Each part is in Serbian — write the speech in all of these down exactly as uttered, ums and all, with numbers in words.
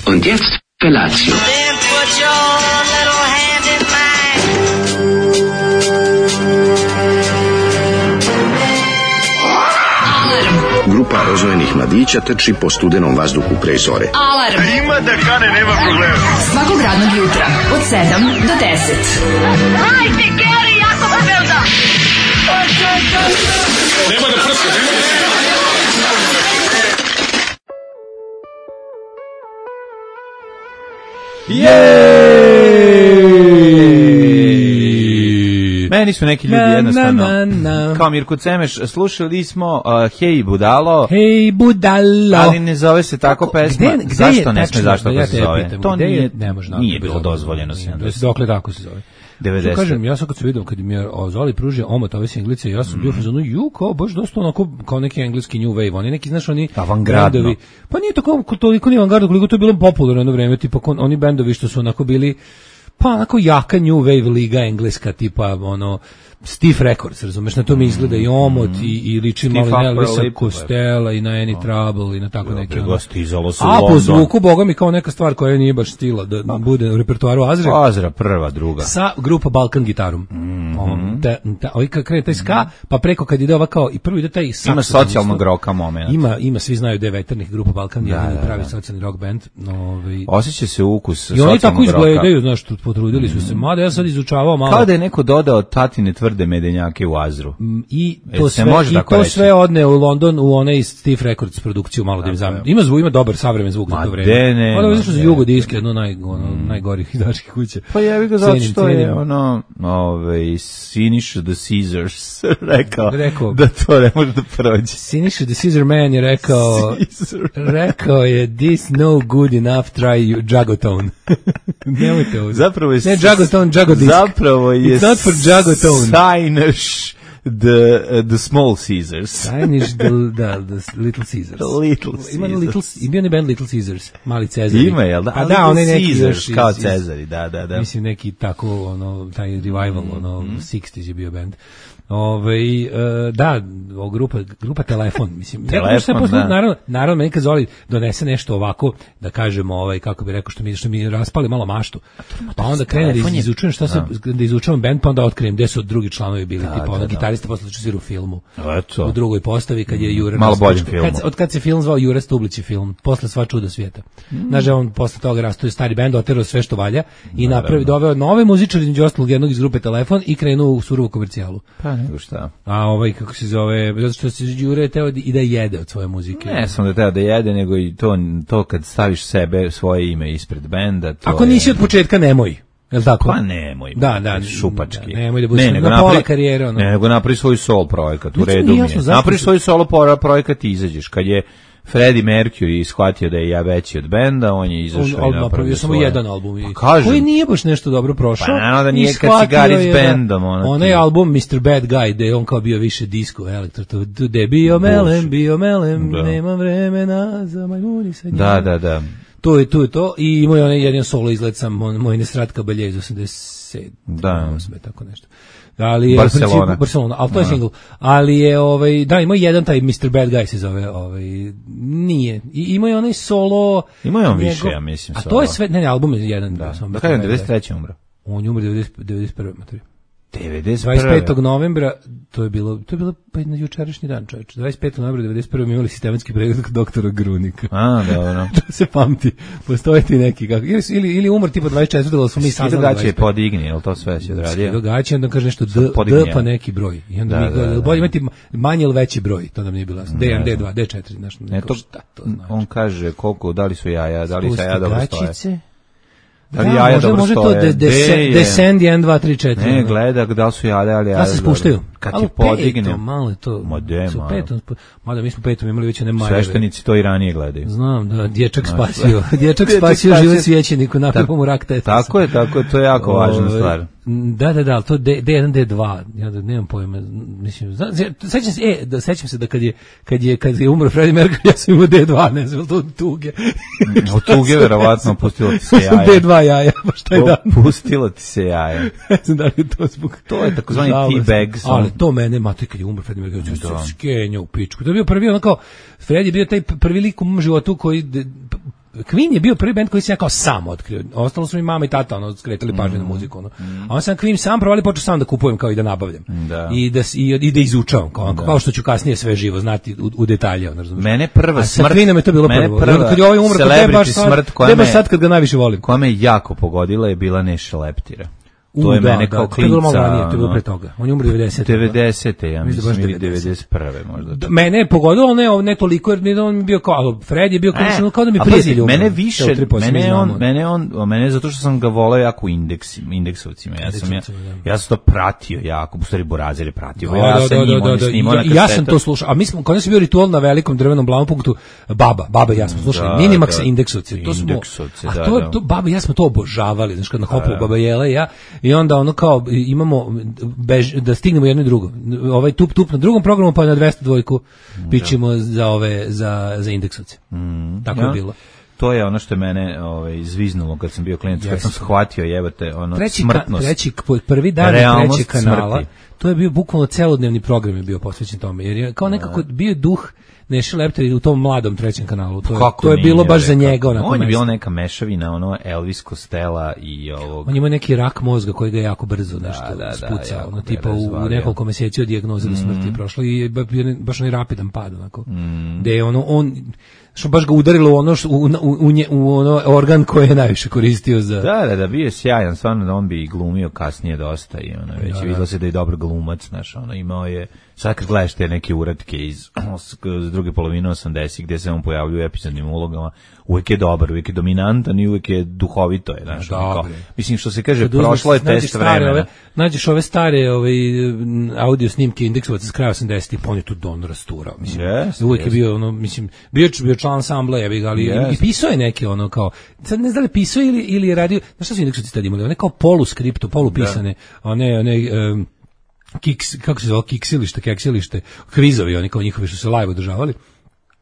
Und jetzt Felatio. Then put your little hand in mine. Grupa rozvojenih mladića trči po studenom vazduhu pre zore. Alarm! A ima da kane, nema problema. Svakog radnog jutra, od sedam do deset. Hajde, Geri, jako se velda! Nema da prska, nema da prska. Jej! Meni su neki ljudi jednostavno na, na, na. kao Mirko Cemeš. Slušali smo uh, Hej budalo. Hej budalo. Ali ne zove se tako pesma. Gde, gde zašto je, ne sme, zašto ja se zove? Pitam, to nije, je, ne može, nije bilo dozvoljeno. sedamdeset. Dokle tako se zove? devedeset. Što kažem, ja sam kad se vidio, kad mi je Zoli pružio omot ove singlice, ja sam mm. bio fazonu, ju, kao baš dosta onako, kao neki engleski new wave, oni neki, znaš, oni bendovi, pa nije to kao toliko ni avangardno, koliko to je bilo popularno jedno vreme, tipa oni bendovi što su onako bili, pa onako jaka new wave liga engleska, tipa, ono, Stiff Records, razumeš, na to mi izgleda i omot mm. i, i liči malo na Elvisa Costello i na Any Trouble i na tako neke. Ono. A po zvuku, boga mi, kao neka stvar koja nije baš stila da pa. bude u repertoaru Azre. Azra prva, druga. Sa grupa Balkan gitarom. Mm-hmm. Um, ta, ta, ovaj kad krene taj ska, pa preko kad ide ova kao, i prvo ide taj saksofon. Ima socijalnog roka moment. Ima, ima, svi znaju da je veternih grupa Balkan, da, jedini da, pravi da. socijalni rock band. Ovaj. Osjeća se ukus socijalnog roka. I oni tako izgledaju, znaš, potrudili su se. Mada ja sad izučavao malo. Kao da je neko dodao tatine tvrde medenjake u Azru. I E, to se sve, može i tako to reći? sve odne u London u onaj Stiff Records produkciju, malo da im znam. Ima zvuk, ima dobar savremen zvuk Ma za to vreme. de, ne, Ono ma izašlo za de. Jugo diske, jedno naj, ono, najgorih izdačkih kuća. Pa ja bih ga zato Cenim, što je cenim. ono, ovaj, Siniša the Caesars rekao, Rekao. da to ne može da prođe. Siniša the Caesar Man je rekao, Caesar. rekao je this no good enough try you Jagotone. Nemojte ovo. Zapravo je Ne Jagotone, Jagodisk. Zapravo je It's not for Jagotone. Siniš the, uh, the small Caesars. Siniš the, da, the Little Caesars. Little Ima Caesars. Little, i bio ne band Little Caesars, mali Cezari. Ima, jel da? Pa Ali da, Little onaj neki Caesars, još iz- kao iz- Cezari, da, da, da. Mislim neki tako ono taj revival Mm, ono šezdesetih je bio bend. Ovaj e, da, o grupa grupa Telefon, mislim. Telefon, ja sam posle da. naravno naravno meni kad Zoli donese nešto ovako da kažemo ovaj kako bi rekao što mi što mi raspali malo maštu. Pa onda krenem da Telefon je- izučujem šta se da izučavam bend, pa onda otkrijem gde su drugi članovi bili, tipa da, ono da. gitarista posle što svira u filmu. Eto. U drugoj postavi kad je Jure Malo boljem Rastulić- filmu. kad, od kad se film zvao Jure Stublić film, posle Sva čuda svijeta. Znaš, on posle toga rastao je stari bend, oterao sve što valja i napravi doveo nove muzičare, između ostalog jednog iz grupe Telefon i krenuo u surovu komercijalu. Pa nego šta. A ovaj, kako se zove, zato što se Đure teo i da jede od svoje muzike. Ne samo da treba da jede, nego i to, to kad staviš sebe, svoje ime ispred benda, to Ako je- nisi od početka, nemoj. Je li tako? Pa nemoj. Da, da, šupački. da, nemoj da budeš na nego pola napravi- karijere, ono. Ne, nego napravi svoj sol projekat, u Znači, redu nije mi je. jasno zašto Napravi se- svoj solo pro- projekat i izađeš. Kad je Freddie Mercury shvatio da je ja veći od benda, on je On izašao i napravio napravio samo svoje. jedan album. i- Pa kažem. Koji nije baš nešto dobro prošao. Pa naravno da i nije kad si shvatio gari s je da- bendom, ono Onaj ti. album mister Bad Guy, gde je on kao bio više disco, elektro, to, to, gde je bio melem, bio melem, Da. nema vremena za majmuni sa njima. Da, da, da. To je, to je to. I imao je onaj jedan solo izlet sam, moj, moj nesrat Kabalje iz osamdeset sedme, Da. osme, tako nešto. Ali je, Barcelona. u principu, Barcelona, ali to je single. Ali je, ovaj, da, ima jedan taj mister Bad Guy se zove, ovaj, nije. I ima je onaj solo... Ima je on njegov- više, ja mislim, A solo. to je sve, ne, ne, album je jedan. Da, samo da mister kažem, Bad Guy. devedeset treće umro. On je umro devedeset devedeset prve materi. devedeset dvadeset petog novembra, to je bilo, to je bilo pa na jučerašnji dan, čoveče. dvadeset petog novembra devedeset prve mi imali sistematski pregled kod doktora Grunika. A, dobro. To se pamti. Postoje ti neki kako ili ili ili umor tipa dvadeset četvrtog ali smo mi Skido saznali. gaće je podigni, jel to sve si odradio? Događa, onda kaže nešto D, podigni D pa jedan. neki broj. I onda Da, mi da, gleda, da. bolje imati manji ili veći broj, to nam nije bilo jasno. D jedan, Ne D znam. dva, D četiri, znaš, Ne, neko to, šta to znači. on kaže koliko, da li su jaja, da li Pusti jaja dobro stoje. gaćice. Da li Da, jaja može, dobro može to stoje? de, D je- descend jedan, dva, tri, četiri. Ne, gleda da li su jaja, ali jaja. Da se spuštaju. Kad Ali ti podigne, petom, malo je to. Ma de, su malo. petom, spu- mada mi smo petom imali već one majeve. sveštenici to i ranije gledaju. Znam da dječak spasio, dječak Dječak spasio spasio- život svećeniku, napio mu rak tetasa. Tako je, tako je, to je jako važna Ovaj, stvar. Da, da, da, ali to D, D jedan, D dva, ja da nemam pojma, mislim, zna, sećam se, e, da sećam se da kad je, kad je, kad je umro Freddie Mercury, ja sam imao D dva, ne znam, jel to od tuge. Od tuge verovatno pustilo ti se jaja. D dva jaja, baš taj dan. Pustilo ti se jaja. Ne znam da li je to zbog... To je takozvani Žalost. teabag song. Ali to mene, mate, kad je umro Freddie Mercury, Da. ja sam skenjao u pičku. To je bio prvi, ono kao, Freddie je bio taj prvi lik u mom životu koji... de- Queen je bio prvi bend koji sam ja kao sam otkrio. Ostalo su mi mama i tata ono skretali pažnju na muziku ono. A on sam Queen sam provali počeo sam da kupujem kao i da nabavljam. Da. I da s- i, i da izučavam kao, kao što ću kasnije sve živo znati u, u detalje, ono, razumiješ. Mene prva A sa smrt- Queenom je to bilo mene prvo. prva I onda kad je ovaj umro, kad je baš celebrity sad, smrt koja gde baš me- sad kad ga najviše volim. Koja me jako pogodila je bila Neša Leptira. To U, je da, mene da, kao to je bilo malo klinca. ranije, to je bilo ono, pre toga. On je umro devedesete. devedesete, ja Mislim da baš mislim, ili devedeset. devedeset prve možda. Da, mene je pogodilo, ne, ne toliko, jer mi on mi bio kao, ali Fred je bio kao, E, kao da mi a prijatelj pazi, umro. mene Evo, više, tri posto mi mene on, znamo. mene on, mene zato što sam ga voleo jako u indeksima, indeksovcima. Ja sam ja, Indeksovcima, da. ja sam to pratio jako, u stvari Borazer je pratio. Da, ja da, sam da, njim, da, on je da, snimao ja, na ja sam kasetu. to slušao, a mi smo, kod nas je bio ritual na velikom drvenom Blaupunktu, baba, baba i ja smo slušali, Da, Minimax da. indeksovci, to smo, Indeksovci, a da, to, da. to, baba i ja smo to obožavali, znaš, kad na hopu da. baba Jela i ja, i onda ono kao, imamo, bež, da stignemo jedno i drugo, ovaj tup, tup na drugom programu, pa na dvesta dvojku pićemo za ove, za, za indeksovce. Tako je Ja. bilo. To je ono što je mene ovaj, zviznulo kad sam bio klinac, kad sam Jeste. shvatio jebate ono treći, ka, smrtnost. treći k- prvi dan Realnost trećeg kanala, smrti. to je bio bukvalno celodnevni program je bio posvećen tome, jer je kao nekako bio duh Neši Lepter u tom mladom trećem kanalu. To je, Kako to je bilo nije, baš za kako? njega onako. On je mesto. bila neka mešavina, ono Elvis Costello i ovog... On ima neki rak mozga koji ga jako brzo nešto da, da, spucao, jako ono, ga tipa u, u razvalio. nekoliko meseci od dijagnoze do smrti Mm. prošlo i ba- bio je baš onaj rapidan pad, onako. Mm. Gde je ono, on, što baš ga udarilo u ono, što, u, u, u, nje- u ono organ koji je najviše koristio za... Da, da, da, bio je sjajan, stvarno da on bi i glumio kasnije dosta i ono, već Da, je da. videlo se da je dobar glumac, znaš, ono, imao je, sad kad gledaš te neke uratke iz, iz druge polovine osamdesetih gde se on pojavljuje u epizodnim ulogama, uvek je dobar, uvek je dominantan i uvek je duhovito je, znaš, ono, kao, Dobre. mislim što se kaže, Kad uzmeš, prošlo je nađeš test stare vremena. Ove, nađeš ove stare ove, m, audio snimke indeksovaca s kraja osamdesetih, pa on je tu don rasturao. Mislim, Jest, uvijek je jest. bio, ono, mislim, bio, č- bio član ansambla, ja bih ga, ali Jest. i pisao je neke, ono, kao, sad ne znam da li pisao ili, ili je radio, znaš šta su indeksovci tad imali, one kao poluskripto, polupisane, one, one, um, kiks, kako se zove, kiksilište, keksilište, kvizovi, oni kao njihovi što se live održavali.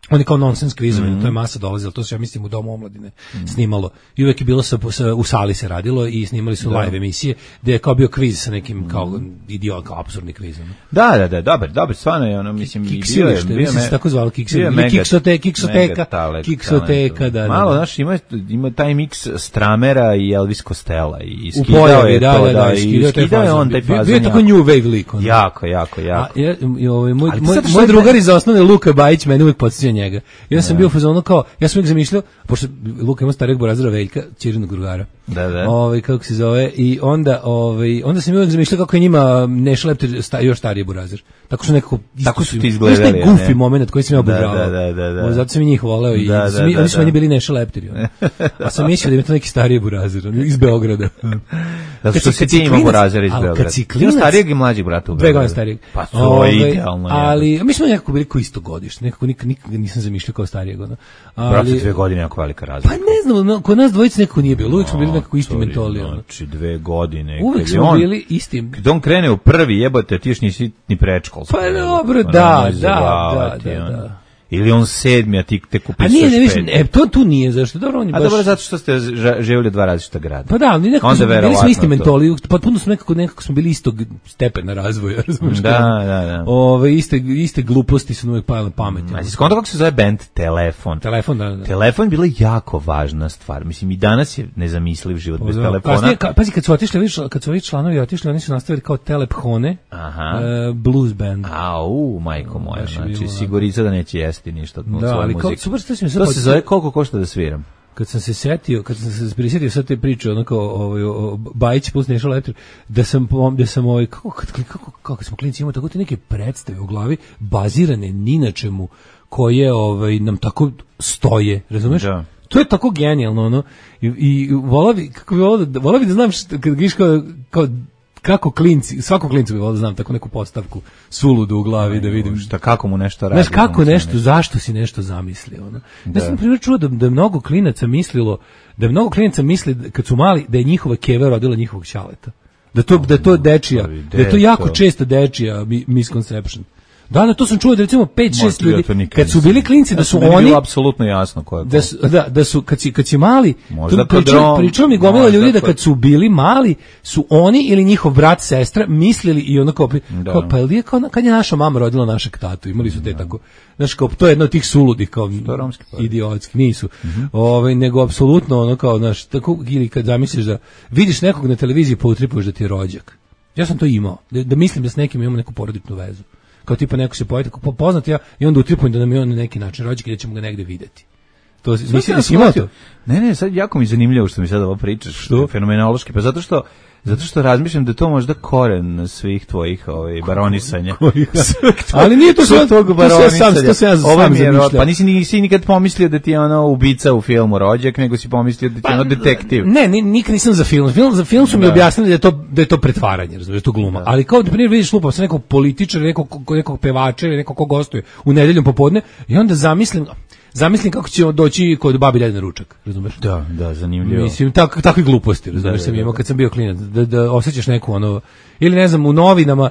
Oni kao nonsens kvizovi, Mhm. to je masa dolazila, to se ja mislim u Domu omladine snimalo. I uvek je bilo sa, sa, u sali se radilo i snimali su Da. live emisije, gde je kao bio kviz sa nekim kao idiot, kao apsurdni kviz. ono. Da, da, da, dobar, dobar, stvarno je ono, mislim, i bio je, Kiksilište, bio mislim me- se tako zvalo, bio je kiksilište, ili mega- kiksote, kiksoteka, mega talent, kiksoteka, talent. da, da. Malo, da. znaš, ima, ima taj miks Stramera i Elvis Costello i U skidao pojavi, je da, to, da, da, i skidao taj skidao je fazon. on taj Bio- fazon. Bio je tako jako. new wave lik. ono. Jako, jako, A, jako. ja, i ovaj, moj, Ali moj, zato što moj je drugar taj- iz osnovne, Luka Bajić, mene uvijek podsjeća njega. Ja sam bio u fazonu kao, ja sam uvijek zamišljao, pošto Luka ima starijeg Borazira Veljka, ćerinog drugara. Da, da. Ovaj, kako se zove, i onda, ovaj, onda sam uvijek zamišljao kako je njima Neša Lepter sta, još stariji Borazir. Tako su nekako... isto Tako su ti im- izgledali, znaš taj a ne? goofy moment koji sam ja Da, obožavao. da, da, da, da. O, zato sam i njih voleo i Da, da, sam, da, oni su da. meni bili Neša Lepteri. ono. A sam mislio da je to neki stariji Borazir, ono, iz Beograda. Zato Kad što si- si kad ti si imao klinac- Borazira iz ali kad Beograda. si Ti imaš klinac- starijeg i mlađeg brata u Dve Beogradu. godine starijeg. Pa to je Ovaj, idealno. je. Ali, mi smo nekako bili kao isto godište, nekako nikad, nikad nisam zamišljao kao starijeg. Ono. Brate, Ali, dve godine jako velika pa razlika. ne znam, no, kod nas dvojice nekako nije bilo, uvijek smo bili nekako isti Sorry, mentoli. Ono. Znači, dve godine. Uvijek kad je smo on- bili isti. Kad on krene u prvi, jebote, ti još nisi ni predškolski. Pa jebote. dobro, Ono, da, nemoj da, zajebavati, da, da, ono. da. Ili on sedmi, a ti tek A upisuješ nije, ne, mislim, peti. e, to tu nije, zašto? Dobro, on je A baš... dobro, zato što ste ža- živjeli u dva različita grada. Pa da, ali nekako Onda smo, bili smo verovatno isti to. mentoli, potpuno smo nekako, nekako smo bili istog stepena razvoja, razumiješ? Da, da, da. Ove, iste, iste gluposti su nam uvijek pale na pamet. Znači, skonto kako se zove band Telefon. Telefon, da, da. Telefon je bila jako važna stvar. Mislim, i danas je nezamisliv život bez Da. telefona. Kasnije, ka, pazi, kad su otišli, vidiš, kad su ovi članovi otišli, oni su nastavili kao Telephone, Aha. e, blues band. Au, majko moja, Baš je znači bilo sigurica da neće jesti ništa od Da, svoje ali kao, muzike. super što si mi sad To se podsjetio- zove koliko košta da sviram. kad sam se setio, kad sam se prisjetio sad te priče onako ovaj o Bajić plus Neša Lepter, da sam pom- da sam ovaj kako kako kako, kako smo klinci imali tako te neke predstave u glavi bazirane ni na čemu koje ovaj nam tako stoje, razumeš? Da. To je tako genijalno ono i, i volao bi kako bi volao da volao bi da znam što, kad giš kao, kao kako klinci, svakog klincu bi volao da znam tako neku postavku suludu u glavi da vidim Šta, kako mu nešto radi. znaš kako mu se nešto, zašto si nešto zamislio? Ono? Ja sam na primjer čuo da, da je mnogo klinaca mislilo, da je mnogo klinaca misli da- kad su mali da je njihova keva rodila njihovog ćaleta. Da to da je to dečija, da je to jako često dečija mi- misconception. Da, da, to sam čuo da recimo pet šest Možda ja ljudi to nikad kad su nisam- bili klinci da Ja su sam- meni je oni bilo apsolutno jasno ko je ko. da su, da, da su kad si, kad si mali, Možda to pričao, kod Rom- pričao mi gomila možda ljudi da kod- kad su bili mali, su oni ili njihov brat, sestra mislili i ono kao, pri- Da. kao pa jel je kao, na- kad je naša mama rodila našeg tatu, imali su te tako, znaš kao, to je jedno od tih suludih kao je romski porod. idiotski, nisu, Ovaj, nego apsolutno ono kao, znaš, tako, ili kad zamisliš da vidiš nekog na televiziji pa utripuješ da ti je rođak. Ja sam to imao, da, da mislim da s nekim imamo neku porodičnu vezu. Kao tipa neko se pojavi tako poznat ja i onda utripujem da nam je on na neki način rođak i da ćemo ga negde videti. To mislim da si imao to. Ne, ne, sad jako mi je zanimljivo što mi sad ovo pričaš. Što? Fenomenološki, pa zato što zato što razmišljam da je to možda koren svih tvojih ovaj baronisanja. Ali nije to Svog sve tvog to sve sam baronisanja. to se ja Ovo sam mi je ro- zamišljao. Pa nisi nisi nikad pomislio da ti je ono ubica u filmu Rođak, nego si pomislio da ti je ono detektiv. Ne, ni, nikad nisam za film. Film za film su mi Da. objasnili da je to da je to pretvaranje, razumiješ, to gluma. Ali kao da primjer vidiš lupa sa nekog političara, nekog nekog pevača ili nekog ko gostuje u nedeljom popodne i onda zamislim Zamislim kako će on doći kod babi dede na ručak, razumeš? Da, da, zanimljivo. Mislim, tak, takve gluposti, razumeš, Da, sam da, imao da. kad sam bio klinac, da, da osjećaš neku ono, ili ne znam, u novinama,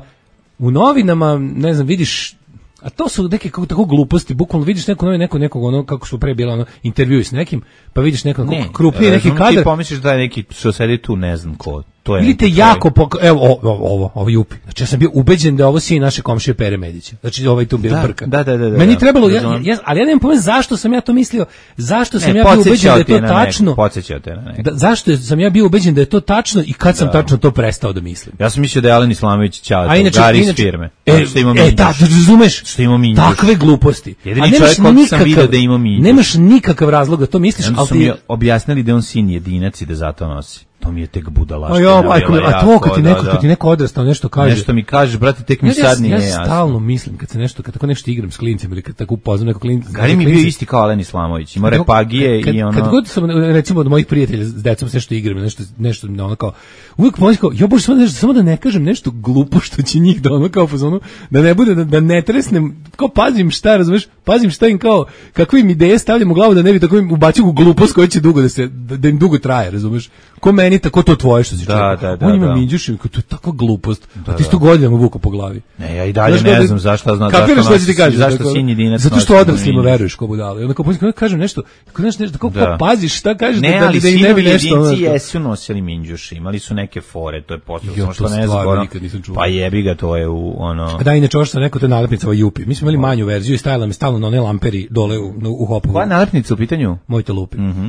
u novinama, ne znam, vidiš, a to su neke kako tako gluposti, bukvalno vidiš neko novi, neko nekog ono kako su pre bila ono intervju s nekim, pa vidiš nekog Ne, krupniji neki razumem, kadar. Ti pomisliš da je neki što sedi tu, ne znam ko. To je ili te jako pok... evo o, o, ovo ovo jupi. Znači ja sam bio ubeđen da je ovo sin naše komšije Pere Medića. Znači ovaj tu bio da, brka. Da, da, da, da, meni da, trebalo da, ja, ja, ali ja nemam pojma zašto sam ja to mislio. Zašto sam ne, ja bio ubeđen da je to tačno. Podsjećao te na neko. Da, zašto sam ja bio ubeđen da je to tačno i kad sam da. tačno to prestao da mislim. Ja sam mislio da je Alen Islamović ćao Gari iz firme. E, što ima e da, razumeš? Što ima minđuš. Takve gluposti. Jedini čovjek kog sam vidio da ima minđuš. Nemaš nikakav razlog da to misliš, ali su mi objasnili da je on sin jedinac i da zato nosi. To mi je tek budalaština. A ja, majko, a to kad ti neko, da, kad ti neko odrastao nešto kaže. Nešto mi kažeš, brate, tek mi ja, sad nije ja, jasno. Ja stalno mislim kad se nešto, kad tako nešto igram s klincem ili kad tako upoznam neko klinca. Gari mi bio isti kao Alen Islamović, ima repagije kad, i ono. Kad god sam recimo od mojih prijatelja s decom se nešto igram, nešto nešto ono kao uvijek pomoći kao, ja bože samo nešto, samo da ne kažem nešto glupo što će njih da ono kao fazonu, da ne bude da, da ne tresnem, kao pazim šta, razumeš? Pazim šta im kao kakve im ideje stavljam u glavu da ne bi tako im ubacio u glupost koja će dugo da se da, da im dugo traje, razumeš? Ko meni tako to tvoje što si da, da, da, on ima da. minđuši, to je takva glupost. Da, a ti sto godinama vuko po glavi. Ne, ja i dalje znaš, ne da, znam zašto znam zašto. Kako što ti kažeš? Zašto sin jedinac? Zato što odraslima veruješ ko budale. Onda kao kad kažem nešto, kad nešto nešto kako da. paziš šta kažeš ne, da, da, da im ne bi nešto. Ne, ali sinovi jesu nosili minđuši, imali su neke fore, to je posebno što ne znam. Pa jebi ga, to je u ono. Da, inače ovo što sam rekao, to je nalepnica ova Jupi. Mi smo imali manju verziju i stajala mi stalno na one lamperi dole u, u hopu. Koja nalepnica u pitanju? Mojte lupi. Mhm.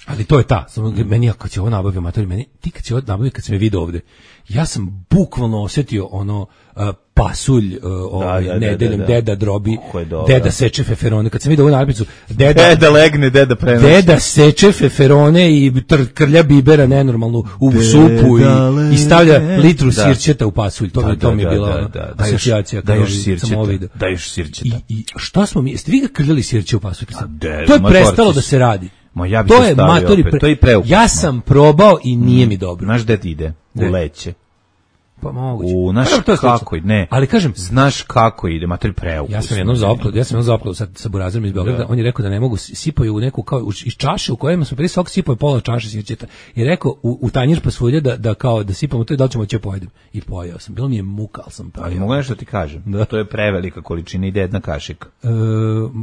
Ali to je ta, samo meni ja kad će ovo nabavio matori, meni, ti kad će ovo nabavio, kad sam je vidio ovde, ja sam bukvalno osjetio ono uh, pasulj uh, ovaj, da, da, nedeljom, da, da, da. deda drobi, deda seče feferone, kad sam vidio ovu nalepnicu, deda, deda legne, deda prenosi. Deda seče feferone i tr, krlja bibera nenormalnu u deda supu i, i stavlja litru da. sirćeta u pasulj, to, da, to mi je bila da, da, da, asocijacija. Da još sirćeta, da još sirćeta. I, i šta smo mi, jeste vi ga krljali sirće u pasulj? To je prestalo da se radi. Ma ja bi to se je stavio matori, opet, to je preukupno. Ja sam probao i nije mm. mi dobro. Znaš gde ti ide? U leće. Pa moguće. U, znaš pa, kako ide? Ne. Ali kažem, znaš kako ide, matori preukusno. Ja sam jednom zaoklad, ja sam jednom zaoklad sa, sa burazerom iz Beograda, on je rekao da ne mogu, sipaju u neku, kao, iz čaše u kojem smo prije sok sipaju pola čaše sirćeta. I rekao, u, u tanjir pasulje da, da kao, da sipamo to i da li ćemo će pojedem. I pojeo sam, bilo mi je muka, ali sam pojeo. Ali mogu nešto ti kažem, da. To je prevelika količina, ide jedna kašika. E,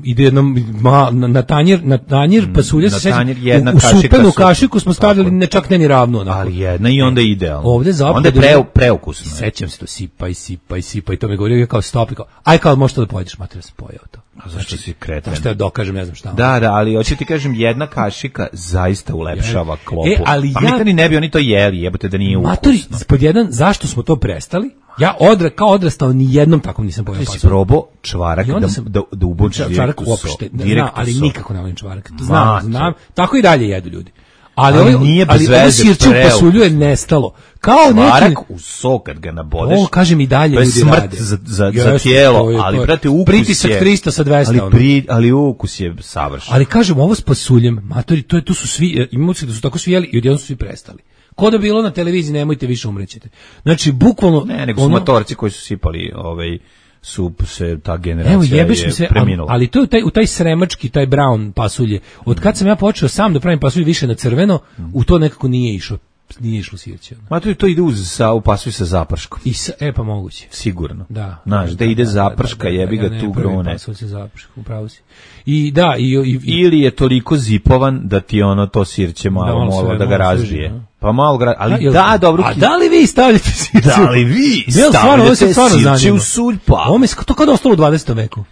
ide jedna, ma, na, na tanjir, na tanjir pasulje se sećam, jedna u, u kašika supenu kašiku smo stavljali ne čak ne ni ravno. Onako. Ali jedna i onda idealno. Ovde zapravo onda je pre, preukusno. Sećam se to, sipaj, sipaj, sipaj, to me govorio kao stop, kao, aj kao možeš to da pojedeš, mater, sam pojeo to. A zašto si kretan? Zašto ja dokažem, ne znam šta. Da, da, ali hoću ti kažem, jedna kašika zaista ulepšava klopu. E, ali pa ja... mi ne bi oni to jeli, jebote da nije ukusno. Matori, pod jedan, zašto smo to prestali? Ja odra, kao odrastao ni jednom takvom nisam pojeo pasulj. Ti si probao čvarak da, sam, da, da ubočiš čvarak uopšte, zna, ali nikako ne volim čvarak. Znam, znam, tako i dalje jedu ljudi. Ali, ali, nije bez ali veze, ovo sirće u pasulju je nestalo. Kao čvarak neki... u sok kad ga nabodeš. O, kažem i dalje ljudi rade. To je smrt za, za, yes, za tijelo, to je, ali brate ukus pritisak je... trista sa dvesta. Ali, pri, ali ukus je savršen. Ali kažem, ovo s pasuljem, matori, to je, tu su svi, imamo se da su tako svi jeli i odjednom su svi prestali. Ko da bilo na televiziji, nemojte više, umrećete. Znači, bukvalno... Ne, nego su ono, motorci koji su sipali ovaj... su se ta generacija evo, jebeš mi se, preminula. Ali, ali to je taj, u taj sremački, taj brown pasulje. Od kad sam ja počeo sam da pravim pasulje više na crveno, mm. u to nekako nije išlo. Nije išlo sirće. Ma to, to ide uz sa, u pasulj sa zaprškom. I sa, e pa moguće. Sigurno. Da. Znaš, da ide zaprška, da, da, da, jebi ga ja tu grune. Pasulj sa zaprškom, upravo si. I da, i, i, i, ili je toliko zipovan da ti ono to sirće malo da, malo da ga razbije. Služi, pa malo ga, ali da, da dobro. A da li vi stavljate sirće? Da li vi stavljate sirće u sulj? Pa. Ovo mi se to kada ostalo u dvadesetom veku.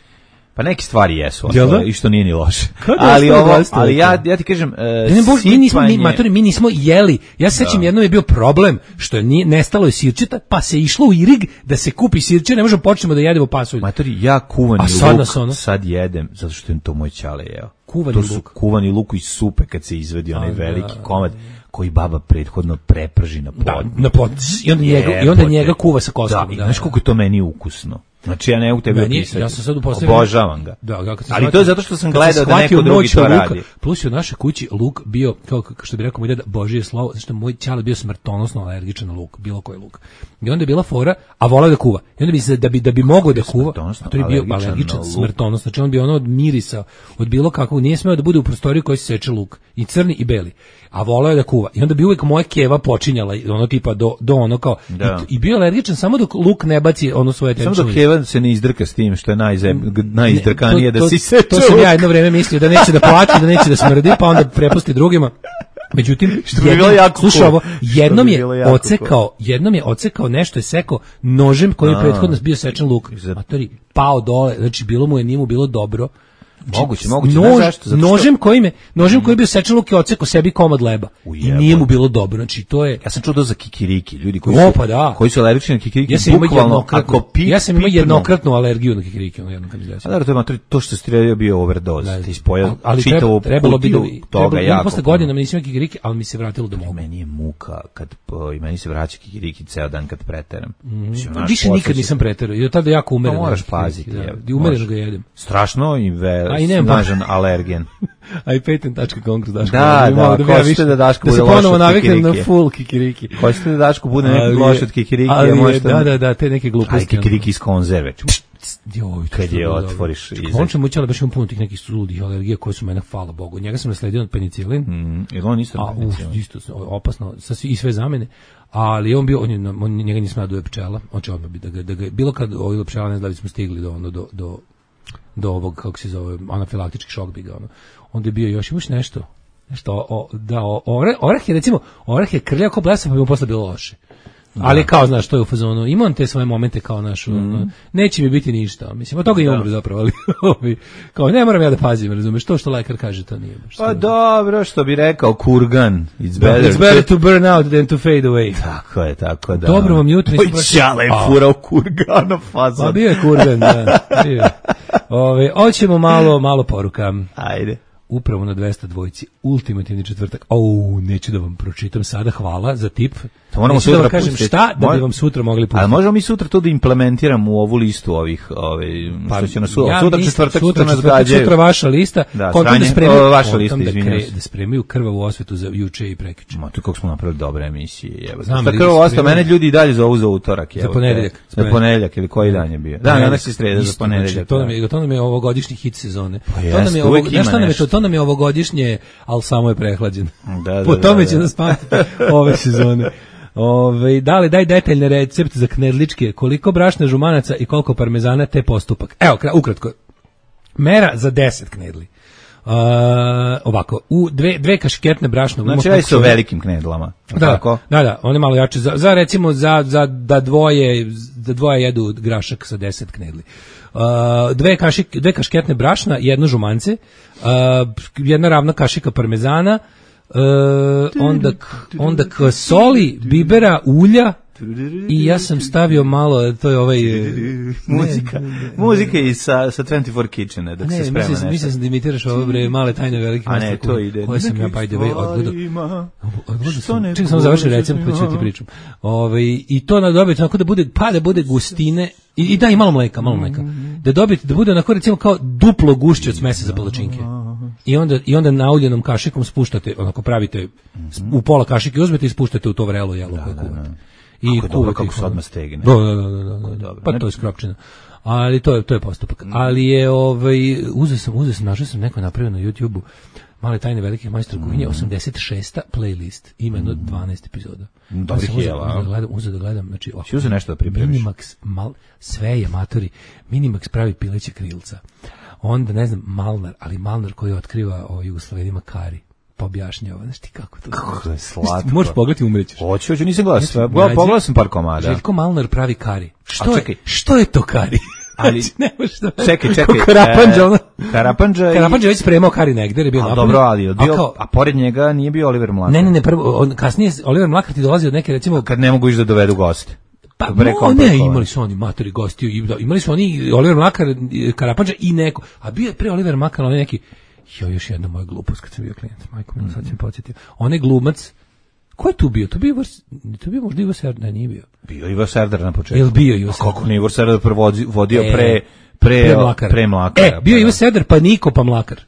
Pa neke stvari jesu, da? I što nije ni loše. Kada ali ovo, ali ja ja ti kažem, uh, ne, bož, mi nismo mi, matori, mi nismo jeli. Ja se sećam, jednom je bio problem što je nije nestalo je sirćeta, pa se išlo u Irig da se kupi sirće, ne možemo počnemo da jedemo pasulj. Matori, ja kuvani A sad luk ono? sad jedem zato što je to moj ćale jeo. Kuvani to su luk. Kuvani luk iz supe kad se izvedi onaj A, veliki da, komad koji baba prethodno preprži na pod. Da, na pod. I onda njega, i onda njega kuva sa kostom. Da, da, znaš koliko je to meni ukusno. Znači ja ne mogu tebe opisati. Ja sam sad upostavio. Obožavam ga. Da, ga kad ali to je zato što sam gledao da neko drugi to radi. Luka, plus je u našoj kući luk bio, kao što bi rekao moj deda, Božije slovo, zato što moj ćale bio smrtonosno alergičan na luk, bilo koji luk. I onda je bila fora, a voleo da kuva. I onda bi se da bi da bi mogao da kuva, a to je bio alergičan smrtonosno. Znači on bi ono od mirisa, od bilo kakvog, nije smeo da bude u prostoriji koji se seče luk, i crni i beli. A voleo je da kuva. I onda bi uvijek moja keva počinjala ono tipa do do ono kao da. i, i bio alergičan samo dok luk ne baci ono svoje tečine. Samo dok keva se ne izdrka s tim što je najzem, najizdrkanije da si seče. To sam ja jedno vreme mislio da neće da plače, da neće da smrdi, pa onda prepusti drugima. Međutim, Što bi jednom, bilo jako slušaj cool. ovo, jednom Što bi je bilo jako ocekao, jednom je ocekao nešto, je sekao nožem koji je prethodno bio sečen luk. Matori, pao dole, znači bilo mu je, nije mu bilo dobro. Moguće, moguće. Nož, Znaš zašto? Zato što- nožem kojim je, nožem koji je bio sečen luk je ocekao sebi komad leba. I Ujebate. nije mu bilo dobro. Znači to je Ja sam čuo to za kikiriki, ljudi koji O, su, pa da. koji su alergični na kikiriki, ja sam imao bukvalno, jednokratnu, ako pi, ja sam imao pipnu- jednokratnu alergiju na kikiriki, ono jednom kad mi desilo. A da, to je matri, to što ste radio bio overdose, ti ispojao Ali čitavu treba, trebalo bi da kutiju trebalo, toga ja jako. posle godina mi nisam imao kikiriki, ali mi se vratilo da mogu. Meni je muka kad po, i meni se vraća kikiriki ceo dan kad preteram. Mislim, naš Više posao nikad se- nisam preterao. I od tada jako umereno. Pa moraš jedem paziti, kikiriki, jebote, da. I umereno moraš. ga jedem. Strašno i ve, A i nemam snažan alergen. A i patent tačka com kroz Daško. Da, bi malo da, bi ja hoćete više- da Daško da se bude loš ponovo od naviknem na kikiriki. full kikiriki. Hoćete da Daško bude neki Ali je- loš od kikiriki, ali a je- možete... Da, da, da, te neke Aj, gluposti. kikiriki iz konzerve. Joj, Kad to je bilo dobro. otvoriš Čekaj, iza- on će mućala baš imam puno tih nekih suludih alergija koje su mene, hvala Bogu. Njega sam nasledio od penicilin. Mm, jer on isto A, uf, penicilin. isto opasno, sa svi- i sve zamene. Ali on bio, on, je, on njega nisam naduje pčela. On će odmah biti da ga, da ga, bilo kad ovi pčela, ne znam da li smo stigli do, ono, do, do, do ovog, kako se zove, anafilaktički šok bi ga, ono. Onda je bio još, imaš nešto, nešto, o, o, da, o, oreh, oreh je, recimo, oreh je krljao kao blesa, pa bi mu posle bilo loše. Ali kao, znaš, to je u fazonu, ima on te svoje momente kao naš, ono, neće mi biti ništa, mislim, od toga i umre zapravo, ali, ovi, kao, ne moram ja da pazim, razumeš, to što lekar kaže, to nije baš. Pa dobro, što bi rekao Kurgan, it's better, It's better to burn out than to fade away. Tako je, tako da. Dobro vam jutro, nisam Oj, baš- čale je A. furao Kurgana fazon. Pa bio je kurgan, da. Bio je. Ove, hoćemo malo, malo poruka. Ajde. Upravo na dvesta dvojci, ultimativni četvrtak. Au, neću da vam pročitam sada, hvala za tip. To moramo Neću da sutra vam kažem pustiti. šta, da bi Moj- vam sutra mogli pustiti. Ali možemo mi sutra to da implementiramo u ovu listu ovih, ove, što će nas su, Ja sutra mislim, četvrtak, sutra, sutra nas četvrtak, gađaju. sutra vaša lista. Da, kontam sranje, da spremaju, o, vaša kontam lista, da, izvinjavam kre, se. da spremaju krvavu osvetu za juče i prekjuče. Ma, to kako smo napravili dobre emisije, jebote. Znam, Šta ali krvo da se ostao, spremaju- mene ljudi i dalje zovu za utorak, jebote. ponedeljak. Za ponedeljak ili koji dan je bio. Da, danas se sreda za Isto, ponedeljak. znači, to nam da. je, to nam je ovogodišnji hit sezone. Pa to nam jeste, je uvek ovog, ima znaš šta nam je to? nešto. To nam je ovogodišnje, ali samo je prehlađen. Da, da, Po da, tome da, će da. nas pamtiti ove sezone. Ove, da li daj detaljni recept za knedličke, koliko brašna žumanaca i koliko parmezana te postupak. Evo, kra- ukratko. Mera za deset knedli. Uh, ovako, u dve, dve kašiketne brašna. Znači, ima radi se o koliko- velikim knedlama. Da, Tako? da, da, one malo jače. Za, za recimo, za, za da dvoje, da dvoje jedu grašak sa deset knedli. Uh, dve, kašik, dve kašketne brašna, jedno žumance, uh, jedna ravna kašika parmezana, uh, onda, k- onda k soli, bibera, ulja, i ja sam stavio malo, to je ovaj... e, Muzika. Muzika i sa, sa dvadeset četiri Kitchena, dok se Ne, sprema mislim, nešto. mislim sam da imitiraš ovo bre male tajne velike A ne, master to koje- ide. koje sam ja Nekim by the way odgledao. stvarima, Odgledao što sam, ne čekaj samo završim govoriš recept pa ću ljudima. ti pričam. Ovaj i to na dobiti onako da bude pa da bude gustine i, i da i malo mleka, malo mleka. Da dobiti da bude onako recimo kao duplo gušće od smesa za palačinke. I onda i onda nauljenom kašikom spuštate, onako pravite u pola kašike uzmete i spuštate u to vrelo jelo koje kuvate. I Kako je dobro, kuvate kako ih, se ono. odmah stegne. Da, da, da, da, da. dobro. Pa to je skropčina. Ali to je to je postupak. Ali je ovaj uzeo sam, uzeo sam, našao sam neko napravio na YouTubeu. Male tajne velikih majstora kuhinje, osamdeset šesta playlist, ima jedno dvanaest epizoda. Dobrih Ja sam uzeo- jela, a? uzeo da gledam, uzeo da gledam, znači ovako, Si uzeo nešto da pripremiš? Minimax, mal, sve je matori. Minimax pravi pileće krilca. Onda ne znam Malnar, ali Malnar koji otkriva o Jugoslovenima kari. Pa objašnjava, znaš ti kako to. Kako je slatko. Možeš pogledati, umrećeš. Hoću, hoću, nisam gledao sve. Nađi- Gledao, pogledao sam par komada. Željko Malnar pravi kari. Što A je, čekaj. što je to kari? Ali- Znači, ne možeš da... Čekaj, čekaj. Ko Karapanđa, e, ono. Karapanđa i... Karapanđa je već spremao kari negde, jer je bio A napolju. dobro, ali je A bio, kao- a pored njega nije bio Oliver Mlakar. Ne, ne, ne, prvo, on, kasnije Oliver Mlakar ti dolazi od neke, recimo, Kad ne mogu ići da dovedu goste. pa, Preko- no, ne, preko- imali su oni matori gostiju, i, da, imali su oni Oliver Mlakar, Karapanđa i neko, a bio je pre Oliver Mlakar, onaj neki, jo, još jedna moja glupost kad sam bio klijent, majko mi, sad sam podsjetio, onaj glumac, ko je tu bio? To bio, Ivor- to bio možda Ivo Serdar, ne, nije bio. Bio Ivo Serdar na početku. Jel bio Ivo A Serdar? kako ne Ivo Serdar prevodi- vodio E, pre... Pre, Pre Mlakara. Pre Mlakara. E, bio je pa Ivo da. Serdar, pa Niko, pa Mlakar.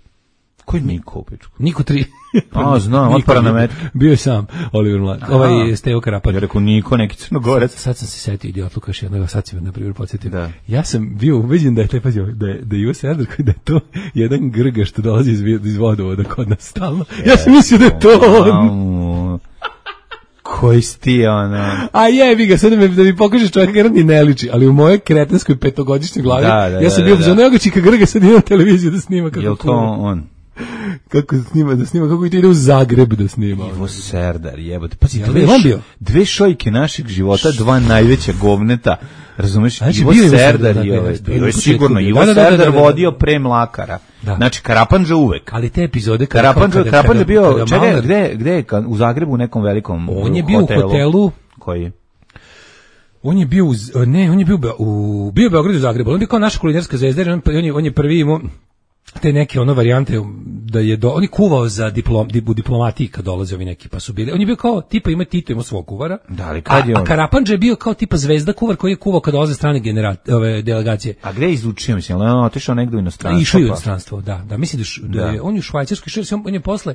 Koji Niko, pičku? Niko tri. A, znam, Niko otpara na bio- metke. Bio je sam Oliver Mlakar. Ovaj Stevo Karapanđa. Ja rekao Niko, neki crnogorac. Sad sam se setio idiotluka još jednog, sad si me na primjer podsjetio. Da. Ja sam bio ubeđen da je taj pazio, da je da je Ivo Serdar koji da je to jedan grga što dolazi iz, iz vodovoda kod nas stalno. Ja sam mislio da je to on. Au, koji si ti, ono... A jebi ga, sad da mi, da mi pokažeš čovjeka jer on ni ne liči, ali u mojoj kretenskoj petogodišnjoj glavi, Da, da, ja sam da, bio da, za da. nego čika grga sad imam televiziju da snima kako Jel to kuva. on? kako snima, da snima, kako ide u Zagreb da snima. Ivo Serdar, jebote. Pazi, Jel dve, je on bio? dve šojke našeg života, dva najveća govneta. Razumeš? Znači, Ivo bio je Ivo Serdar Serdar, je, da, ovaj, da, bio da, je da, sigurno. da, Ivo da, da, da, Serdar da, da. vodio pre Mlakara. Da. Znači, Karapandža uvek. Ali te epizode kada Karapandža, kada- Karapandža je kada- bio, kada čekaj, Malnar- gde, gde je, ka- u Zagrebu u nekom velikom On je bio u hotelu. Koji? On je bio u, Z- ne, on je bio u Be- u bio u Beogradu i u Zagrebu. On je bio kao naša kulinarska zvezda, jer on, on je on je prvi imao te neke ono varijante da je do, on je kuvao za diplom dip, u diplomatiji kad dolaze ovi neki pa su bili. On je bio kao tipa ima Tito ima svog kuvara. Da, ali kad je a, on? a Karapandža je bio kao tipa zvezda kuvar koji je kuvao kad dolaze strane genera, ove delegacije. A gde je izučio, mislim, on je otišao negde u inostranstvo? Išao je u pa- inostranstvo, da, da, mislim da, š- da Da. je, on je u Švajcarskoj, išao je- on je posle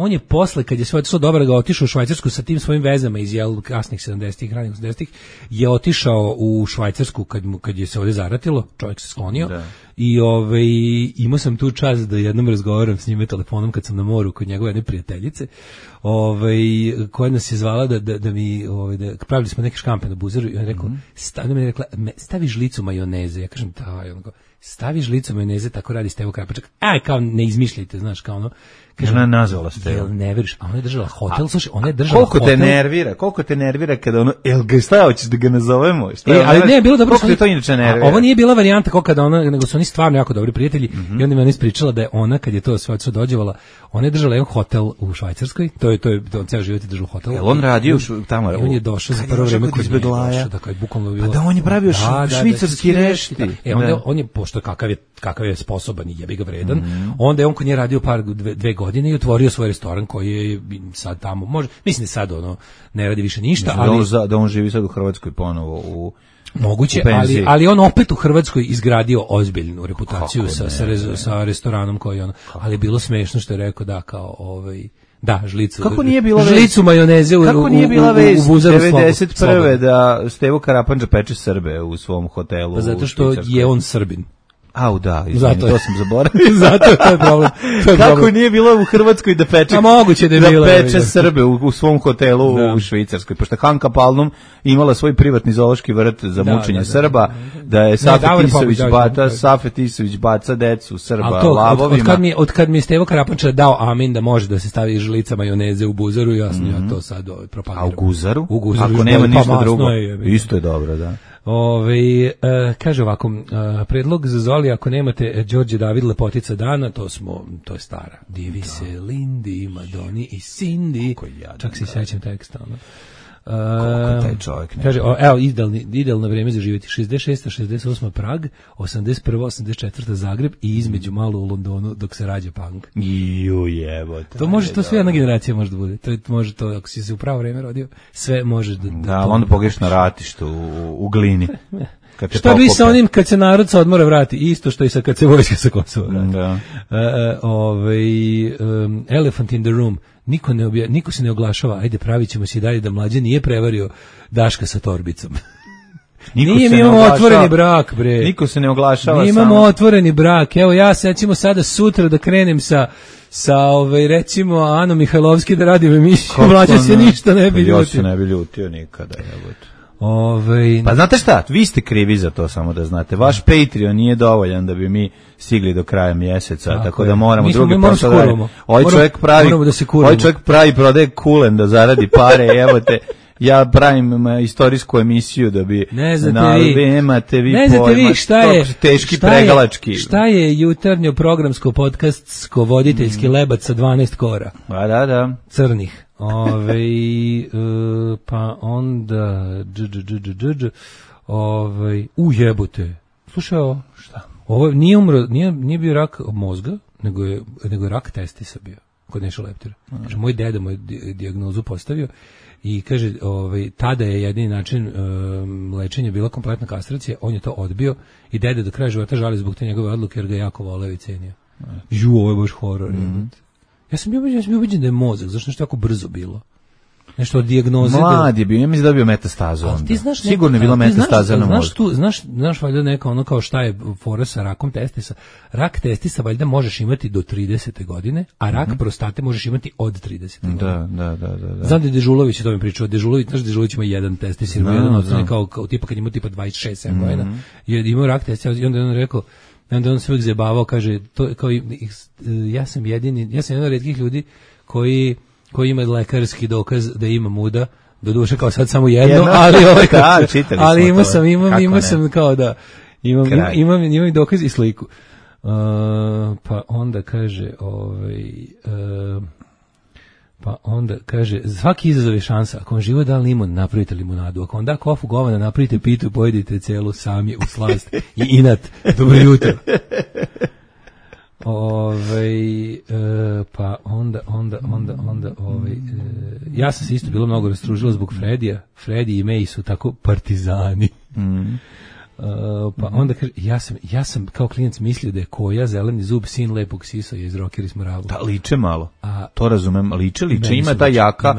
on je posle, kad je sve otišao dobro, ga otišao u Švajcarsku sa tim svojim vezama iz jel, kasnih sedamdesetih, ranih osamdesetih, je otišao u Švajcarsku kad, mu, kad je se ovdje zaratilo, čovjek se sklonio, Da. i ovaj, imao sam tu čast da jednom razgovaram s njime telefonom kad sam na moru kod njegove jedne prijateljice, ovaj, koja nas je zvala da, da, da mi, ovaj, da, pravili smo neke škampe na buzeru i on je rekao, Mhm. sta, ona mi je rekla, "Me- stavi žlicu majoneze", ja kažem, da, i on kao, stavi žlicu majoneze, tako radi Stevo Krapačak, aj, kao ne izmišljajte, znaš, kao ono, kažem, Ona je nazvala Stevo. jel ne veriš, a ona je držala hotel, slušaj, ona je držala Koliko te hotel. nervira, koliko te nervira kada ono, jel ga šta hoćeš da ga nazovemo? Šta, E, ali ne, je bilo dobro. Koliko te to inače nervira? A ovo nije bila varijanta kao kada ona, nego su oni stvarno jako dobri prijatelji, Mhm. i onda mi ona ispričala da je ona, kad je to sve otišlo dođevala, ona je držala jedan hotel u Švajcarskoj, to je, to je, to on ceo život je držao hotel. Jel on radio u Šv- tamo? I on je došao za Kad je prvo došao vreme kod kod izbeglaja? izbeglaja. Da, kao je bukvalno bilo. Pa da, on je pravio š- švicarski rešti. E, onda Da. je- on je, pošto kakav je, kakav je sposoban i jebi ga vredan, onda je on kod nje radio par, dve, dve godine i otvorio svoj restoran koji je sad tamo, može, mislim da sad ono, ne radi više ništa, Da on, ali za- da on živi sad u Hrvatskoj ponovo u... moguće, u penziji. ali, ali on opet u Hrvatskoj izgradio ozbiljnu reputaciju Kako sa, ne, sa, rez- ne. sa restoranom koji on, ali je bilo smešno što je rekao da kao ovaj, da, žlicu. Kako nije bila vez- žlicu majoneze u, Kako nije u- bila u- vez u buzaru slobodno. devedeset prve da Stevo Karapandža peče Srbe u svom hotelu Pa zato u što Švicarskoj? je on Srbin. Au da, izvini, Zato je. to sam zaboravio. Zato je to je problem. To je Kako problem. nije bilo u Hrvatskoj da peče, A moguće da je bila, peče da. Srbe u, u svom hotelu Da. u Švicarskoj, pošto je Hanka Palnum imala svoj privatni zoološki vrt za Da, mučenje da, da, Srba, da, da je Davor Safet Isović Popović, bata, da, da. Safet Isović baca decu Srba Ali to, od, lavovima. od, kad mi, od kad mi je Stevo Karapanča dao amin da može da se stavi žlica majoneze u buzaru, jasno, ja to sad ovaj, propagiram. A u Guzaru? U Guzaru. Ako još nema bolje, pa ništa masno drugo, je, jebi ga. isto je dobro, da. Ove, e, kaže ovako, e, predlog za Zoli, ako nemate e, Đorđe David Lepotica dana, to smo, to je stara. Divi se Lindy, Madoni i Cindy. Kako je jadan, Čak se da. sećam teksta. Ono. Koliko taj čovjek ne Kaže, o, evo, idealni, idealno vreme za živjeti. šezdeset šesta šezdeset osma Prag, osamdeset prva osamdeset četvrta Zagreb i između malo u Londonu dok se rađa punk. Ju jebote. To može, to sve jedna generacija može da bude. To je, može to, ako si se u pravo vreme rodio, sve može da... Da, to- ali onda pogriješ na ratištu u, u glini. Kad te Šta bi sa pokope. onim kad se narod sa odmora vrati? Isto što i sa kad se vojska sa Kosova vrati. Da. E, e, ovaj, um, Elephant in the room. Niko, ne obja, niko se ne oglašava. Ajde, pravit ćemo se i dalje da mlađe nije prevario Daška sa torbicom. Niko Nije, se mi ne imamo oglašava. otvoreni brak, bre. Niko se ne oglašava. Mi imamo samo. otvoreni brak. Evo ja sad ćemo sada sutra da krenem sa sa ovaj recimo Ano Mihajlovski da radim emisiju. Kako Mlađe se ne? ništa ne bi Pa ja ljutio. se ne bi ljutio nikada, jebote. Ovaj Pa znate šta, vi ste krivi za to, samo da znate. Vaš Patreon nije dovoljan da bi mi stigli do kraja mjeseca, tako, Tako da je. moramo Mi smo- drugi mi moramo posao se da kurvamo. radimo. Ovaj Moramo- čovjek pravi, moramo da se kurvamo. ovaj čovjek pravi prodaje kulen da zaradi pare, evo te. Ja pravim ma, istorijsku emisiju da bi Ne znate na, vi. imate vi ne znate pojma, vi šta je to teški šta pregalački. Je, šta je jutarnjo programsko podcastsko voditeljski Mm. lebac sa dvanaest kora A da, da. crnih. Ove, e, pa onda dž, dž, dž, dž, dž, dž, ove, u jebote. Slušaj ovo. Šta? Ovo nije umro, nije, nije bio rak mozga, nego je, nego je rak testisa bio kod Neša Leptira. Kaže, moj deda mu je di- dijagnozu postavio i kaže, ovaj, tada je jedini način um, lečenja bila kompletna kastracija, on je to odbio i deda do kraja života žali zbog te njegove odluke jer ga jako voleo i cenio. Ju, ovo je baš horor. Mm. Ja sam bio ubeđen, ja sam bio ubeđen da je mozak, zašto nešto jako brzo bilo. Nešto od dijagnoze do... Mlad je bio, ja mislim da je bio metastazu Ali onda. ti znaš neko- Sigurno je bila ali ti znaš- metastaza na znaš mozgu. tu, znaš, znaš valjda neka ono kao šta je fora sa rakom testisa. Rak testisa valjda možeš imati do tridesete godine, a rak prostate možeš imati od tridesete godine. Da, da, da, da. da. Znam da je Dežulović o tome pričao. Dežulović, znaš, Dežulović ima jedan testis, ima Da, jedan od znam. kao, kao tipa kad ima tipa dvadeset šest sedam godina. Je imao rak testis i onda je on rekao, onda on se uvijek zajebavao, kaže, to, kao, ja sam jedini, ja sam jedan od retkih ljudi koji, koji ima lekarski dokaz da ima muda, do duše kao sad samo jedno, jedno. ali ovaj, da, ali imao sam, imam, imao sam kao da, imam, imam, imam, imam i dokaz i sliku. Uh, pa onda kaže, ovaj, uh, pa onda kaže, svaki izazov je šansa. Ako vam život da limun, napravite limunadu. Ako vam da kofu govana, napravite pitu, pojedite celu sami u slast i inat. Dobro jutro. Ove, e, pa onda, onda, onda, onda, ove, e, ja sam se isto bilo mnogo rastružila zbog Fredija. Fredi i May su tako partizani. Mm. Uh, pa onda kaže, ja sam, ja sam kao klinac mislio da je Koja, zeleni zub, sin lepog Sisoja iz Rockeri Smoravu. Da, liče malo, a, to razumem, liče, liče, ima ta jaka,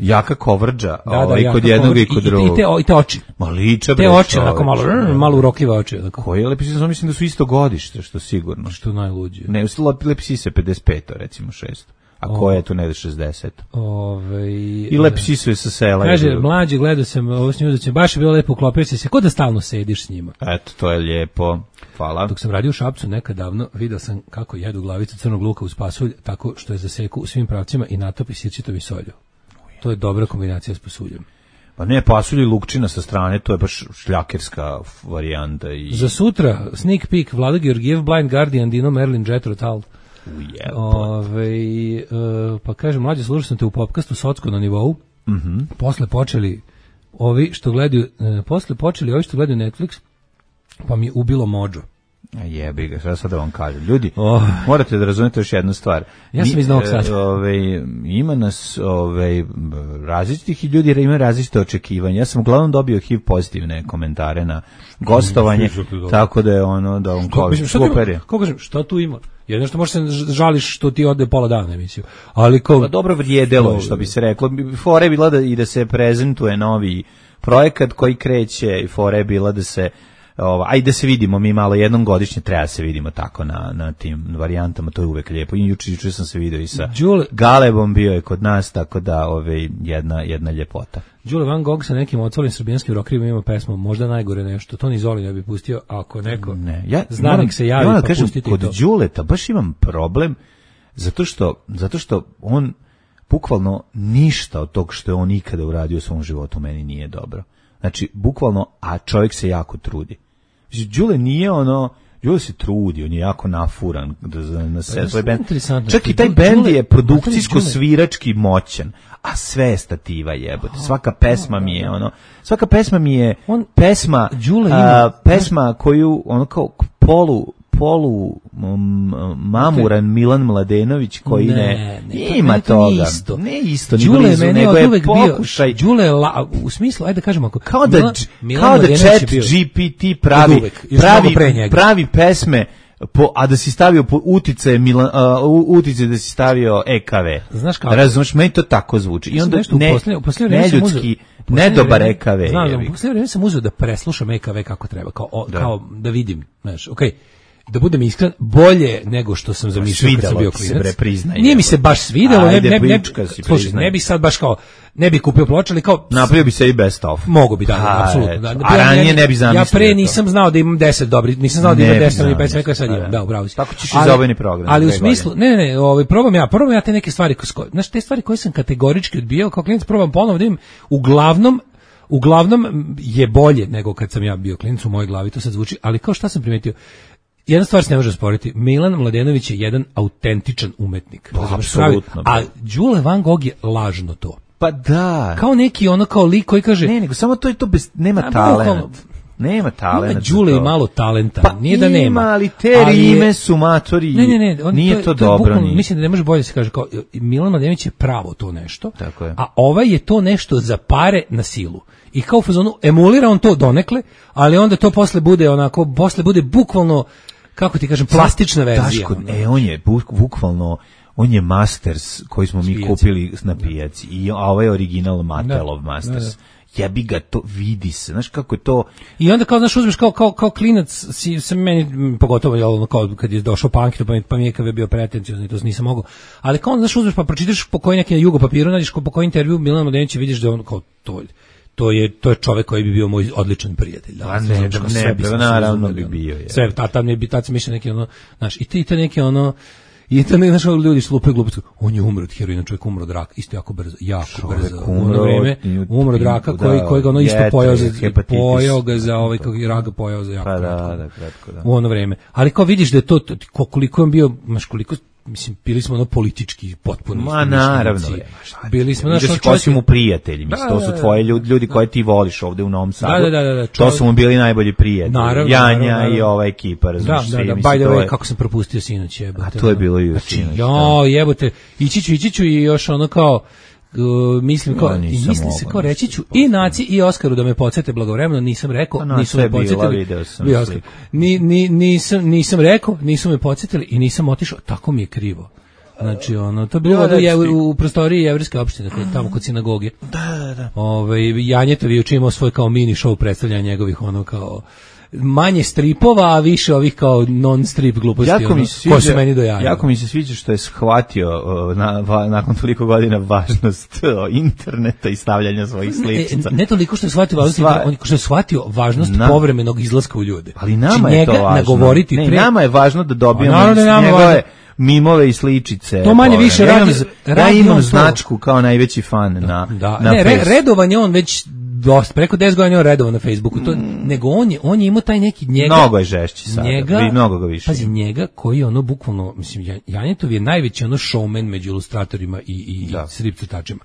jaka kovrđa, da, da, ovaj, kod jednog i kod drugog. I, i, te, i te oči. Ma liče, te oči, onako malo, rr, malo urokljive oči. Onako. Koja lepi Sisa, mislim da su isto godište, što sigurno. Što najluđe. Ne, lepi Sisa pedeset pet, recimo šest. A ko je tu negde šezdeset? Ove, I lep Sisu je sa sela. Kaže, mlađi, gledao sam ovo s njim, da će baš je bilo lepo, uklopio si se, ko da stalno sediš s njima. Eto, to je lijepo. Hvala. Dok sam radio u Šapcu nekad davno, video sam kako jedu glavicu crnog luka uz pasulj, tako što je zaseku u svim pravcima i natopi sirćitovi solju. To je dobra kombinacija s pasuljem. Pa ne, pasulj i lukčina sa strane, to je baš šljakerska varijanta. I... Za sutra, sneak peek, Vlada Georgijev, Blind Guardian, Dino Merlin, Jethro Tull. Ove, uh, pa kažem, mlađe, slušao sam te u podcastu Socko na nivou. Mm-hmm. Posle počeli ovi što gledaju, uh, posle počeli ovi što gledaju Netflix, pa mi ubilo mođo. A jebi ga, šta sad da vam kažem. Ljudi, oh. morate da razumete još jednu stvar. Ja sam iz Novog Sada. Ove, ima nas ove, različitih i ljudi imaju različite očekivanja. Ja sam uglavnom dobio H I V pozitivne komentare na gostovanje, tako da je ono, da on kao super je. Kako kažem, šta tu ima? Jedno što možeš se žališ što ti ode pola dana emisiju. Ali kao... Pa dobro vrijedelo, što bi se reklo. Fora je bila da, i da se prezentuje novi projekat koji kreće, i fora je bila da se Ova, ajde da se vidimo, mi malo jednom godišnje treba se vidimo tako na, na tim varijantama, to je uvek lijepo. I juče, juče sam se vidio i sa Đule, Galebom, bio je kod nas, tako da ove, jedna, jedna ljepota. Đule Van Gogh sa nekim otvorenim srbijanskim rokerima ima pesmu, možda najgore nešto, to ni Zoli ne bi pustio, ako neko ne, ja, znanik se javi, ja, pa kažem, pustiti kod to. Kod Đuleta baš imam problem, zato što, zato što on bukvalno ništa od tog što je on ikada uradio u svom životu meni nije dobro. Znači, bukvalno, a čovjek se jako trudi. Đule nije ono, Đule se trudi, on je jako nafuran da na sve svoj bend. Čak i taj bend je produkcijsko-svirački moćan, a sve je stativa jebote. Svaka pesma mi je ono, svaka pesma mi je pesma, a, pesma koju ono kao polu polu um, mamuran Milan Mladenović koji ne, ne, ne ima to toga. Isto. Ne isto, ni Đule blizu, nego je pokušaj. Đule la, u smislu, ajde da kažemo ako kao da Milan, Milan kao da Chat G P T pravi uvek, pravi pravi pesme po, a da si stavio po utice Milan, uh, utice da si stavio E K V. Znaš kako? Razumeš, meni to tako zvuči. I onda ne, u posljednje ne ljudski, ne dobar E K V. Znam, u posljednje vreme sam uzeo da preslušam E K V kako treba, kao, o, da. kao da vidim, znaš, okej. Okay. Da budem iskren, bolje nego što sam zamišljao kad sam bio klinac. Nije mi se baš svidelo, ne, ne, ne, slušaj, ne bi sad baš kao, ne bi kupio ploče, ali kao... Napravio bi se i best of. Mogu bi, da, da, apsolutno. Da, a ranije ne bi zamislio. Ja pre nisam znao da imam deset dobri, nisam znao da imam deset dobrih pesama, koje sad imam, da, upravo si. Tako ćeš i za ovaj program. Ali u smislu, ne, ne, ne, ovaj, probam ja, probam ja te neke stvari, znaš, te stvari koje sam kategorički odbijao, kao klinac probam ponovo da im, uglavnom, uglavnom je bolje nego kad sam ja bio klinac u mojoj glavi, to sad zvuči, ali kao šta sam primetio, jedna stvar se ne može sporiti. Milan Mladenović je jedan autentičan umetnik. Pa, apsolutno. A Đule Van Gogh je lažno to. Pa da. Kao neki ono kao lik koji kaže... Ne, nego samo to je to bez... Nema a, talent. Nema talent. Ima Đule i malo talenta. Pa nije da nema. Ima, ali te rime su matori. Ne, ne, ne. On, nije to, to, to dobro. Bukvalno, mislim da ne može bolje se kaže kao Milan Mladenović je pravo to nešto. Tako je. A ovaj je to nešto za pare na silu. I kao u fazonu emulira on to donekle, ali onda to posle bude onako, posle bude bukvalno, kako ti kažem, plastična verzija. Daško, e, on je buk, bukvalno, on je Masters koji smo mi Spijaci. kupili na pijaci. I, a ovaj je original Mattelov Masters. Da, da. Jebi ga, to vidi se, znaš kako je to... I onda kao, znaš, uzmeš kao, kao, kao klinac, si, sam meni, pogotovo, jel, kao kad je došao punk, pa mi, pa mi je kad je bio pretenciozno i to nisam mogao, ali kao, znaš, uzmeš pa pročitaš po koji neki na jugo papiru, nađeš po koji intervju Milana Mladenovića vidiš da on kao to... to je to je čovjek koji bi bio moj odličan prijatelj. Da, a ne, da, ne, ne naravno bi bio. Je. Sve, tata mi bi, tata mi mišlja neki ono, znaš, i te, i te neki ono, i to ne, znaš, ljudi su lupaju gluposti, on je umro od heroina, čovjek umro od raka, isto jako brzo, jako čovjek brzo, u ono vreme, umro od raka, koji, koji ga ono isto pojao za, pojao ga za ovaj, kako je raga pojao za jako pa kratko, da, da, kratko, da. U ono vreme. Ali kao vidiš da je to, koliko je on bio, znaš, koliko, mislim, bili smo ono politički potpuno. Ma naravno. Bili smo naš čovjek. Ko si mu prijatelji, mislim, to su tvoji ljudi, ljudi koje ti voliš ovde u Novom Sadu. Da, da, da, da, to su mu bili najbolji prijatelji. Naravno, Janja naravno, i ova ekipa, razumiješ. Da, da, da, by the way, kako sam propustio sinoć, jebote. A to je bilo i sinoć. Jo, jebote, ići ću, ići ću i još ono kao, Uh, mislim kao, ja, i mislim se kao reći ću i Naci i Oskaru da me podsjete blagovremeno, nisam rekao, no, nisu me podsjetili. Ni, ni, nisam, nisam rekao, nisu me podsjetili i nisam otišao, tako mi je krivo. Znači, ono, to je bilo no, je, u, u prostoriji jevrijske opštine, tamo kod sinagoge. Da, da, da. Ove, Janjetovi je učinio svoj kao mini show predstavljanja njegovih, ono, kao manje stripova, a više ovih kao non-strip gluposti, jako ono, sviđa, ko su meni do jaja. Jako mi se sviđa što je shvatio uh, na, va, nakon toliko godina važnost uh, interneta i stavljanja svojih sličica. Ne, ne toliko što je shvatio važnost, Sva... on, što je shvatio važnost na... povremenog izlaska u ljude. Ali nama je to važno. Nagovoriti ne, pre... nama je važno da dobijemo njegove mimove i sličice. To manje više ja radi. Ja imam, ja imam značku kao najveći fan da, na, da. na ne, re, redovanje on već dosta, preko deset godina je on redovan na Facebooku, to, mm. nego on je, on je imao taj neki njega... Mnogo je žešći sada, njega, vi mnogo ga više. Pazi, njega koji je ono bukvalno, mislim, Janjetov je najveći ono showman među ilustratorima i, i strip crtačima.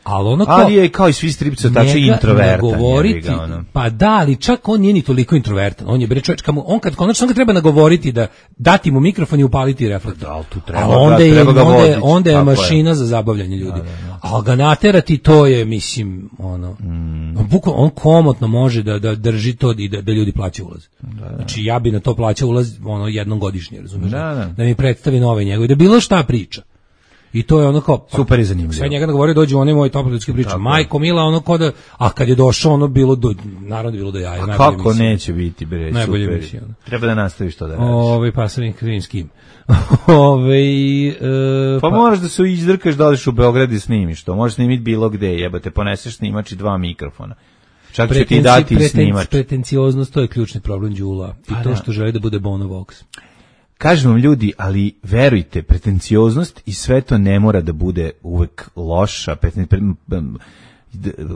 Ali ono kao... Ali je kao i svi strip crtači introvertan. Nagovoriti, ono. Pa da, ali čak on nije ni toliko introvertan. On je bre čovjek, on kad konačno ga treba nagovoriti da dati mu mikrofon i upaliti reflektor. Da, tu treba, a onda da, je, treba ga onda, voditi. onda je mašina je. Za zabavljanje ljudi. Da, da, da. A ga naterati, to je, mislim, ono, mm. on, bukvalno, on komotno može da, da drži to i da, da ljudi plaćaju ulaz. Da, da. Znači, ja bi na to plaćao ulaz ono, jednom godišnje, razumiješ? Da, da. Da mi predstavi nove njegove, da bilo šta priča. I to je ono kao super i zanimljivo. Sve njega nagovorio dođe on je moj toplički priča. Majko Mila ono kao da, a kad je došao ono bilo do naravno bilo do jaja. A kako neće biti bre, najbolje super. Emisija, treba da nastaviš to da radiš. Ovaj pa sa nekim s kim. Ovaj e, pa, pa moraš da se izdrkaš da odeš u Beograd i snimiš to. Možeš snimiti bilo gde, jebote, poneseš snimač i dva mikrofona. Čak će ti dati preten, snimač. Pretencioznost, to je ključni problem Đula. I pa to da. Što želi da bude Bono Vox. Kažem vam ljudi, ali verujte, pretencioznost i sve to ne mora da bude uvek loša.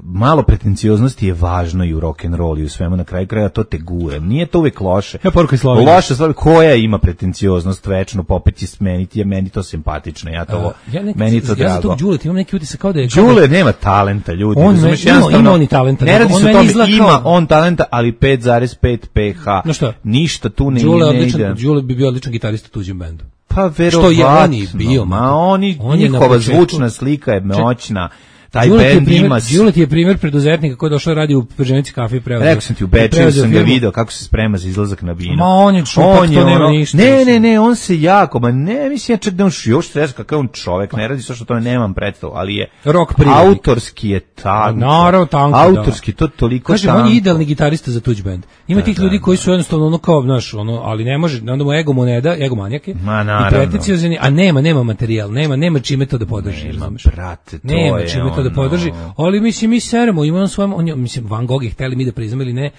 Malo pretencioznosti je važno i u rock and roll i u svemu, na kraju kraja to te gura. Nije to uvek loše. Ja poruka Slovenija. Loša stvar, koja ima pretencioznost večno, popet je smeniti, je meni to simpatično. Ja to, uh, ja neki, meni to ja drago. Ja za tog Đulet imam neki utisak kao da je... Đule nema talenta, ljudi. On me, ima, ima on i talenta. Ne radi on se o tome, ima on talenta, ali pet zarez pet pH. No šta? Ništa tu ne, Đule ne odličan, ide. Đule bi bio odličan gitarista u tuđem bendu. Pa verovatno. Što je on i bio. Ma oni, on njihova zvučna slika je moćna. Taj bend ima... Đulet je primjer preduzetnika koji je došao radi u Prženici kafe i preuzeo. Rekao sam ti, u Bečeju sam ga video kako se sprema za izlazak na binu. Ma on je čupak, on je to nema ništa. Ne, ne, ne, on se jako, ma ne, mislim ja čak da on još stres kakav on čovek, ne radi sve što to nemam predstavu, ali je rock autorski je tanko. Naravno, tanko, autorski, to toliko tanko. Kaže, on je idealni gitarista za tuđ bend. Ima da, tih da, ljudi koji su jednostavno ono kao, znaš, ono, ali ne može, onda mu ego mu ne da, ego manjake. Ma naravno. I pretenciozani, a nema, nema materijal, nema, nema čime to da podrži. Nema, brate, to nema je čime to da podrži. Ali mislim mi seremo, ima on svojom, on je, mislim Van Gogh je hteli mi da priznamo ili ne,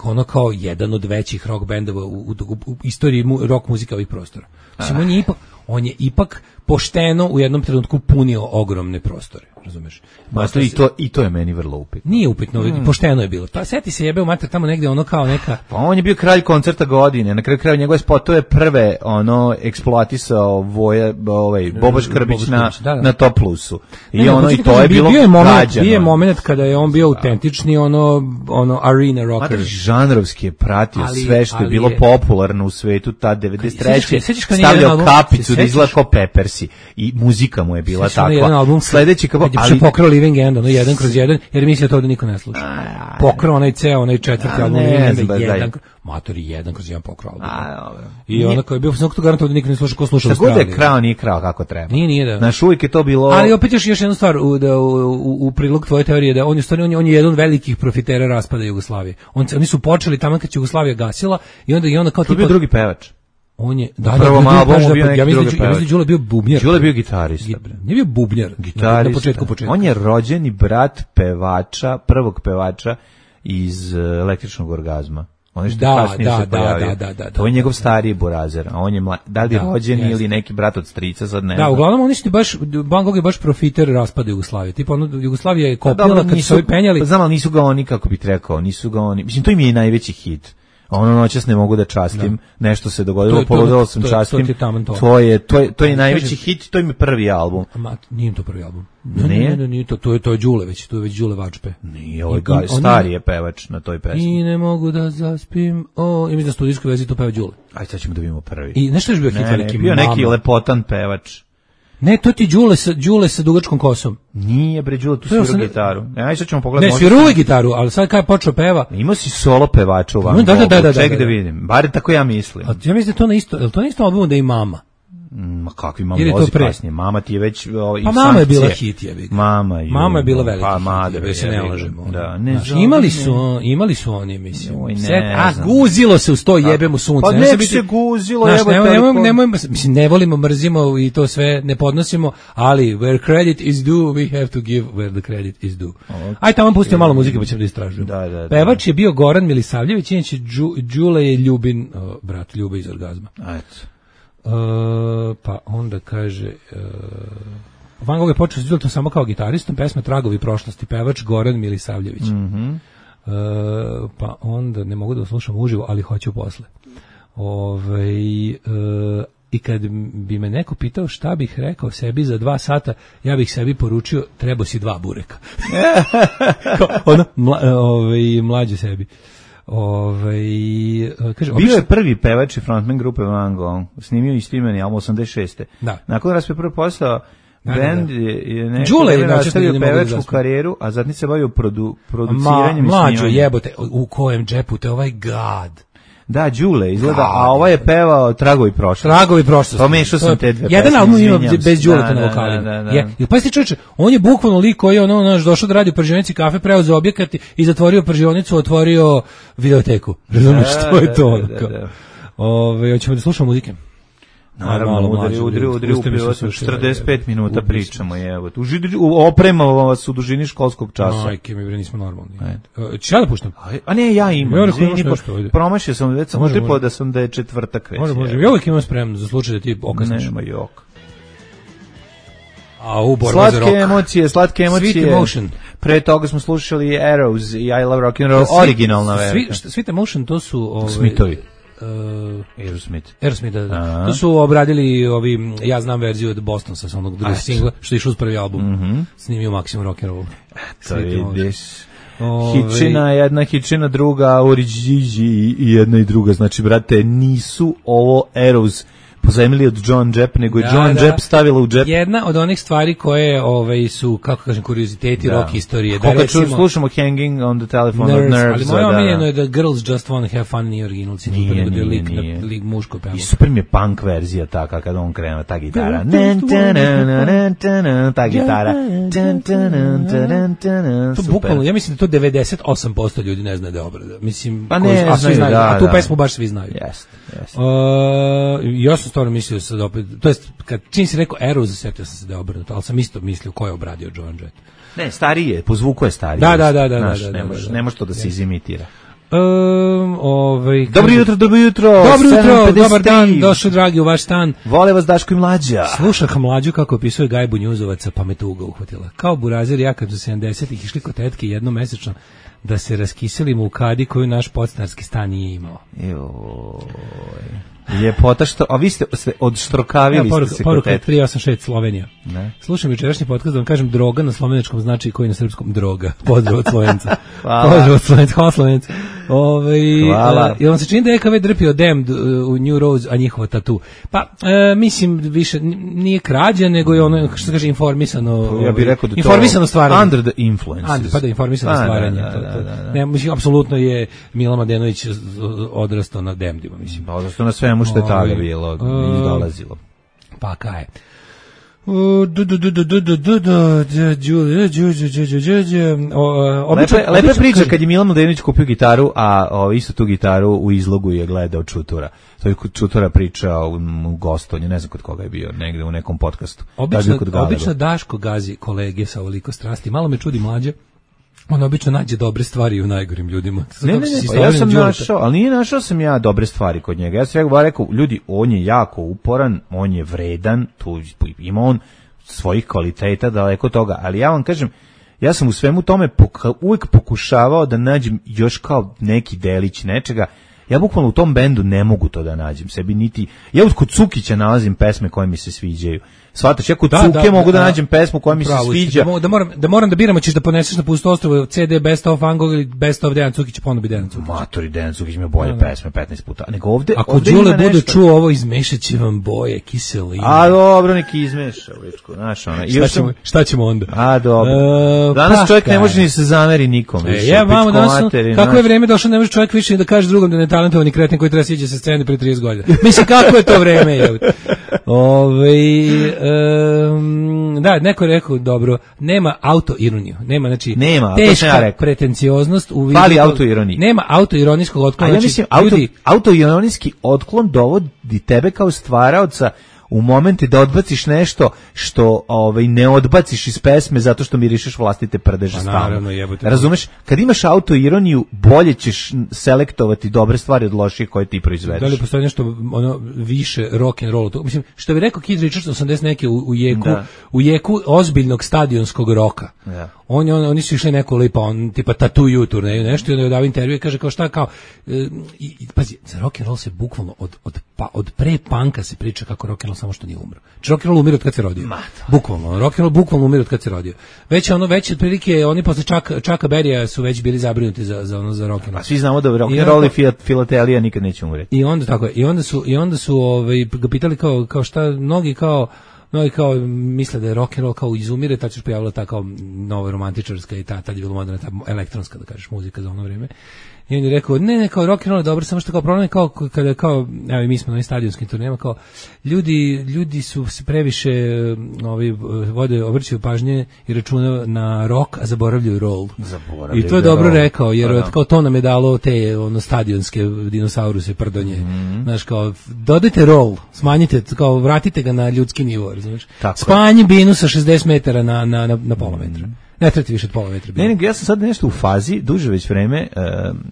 ono kao jedan od većih rock bendova u, u, u, u istoriji mu, rock muzike ovih prostora. Mislim on je ipak, on je ipak pošteno u jednom trenutku punio ogromne prostore, razumeš? Ma to i to i to je meni vrlo upitno. Nije upitno, mm. pošteno je bilo. Pa seti se jebe u mater tamo negde ono kao neka. Pa on je bio kralj koncerta godine, na kraju krajeva njegove spotove prve ono eksploatisao Voja, ovaj Bobo Škrbić na da, da. na Top Plusu. I ne, ono ne, i to je, je bilo bio je moment, bio je moment kada je on bio autentični ono ono arena rocker. Mater, žanrovski je pratio ali, sve što je bilo je... popularno u svetu ta devedeset treće stavljao kapicu da izgleda kao Peppersi i muzika mu je bila takva. Sledeći kako ali pokrao Living End, ono jedan kroz jedan, jer mislio to da niko ne sluša. Pokrao onaj ceo, onaj četvrti album Living End, jedan, matori jedan kroz jedan pokrao album. I ono koji je bio, sam to garantuo da niko ne sluša, ko sluša u Australiji. Tako da je krao, nije krao kako treba. Nije, nije da. Znaš, uvijek je to bilo... Ali opet još, još jednu stvar u, da, u, u, u prilog tvoje teorije, da on je, stvarno, on je, on je jedan velikih profitera raspada Jugoslavije. On, oni su počeli tamo kad će Jugoslavija gasila i onda, i onda kao tipa... To je bio drugi pevač. On je da, Na prvom da, albumu da, bio neki ja mislim drugi da ja mislim da Đule bio bubnjar. Đule bio gitarista, bre. Nije bio bubnjar. Gitarista. Na početku početka. On je rođeni brat pevača, prvog pevača iz uh, Električnog orgazma. On je što Da, kasnije da, se da, pojavio. da, da, da, to je da, njegov da. stariji burazer, a on je mla, da li Da, rođeni jeste. ili neki brat od strica, sad ne Da, znam. uglavnom oni su baš Van Gogh je baš profiter raspada Jugoslavije. Tipa ono Jugoslavija je Pa kopila dobro, kad su nisu, ovi penjali. znam, ali nisu ga oni, kako bih rekao, nisu ga oni, mislim, to im je i najveći hit. A ono noćas ne mogu da častim, Da. nešto se To dogodilo, je- to- poludelo sam to je- častim, to ti je taman to. to je, to je, to je Ali najveći kažem- hit, to im je prvi album. Ma, nije im to prvi album. Ne, Nije? ne, ne, nije to, to je to je Đule već, to je već Đule Vačpe. Nije, ovaj I- ga, oni- stari je pevač na toj pesmi. I ne mogu da zaspim. O, i mi da studijskoj vezi to peva Đule. Ajde, sad ćemo da vidimo prvi. I nešto je još bio hit ne, ne, veliki. bio neki Mama. lepotan pevač. Ne, to ti Đule sa Đule sa dugačkom kosom. Nije, bre, Đule, tu To je svirao osam- gitaru. E, ajde, sad ćemo pogledati. Ne, možda svirao sam- je gitaru, ali sad kad je počeo peva, Imao si solo pevača u Van No, da, da, Goghu. da, da, Ček da, da da. vidim. Bar tako ja mislim. a ja mislim da je to na isto, je li to na isto albumu da je i Mama. Ma kakvi mama Ili je to vozi pre? kasnije. Mama ti je već o, i Pa Mama je bila sankcije. hit, jebi ga. Mama je. Mama je bila veliki pa, hit, madre, da se ne jebi ga. lažemo. Da, ne Znaš, znam, imali ne. su, imali su oni, mislim. Joj, ne Sve- a znam. guzilo se uz to jebemo sunce. Pa Ne nek može se guzilo, Znaš, jebote, nemoj, ali nemoj, ko- nemoj, mislim, ne volimo, mrzimo i to sve ne podnosimo, ali where credit is due, we have to give where the credit is due. Aj tamo pustimo malo muzike pa ćemo da istražujemo. Da, da, da. Pevač je bio Goran Milisavljević, inače Đu- Đule je Ljubin, o, brat Ljube iz Orgazma. Eto. Uh, pa onda kaže uh, Van Gogh je počeo s Đuletom samo kao gitaristom, pesma Tragovi prošlosti, pevač Goran Milisavljević. Mhm. Uh, pa onda ne mogu da slušam uživo, ali hoću posle. Ovaj uh, i kad bi me neko pitao šta bih rekao sebi za dva sata, ja bih sebi poručio treba si dva bureka. Kao, ono, mla, ovaj, mlađe sebi. Ovaj kaže, Bio je prvi pevač i frontman grupe Van Gogh. Snimio i snimeni album osamdeset šeste. Da. Nakon raspe prvi postao Da, da, band da. je, je neko Đule je vreme način nastavio da ne mogu da pevačku zaspim. karijeru, a zatim se bavio produ, Ma, produciranjem i mlađo snimanjem. jebote, u kojem džepu te ovaj gad. Da, Đule izgleda, God. a ovaj je pevao Tragovi prošlosti. Tragovi prošlosti. Pomešao sam To je- te dve Jedan pesme, album ima izvinjam bez se. Đuleta Da, na da, vokalima. da, da. Je, i pa si čoveče, on je bukvalno lik koji je ono, naš došao da radi u pržionici kafe, preuzeo objekat i zatvorio pržionicu, otvorio videoteku. Razumiješ, Da, to je da, to. da, ono, kao. da, da. Ove, hoćemo da slušamo muzike. Naravno, Malo udri, mlađe, udri, udri, uste mi udri, se udri, sušile, četrdeset pet minuta ubili pričamo, evo. U židi- u- Opremamo vas u dužini školskog časa. Majke mi bre, nismo normalni. E, Ću ja da puštam? Aj, a ne, ja imam. Ja rekao, izvini, imaš po- nešto, ajde. promašio sam, već sam Može, utripao može. da sam da je četvrtak već. Može, može. evo. Ja uvijek imam spremno za slučaj da ti okasniš. Nema jok. A u borba za Slatke rock. emocije, slatke emocije. Sweet Emotion. Pre toga smo slušali Arrows i I Love Rock and Roll, Sweet- originalna Sweet- verka. šta- Sweet Emotion, to su... Ovaj, Smithovi. Uh, Aerosmith. Aerosmith, da, da. Aha. To su obradili ovi, ja znam verziju od Bostonsa, sa onog drugog Eto. singla, što je išao uz prvi album. Mhm. Snimio Maximum Rock'n'Roll. To Sweet Emotion. vidiš. Ovaj, Hičina jedna, hičina druga, Oriđiđi i jedna i druga. Znači, brate, nisu ovo Arrows pozajmili od John Jepp, nego je Da, John da. Jepp stavila u džep. Jedna od onih stvari koje ovaj, su, kako kažem, kurioziteti Da. rock istorije. Da, Koga ču, recimo, slušamo Hanging on the Telephone Nerves, of Nerves. ali moje da, da. omiljeno je da Girls Just Wanna Have Fun nije original citat, Nije, nego da je nije, lik, nije. na, lik muško peva. I super mi je punk verzija taka kada on krene ta gitara. Nen, tanan, nanan, tanan, ta gitara. Tan, tanan, tanan, tanan, To super. bukvalno, ja mislim da to devedeset osam posto ljudi ne zna da je obrada. Mislim, Pa koji- ne a svi znaju, znaju, da, a tu da. pesmu baš svi znaju. Jeste, jeste. Uh, ja sam stvarno mislio sad opet, to jest kad čim si rekao Arrows, setio sam se da je obrnuto, ali sam isto mislio ko je obradio Joan Jett. Ne, stariji je, po zvuku je stariji. Da, da, da, da, Znaš, da, da, ne da, može, da. ne može to da se izimitira. Um, ovaj, Dobro kaže- jutro, dobro jutro. Dobro jutro, sedam pedeset dobar dan, tri. došao dragi u vaš stan. Vole vas Daško i Mlađa. Slušah mlađu kako opisuje Gajbu Njuzovaca, pa me tuga uhvatila. Kao burazer ja kad su sedamdesetih išli kod tetke jednomesečno da se raskiselimo u kadi koju naš podstanarski stan nije imao. Joj. Ljepota što, a vi ste, ste odštrokavili Evo, poruka, ste se poruka kod od tete. tri osam šest Slovenija. Ne. Slušam jučerašnji podcast da vam kažem droga na slovenačkom znači koji na srpskom droga. Pozdrav od Slovenca. Hvala. Pozdrav od Slovenca, hvala Slovenca. Ove, Hvala. Uh, vam se čini da je E K V drpio Damned uh, u New Rose, a njihova tatu? Pa, uh, mislim, više n- nije krađa, nego je ono, što se kaže, informisano. Ja bih rekao da to informisano stvaranje. under the influences. Under, pa da, informisano Pa, da, stvaranje. da, to- da, to- da, da. Ne, mislim, apsolutno je Mila Mladenović odrastao na Damnedima, mislim. Odnosno na svemu što je tada Ovaj, bilo uh, i dolazilo. Pa kaj. Lepa priča kad je Milan Mladenović kupio gitaru, a o, isto tu gitaru u izlogu je gledao Čutura. To je Čutura priča u, u gostovnju, ne znam kod koga je bio, negde u nekom podcastu. Obično, obično Daško gazi kolege sa ovoliko strasti. Malo me čudi Mlađe. On obično nađe dobre stvari u najgorim ljudima. Ne, ne, ne, pa ja sam našao, ali nije našao sam ja dobre stvari kod njega. Ja sam rekao, ljudi, on je jako uporan, on je vredan, tu ima on svojih kvaliteta, daleko toga, ali ja vam kažem, ja sam u svemu tome poka, uvijek pokušavao da nađem još kao neki delić nečega. Ja bukvalno u tom bendu ne mogu to da nađem sebi, niti ja kod Cukića nalazim pesme koje mi se sviđaju. Svataš, ja kod da, Cuke da, mogu da, da nađem pesmu koja mi se sviđa. Da, da, moram, da moram da biram, ćeš da poneseš na pusto ostrvo C D Best of Angog ili Best of Dejan Cukić, ponovo bi Dejan Cukić. Matori, Dejan Cukić ima bolje da, da. pesme petnaest puta. Nego ovde, ako ovde Đule bude čuo ovo, izmešat će vam boje, kiseline. A dobro, neki izmeša, ličko, znaš ona. Šta, ćemo, sam... šta ćemo onda? A dobro. Uh, danas čovjek ne može ni se zameri nikome. E, ja, vamo, danas, materi, kako je vreme došlo, ne može čovjek više da kaže drugom da ne talentovani kreten koji treba siđe sa scene pre trideset godina. Mislim, kako je to vreme? Ove, um, da, neko je rekao, dobro, nema autoironiju, nema, znači, nema, teška ja pretencioznost u vidu, fali autoironiji. Nema autoironijskog otklona. A ja mislim, znači, auto, ljudi, autoironijski otklon dovodi tebe kao stvaraoca u momente da odbaciš nešto što ovaj ne odbaciš iz pesme zato što mirišeš vlastite prdeže stalno. Razumeš? Kad imaš autoironiju, bolje ćeš selektovati dobre stvari od loših koje ti proizvedeš. Da li postoji nešto ono više rock and roll? Mislim, što bi rekao Keith Richards osamdeset neke u, u jeku, da. u jeku ozbiljnog stadionskog roka. Da. On, on, oni su išli neko lipa, on tipa Tattoo You turneju, nešto, i onda je dao intervju i kaže kao šta, kao, e, i, i, pazi, za rock and roll se bukvalno od, od, pa, od pre punka se priča kako rock and roll samo što nije umro. Znači rock and roll umire od kad se rodio. Bukvalno, rock and roll bukvalno umire od kad se rodio. Već ono, već otprilike, oni posle Chucka, Chucka Berrya su već bili zabrinuti za, za, ono, za rock and roll. A svi znamo da rock and roll i filatelija nikad neće umreti. I onda, tako je, i onda su, i onda su ovaj, ga pitali kao, kao šta, mnogi kao, mnogi kao misle da je rock and roll kao izumire, tad se pojavila ta kao nova romantičarska i ta, tad je bila moderna, ta elektronska, da kažeš, muzika za ono vrijeme. I on je rekao, ne, ne, kao rock and roll je dobro, samo što kao problem je kao, kada kao, evo i mi smo na ovim stadionskim turnijama, kao, ljudi, ljudi su se previše, ovi, vode, obrćaju pažnje i računa na rock, a zaboravljaju roll. Zaboravljaju I to je dobro roll. Rekao, jer da, da. Kao to nam je dalo te, ono, stadionske dinosauruse, prdonje. Mm-hmm. Znaš, kao, dodajte roll, smanjite, kao, vratite ga na ljudski nivo, znaš. Spanji binu sa šezdeset metara na, na, na, na pola metra. Mm-hmm. Ne trebati više od pola metra. Ne, ne, ja sam sad nešto u fazi, duže već vreme, e,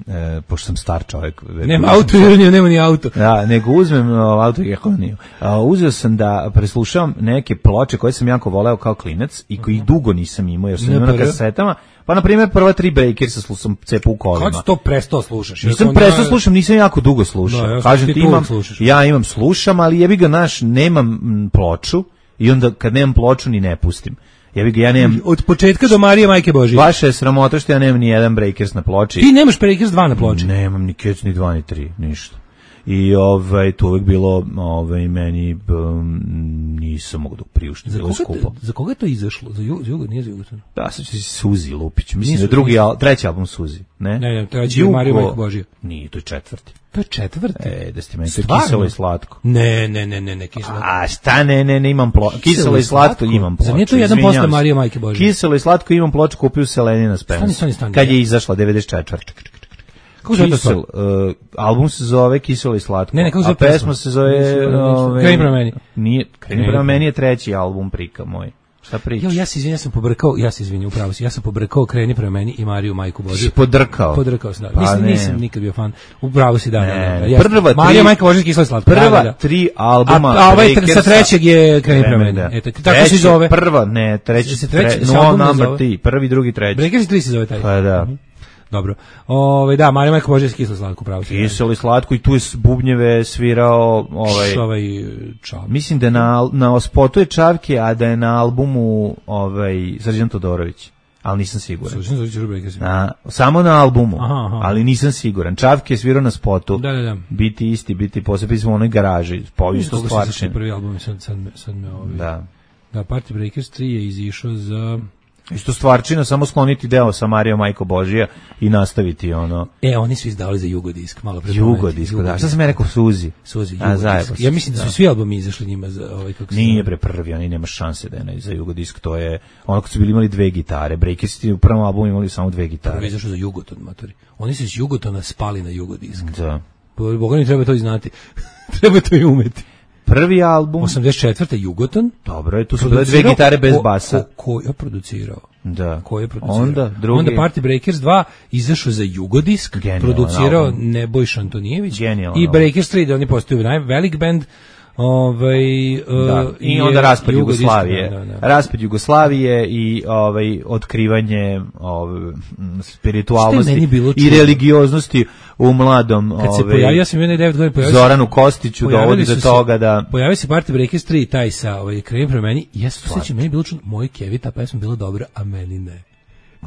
e, pošto sam star čovjek. Nema autoironiju, nema ni auto. Da, nego uzmem autoironiju. Uzeo sam da preslušavam neke ploče koje sam jako voleo kao klinac i koji dugo nisam imao, jer sam imao na kasetama. Pa, na primjer, prva tri Breakersa slušam cepu u kolima. Kad si to prestao slušaš? Nisam prestao ja... slušam, nisam jako dugo slušao. Da, kažem ti, imam, ja imam slušam, ali jebi ga naš, nemam ploču i onda kad nemam ploču ni ne pustim. Ja bih ja nemam od početka do Marije Majke Božije. Vaše je sramota što ja nemam ni jedan Breakers na ploči. Ti nemaš Breakers dva na ploči? Nemam ni Kec, ni dva, ni tri, ništa. I ovaj to uvek bilo ovaj meni um, nisam mogao da priuštim, bilo skupo. Za koga je to izašlo? Za Jugo, Jugo nije za Jugo. Da, sad će Suzi Lupić. Mislim da je drugi, al, treći album Suzi, ne? Ne, ne, treći je Marija Majke Božije. Nije, to je četvrti. To je četvrti. E, da ste meni to kiselo i slatko. Ne, ne, ne, ne, ne, kiselo. A šta ne, ne, ne imam ploču. Kiselo i slatko imam ploču. Za nije to jedan posle Marije Majke Božije. Kiselo i slatko imam ploču, kupio Selenina Spence. Stani, stani, kad je izašla devedeset četvrte. Kisel, uh, album se zove Kiselo i slatko. Ne, ne, kako a pesma se zove Kreni prema meni. Nije, Kreni prema meni je treći album Prika moj. Šta pričaš? Jo, ja se izvinjam, ja sam pobrkao, ja se izvinjam, upravo si. Ja sam pobrkao Kreni prema meni i Mariju Majku Božiju. Si podrkao? Podrkao sam, da. Pa nisam, nisam nikad bio fan. Upravo si, da. Ne, da, da. Prva tri, Marija Majka Božija Kiselo i slatko. Prva da, da, da. tri albuma. A, a ovaj sa trećeg je Kreni prema meni. Da. Eto, tako se zove. Prva, ne, treći se treći, no number tri, prvi, drugi, treći. Breakers tri se zove taj. Pa da. Dobro. Ovaj da, Marija Majka Božija Kiselo i slatko, pravo. Kiselo i slatko i tu je bubnjeve svirao ovaj ovaj Čavke. Mislim da na na spotu je Čavke, a da je na albumu ovaj Srđan Todorović. Ali nisam siguran. Na, samo na albumu, aha, aha. Ali nisam siguran. Čavke je svirao na spotu. Da, da, da. Biti isti, biti posebno u onoj garaži. Po isto stvarno. Prvi album sad sad sad me ovaj. Da. Da, Party Breakers tri je izišao za Isto stvarčina, samo skloniti deo sa Marijom Majko Božija i nastaviti ono. E, oni su izdali za Jugodisk, malo pre. Jugodisk, da. Šta sam ja rekao, Suzi? Suzi, Jugodisk. Ja mislim da su svi albumi izašli njima za ovaj, kako se... Nije bre prvi, oni nema šanse da je za Jugodisk, to je ono kad su bili imali dve gitare, Breakersi u prvom albumu imali samo dve gitare. Prvi izašao za Jugoton, matori. Oni su iz Jugotona spali na Jugodisk. Da. Boga mi treba to i znati. Treba to i umeti. Prvi album osamdeset četvrte Jugoton. Dobro, je tu su bile dve gitare bez basa. Ko, ko je producirao? Da. Ko je producirao? Onda drugi. Onda Party Breakers dva izašao za Jugodisk, Genial, producirao album. Nebojša Antonijević. Genial, i Breakers tri, da oni postaju velik bend. Ovaj da. uh, i onda raspad Jugoslavije. Da, da, da. Raspad Jugoslavije i ovaj otkrivanje ovaj spiritualnosti i religioznosti u mladom kad se ovaj, pojavio, ja sam imao devet godina, pojavio Zoranu Kostiću dovodi do toga da pojavio se Party Breakers tri taj sa ovaj Krem pre meni. Ja se sećam, meni je bilo čudno, moj Kevi ta pesma bila dobra, a meni ne.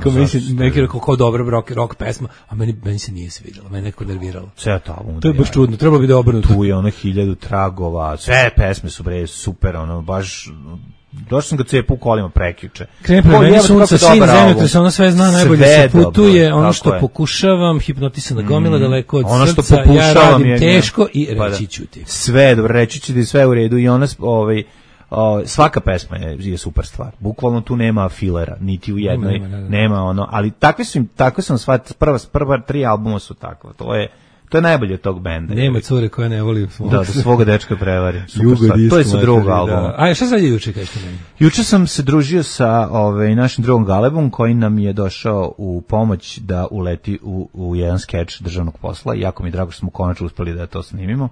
Kao mislim, neki rekao kao dobra rock, rock pesma, a meni, meni se nije svidjela, meni neko nerviralo. Sve to album. To je baš čudno, trebalo bi da obrnuto. Tu je ono hiljadu tragova, sve pesme su bre super, ono, baš... Došao sam ga cepu u kolima prekjuče. Krene pre meni sunca, sin zemljotresa, ona sve zna, najbolje se putuje, dobro, ono što je. Pokušavam, hipnotisana gomila, mm, daleko od ono srca, što ja radim je, teško i reći ću ti. Sve, dobro, reći ću ti sve u redu i ona, ovaj, O, svaka pesma je, je super stvar. Bukvalno tu nema filera, niti u jednoj, nema, nema, nema ono, ali takve su im, tako sam shvatio, prva, prva tri albuma su takva, to je, to je najbolje od tog benda. Nema cure koja ne voli svog. Da, da svoga dečka prevari. To je sa drugog albuma. Da. A šta sad je juče, kažete meni? Juče sam se družio sa ovaj, našim drugom Galebom, koji nam je došao u pomoć da uleti u, u jedan skeč državnog posla. Jako mi je drago što smo konačno uspeli da to snimimo.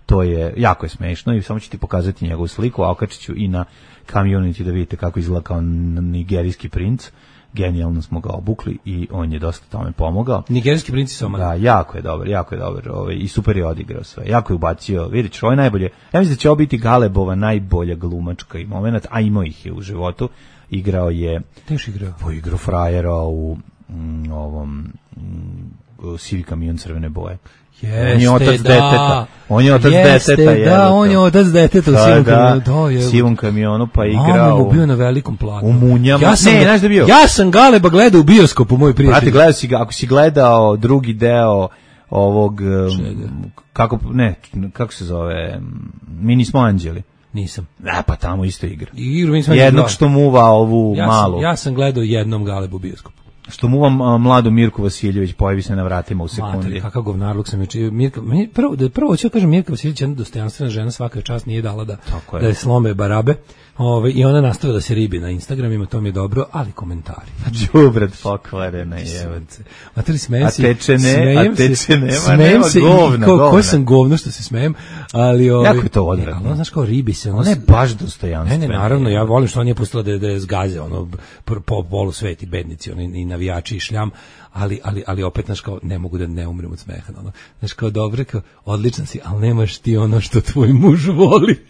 To je, jako je smešno i samo ću ti pokazati njegovu sliku, a okačit ću i na community da vidite kako izgleda kao nigerijski princ. Genijalno smo ga obukli i on je dosta tome pomogao. Nigerijski princ je Da, jako je dobar, jako je dobar ovaj, i super je odigrao sve. Jako je ubacio, vidjet ću, ovo je najbolje. Ja mislim da će ovo biti Galebova najbolja glumačka i moment, a imao ih je u životu. Igrao je... Teš igrao? Po igrao frajera u mm, ovom mm, Sivi kamion crvene boje. Jeste, on je otac da. deteta. On je otac Jeste, deteta. Je, da, on je otac deteta u da, sivom da, kamionu. Da, je. sivom kamionu, pa je igrao. Mamo bio na velikom platnu. U Munjama. Ja sam, ne, znaš da bio? Ja sam Galeba gledao u bioskopu, moj prijatelj. Brate, gledao si ga, ako si gledao drugi deo ovog... Čega? Kako, ne, kako se zove? Mi nismo anđeli. Nisam. Da, pa tamo isto igra. Igru, mi smo jednog što muva ovu ja malu. Sam, ja sam gledao jednom Galebu u bioskopu. Što mu vam mladu Mirku Vasiljević pojavi se na vratima u sekundi. Materi, kakav govnarluk sam je. Mirka, meni prvo, da prvo hoću da kažem, Mirka Vasiljević je jedna dostojanstvena žena, svaka čast nije dala da, je. da je slome barabe. Ove, i ona nastavila da se ribi na Instagramima, to mi je dobro, ali komentari. Đubrad pokvarena jevence. Materi, smejem se. A teče ne, a teče nema, nema se govna, ko, govna. Ko sam govno što se smejem, ali... Ove, jako je to odvratno. Ali, znaš, kao ribi se. Ona je baš dostojanstvena. Ne, ne, naravno, ja volim što on je pustila da, da je zgaze, ono, po polu sveti bednici, oni i navijači i šljam, ali, ali, ali opet, znaš, kao, ne mogu da ne umrem od smeha, ono. Znaš, kao, dobro, kao, odličan si, ali nemaš ti ono što tvoj muž voli.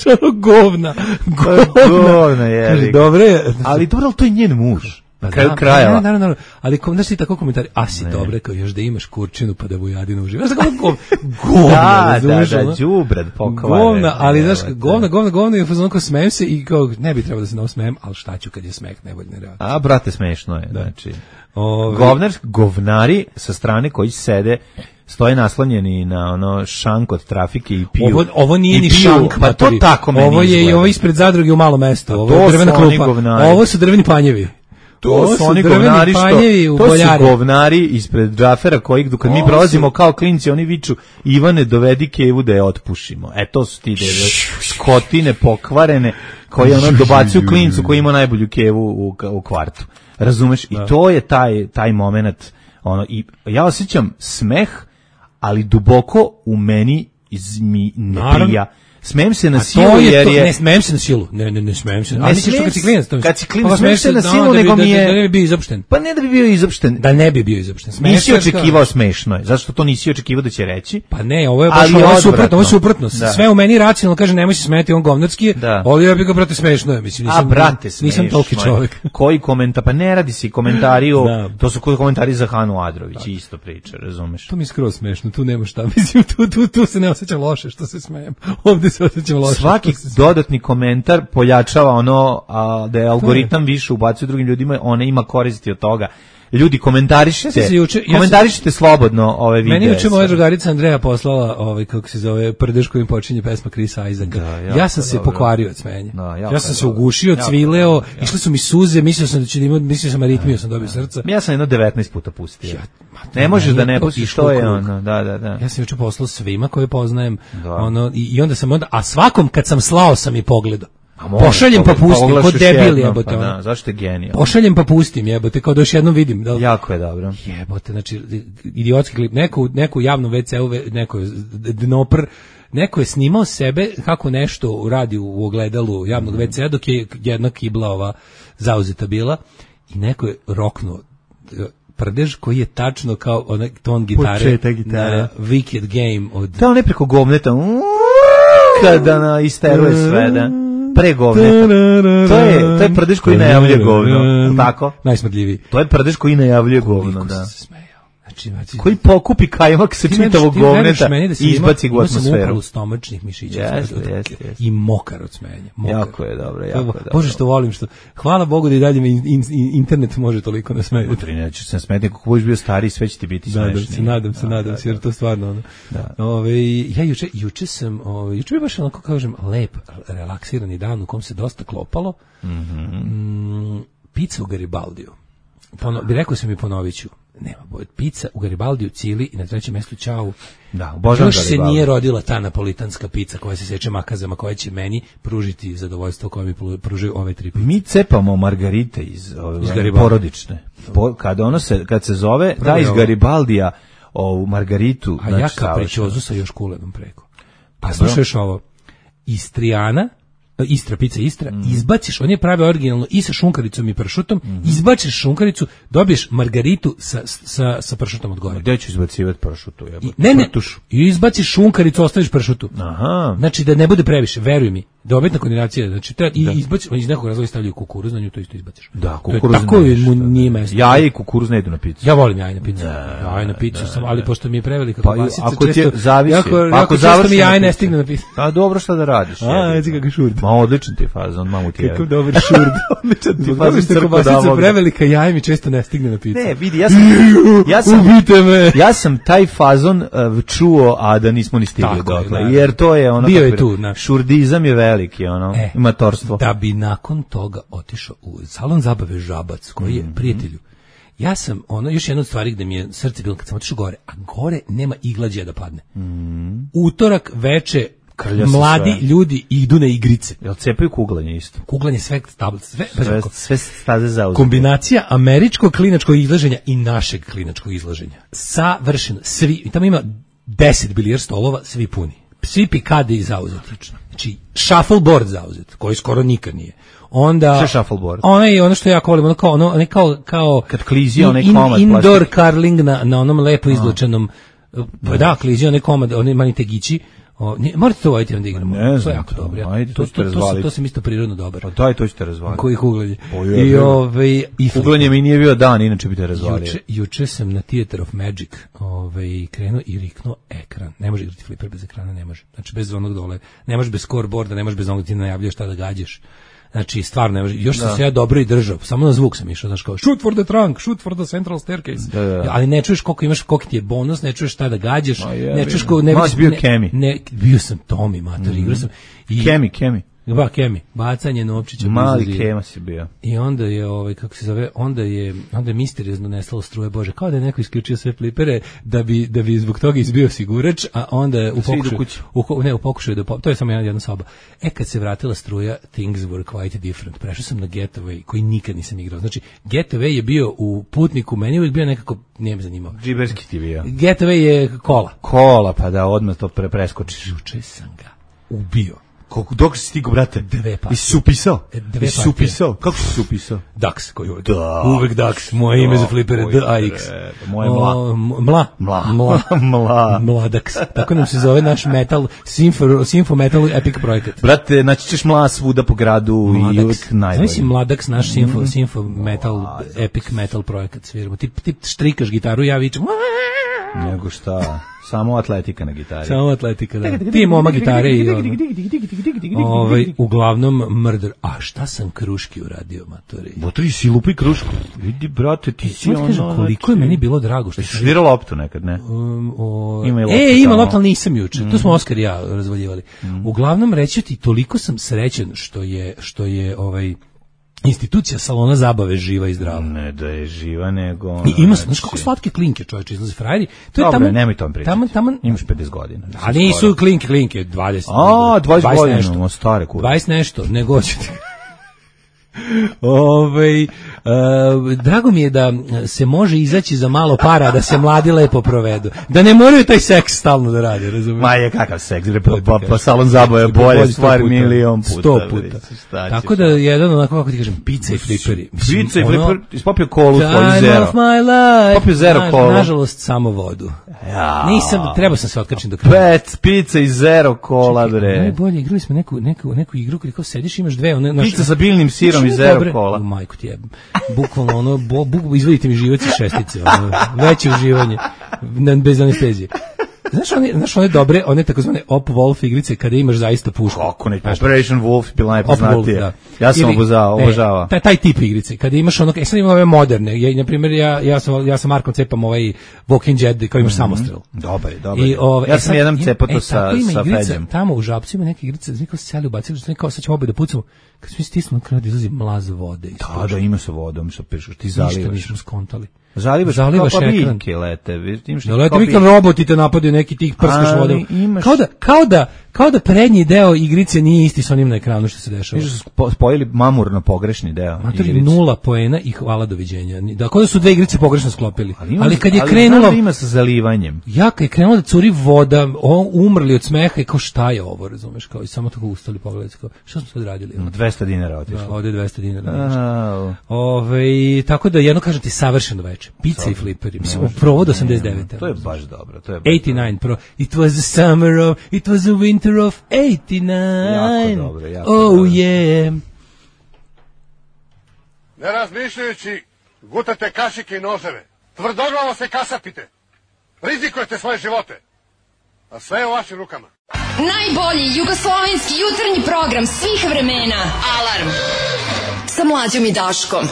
Što govna, govna, govna je. Dobro je, ali dobro, to je njen muž. Na kraju da, kraja. Da, da, da, ali kom, znaš ti tako komentari, a si dobre, kao još da imaš kurčinu pa da Vujadina uživa. Znaš kako gov, govna, da, da, da, đubrad pokvare. Govna, ali znaš, govna, govna, govna, i fazon kao smejem se i kao, ne bi trebalo da se nam smejem, ali šta ću kad je smeh, ne bolje ne reagujem. A, brate, smešno je, da. Znači. Ove... Govnar, govnari sa strane koji sede stoje naslanjeni na ono šank od trafike i piju. Ovo, ovo nije ni šank, pa to tako meni ovo je izgleda. I ovo ispred zadruge u malo mesto. Ovo je drvena klupa. Ovo su drveni panjevi. To ovo su oni govnari što, to su govnari ispred Džafera koji kad mi prolazimo kao klinci, oni viču Ivane dovedi kevu da je otpušimo. E to su ti deve, skotine pokvarene koji ono dobacuju klincu koji ima najbolju kevu u, u kvartu. Razumeš? I to je taj, taj moment. Ono, i ja osjećam smeh, ali duboko u meni iz mi ne prija. Smejem se na silu jer je... Ne, smejem se na silu. Ne, ne, ne smejem se. Ne, ali smejem se, klinac, to kad si klinac, smejem se na silu, da, nego mi je... Da, da ne bi bio izopšten. Pa ne da bi bio izopšten. Da ne bi bio izopšten. Nisi očekivao smešno je. Zašto to nisi očekivao da će reći? Pa ne, ovo je baš ovo je suprotno, ovo je suprotno. Sve u meni racionalno kaže nemoj se smeti, on govnarski je, ali ja bih ga, brate, smešno je. Mislim, nisam, A, brate, nisam toliki čovjek. Koji komentar? Pa ne radi se komentari o... To su komentari za Hanu Adrović, isto priča, razumeš? To mi je skroz smešno, tu nema šta. Mislim, tu, tu, tu se ne osjećam loše što se smejem. Ovde se osjećam loše. Svaki dodatni komentar pojačava ono a, da je algoritam više ubacuje drugim ljudima, ona ima koristi od toga. Ljudi, komentarišite, ja juče, ja komentarišite sam, slobodno ove videe. Meni juče moja drugarica Andreja poslala ovaj, kako se zove, prdež kojim počinje pesma Chrisa Isaaca. Da, ja sam se dobro. pokvario od smenja. Da, ja sam se ugušio, cvileo, išle su mi suze, mislio sam da će imati, mislio sam aritmiju, sam dobio srca. Ja sam jedno devetnaest puta pustio. Ja, ne možeš da ne pustiš, što je ono, da, da, da. Ja sam juče poslao svima koje poznajem, da. ono, i, i onda sam onda, a svakom kad sam slao sam i pogledao. Pošaljem pa pustim, kod debil jebote. Pa da, zašto je genijal? Pošaljem pa pustim jebote, kao da još jednom vidim. Da li... Jako je dobro. Jebote, znači, idiotski klip, neko, neko javno ve ce u, neko dnopr, neko je snimao sebe kako nešto radi u ogledalu javnog ve ce-a dok je jedna kibla ova zauzeta bila i neko je roknuo prdež koji je tačno kao onaj ton gitare na Wicked Game od... Da, on je preko govneta... kada na isteruje sve, da. Pre govneta. To je, to je prdež koji najavljuje govno, tako? Najsmrdljiviji. To je prdež koji najavljuje govno, da. Znači, znači, koji pokupi kajmak sa čitavog govneta i izbaci ga u atmosferu. Ima sam stomačnih mišića. Jeste, jeste, jeste. I mokar od smenja. Mokar. Jako je dobro, jako je dobro. Bože što volim, što... Hvala Bogu da i dalje me in, in, internet može toliko nasmejati. Utri, neću se nasmejati, kako budeš bio stariji, sve će ti biti smešniji. Nadam se, nadam se, nadam se, jer to stvarno ono. Da. Ove, ja juče, juče sam, ove, juče bi baš onako, kažem, lep, relaksirani dan u kom se dosta klopalo. Mm-hmm. Mm, pizza u Garibaldiju. Pono, bi rekao sam i ponovit ću. Nema bolje. Pizza u Garibaldiju, Cili i na trećem mjestu Ćao. Da, obožavam Još se nije rodila ta napolitanska pizza koja se seče makazama, koja će meni pružiti zadovoljstvo koje mi pružaju ove tri pice. Mi cepamo margarite iz, ove, iz porodične. Po, kada ono se, kad se zove, da iz Garibaldija ovu margaritu. A znači, ja kapričozu sa još kulenom preko. Pa slušaš ovo. Istrijana, Istra, pizza Istra, mm. izbaciš, on je prave originalno i sa šunkaricom i pršutom, mm. izbaciš šunkaricu, dobiješ margaritu sa, sa, sa pršutom od gore. Gde ću izbacivati pršutu? I, ne, ne, i izbaciš šunkaricu, ostaviš pršutu. Aha. Znači da ne bude previše, veruj mi. Dobitna kombinacija, znači treba i izbaciš, iz nekog razloga stavljaju kukuruz, na nju to isto izbaciš. Da, kukuruz. Tako mu nije mesto. Jaje i kukuruz ne idu na picu. Ja volim jaje na picu. Jaje na picu sam, ali pošto mi je prevelika pa, kobasica, ako često ti zavisi, jako, pa ako završi mi jaje ne stigne na picu. Pa dobro, šta da radiš? A, vidi kako šurd. Ma odličan ti je fazon, mamu ti je. Kako dobar šurd. Odličan ti fazon, što kobasica prevelika, jaje mi često ne stigne na picu. Ne, vidi, ja sam ja sam ubite me. Ja sam taj fazon uh, čuo, a da nismo ni stigli dokle, jer to je ono bio je tu, šurdizam je veliki, ono. Matorstvo. Da bi nakon toga otišao u salon zabave Žabac, koji je mm-hmm. prijatelju. Ja sam, ono, još jedna od stvari gde mi je srce bilo kad sam otišao gore, a gore nema iglađe da padne. Mm-hmm. Utorak veče Krlja mladi sve. Ljudi idu na igrice. Jel cepaju kuglanje isto? Kuglanje sve tablice, sve, sve, sve staze zauzete. Kombinacija američkog klinačkog izlaženja i našeg klinačkog izlaženja. Savršeno. Svi, tamo ima deset bilijar stolova, svi puni. Svi pikade i zauzeti. Znači, shuffleboard zauzet, koji skoro nikad nije. Onda Šta shuffleboard? Ono je ono što ja volim, ono kao ono, ono kao kao kad klizio onaj in, komad indoor plastik. Curling na na onom lepo izlučenom. Pa da, klizio onaj komad, oni mani tegići. O, nije, morate to voditi onda igramo. Ne, to je jako dobro. Ja. Ajde, to, to, to, to, to sam isto prirodno dobar. Pa daj, to ćete razvaliti. Koji kuglanje. I ovaj i kuglanje mi nije bio dan, inače bi te razvalio. Juče, juče sam na Theater of Magic, ovaj krenuo i riknuo ekran. Ne može igrati fliper bez ekrana, ne može. Znači bez onog dole, ne može bez scoreboarda, ne može bez onog ti najavljuješ šta da gađaš. Znači, stvarno, ne može. Još sam da. se ja dobro i držao. Samo na zvuk sam išao, znaš kao, shoot for the trunk, shoot for the central staircase. Da, da. Ali ne čuješ koliko imaš, koliko ti je bonus, ne čuješ šta da gađaš, je, ne čuješ koliko... Ne, Maš bio Kemi. Ne, bio sam Tomi, mater, mm-hmm. igrao sam. I, Kemi, Kemi. Ba, Kemi, bacanje novčića. Mali Kema si bio. I onda je, ovaj, kako se zove, onda je, onda je misteriozno nestalo struje, Bože, kao da je neko isključio sve flipere da bi, da bi zbog toga izbio sigurač, a onda je u pokušaju, u, ne, u pokušaju da, to je samo jedna, jedna soba. E, kad se vratila struja, things were quite different. Prešao sam na Getaway, koji nikad nisam igrao. Znači, Getaway je bio u Putniku, meni uvijek bio nekako, nije me zanimao. Džiberski ti bio. Getaway je kola. Kola, pa da odmah to pre preskočiš. Juče sam ga ubio. Koliko dok si stigo, brate? Dve partije. I si upisao? Dve I si upisao? Kako si upisao? Dax, koji uvek. Uvek Dax. Moje ime za flipere, D A X. Moje mla. Mla. Mla. Mla. Mla. Mladax. Tako nam se zove naš metal, Sinfo, Sinfo Metal Epic projekat. Brate, naći ćeš mla svuda po gradu i uvek najbolje. Znaš si Mladax, naš Sinfo, Sinfo Metal Epic Metal projekat sviramo. Ti, ti štrikaš gitaru, ja vičem Nego šta? Samo atletika na gitari. Samo atletika, da. Ti moma gitare i ovaj, uglavnom murder. A šta sam Kruški uradio, matori? Bo ti si lupi Krušku. Vidi, brate, ti si ono... Kažem, koliko je meni bilo drago što... Jesi švirao loptu nekad, ne? Um, o... Ima i loptu. E, ima loptu, ali nisam juče. Mm. Tu smo Oskar i ja razvaljivali. Mm. Uglavnom, reći ti, toliko sam srećen što je, što je ovaj... institucija salona zabave živa i zdrava. Ne da je živa, nego... Ono, I ima, znaš kako slatke klinke, čovječe, izlazi frajeri. To je Dobre, tamo, nemoj tom pričati. Tamo, tamo, imaš pedeset godina. A nisu klinke, klinke, dvadeset. A, dvadeset godina, nešto. Imamo stare kure. dvadeset nešto, nego ćete... Ove, uh, drago mi je da se može izaći za malo para, da se mladi lepo provedu, da ne moraju taj seks stalno da rade, razumiješ? Ma je kakav seks, pa, pa, pa salon zabave je bolje stvar milion puta. Sto puta. Tako da jedan onako, kako ti kažem, pizza i fliperi. Pizza i fliper, ispopio kolu svoju Time zero. of my life. Popio zero Na, kolu. Nažalost, samo vodu. Ja. Nisam, trebao sam se otkačiti do kraja. Pet, pizza i zero kola, bre. Najbolje, igrali smo neku, neku, neku igru, kada kao sediš, imaš dve. One, naš, pizza sa biljnim sirom i zero dobre, kola. Majku ti jebam. Bukvalno ono, bo, buk, izvodite mi živac i šestice. Ono, veće uživanje. Bez anestezije. Znaš one, znaš one dobre, one takozvane Op Wolf igrice kada imaš zaista pušku. Kako ne, Operation Wolf bila najpoznatije. Da. Ja sam obozao, obožava. E, taj, taj tip igrice, kada imaš ono, e sad imam ove moderne, ja, na primjer, ja, ja sam, ja sam Markom cepam ovaj Walking Dead, kao imaš mm-hmm. samostrel. Dobar je, dobar je. Ove, ja sam e, jedan cepo to e, sa, sa igrica, Feđem. Tamo u Žabcu ima neke igrice, znači kao se seli ubacili, znači kao sad ćemo obe da pucamo, kad smo stisnuli kraj da izlazi mlaz vode. Da, da, ima sa vodom, sa pešaš, ti zalivaš. Ništa nismo skontali. Zalivaš, Zalivaš kao pa ekran. biljke lete. Vidiš, da lete vikam roboti te napadaju, neki tih prskaš vodom. Imaš... Kao, da, kao, da, kao da prednji deo igrice nije isti s onim na ekranu što se dešava. Viš da su spojili mamurno pogrešni deo. Matori, nula poena i hvala doviđenja. Da, kao da su dve igrice pogrešno sklopili. Ali, ima, ali kad je ali krenulo... Ali ima sa zalivanjem. Ja kad je krenulo da curi voda, on, umrli od smeha i kao šta je ovo, razumeš? Kao, i samo tako ustali pogledati. Kao, šta smo sad radili? dvesta dinara otišlo. Da, ovdje dvesta dinara. Ove, tako da jedno kažem ti savršeno veče. Pizza i fliperi. Mislim, provod osamdeset devet. To je baš dobro. To je baš osamdeset devet pro. It was the summer of, it was the winter of osamdeset devet. Jako dobro, jako oh dobro. Yeah. Ne razmišljajući, gutate kašike i noževe. Tvrdoglavo se kasapite. Rizikujete svoje živote. A sve je u vašim rukama. Najbolji jugoslovenski jutarnji program svih vremena. Alarm. Sa Mlađom i Daškom.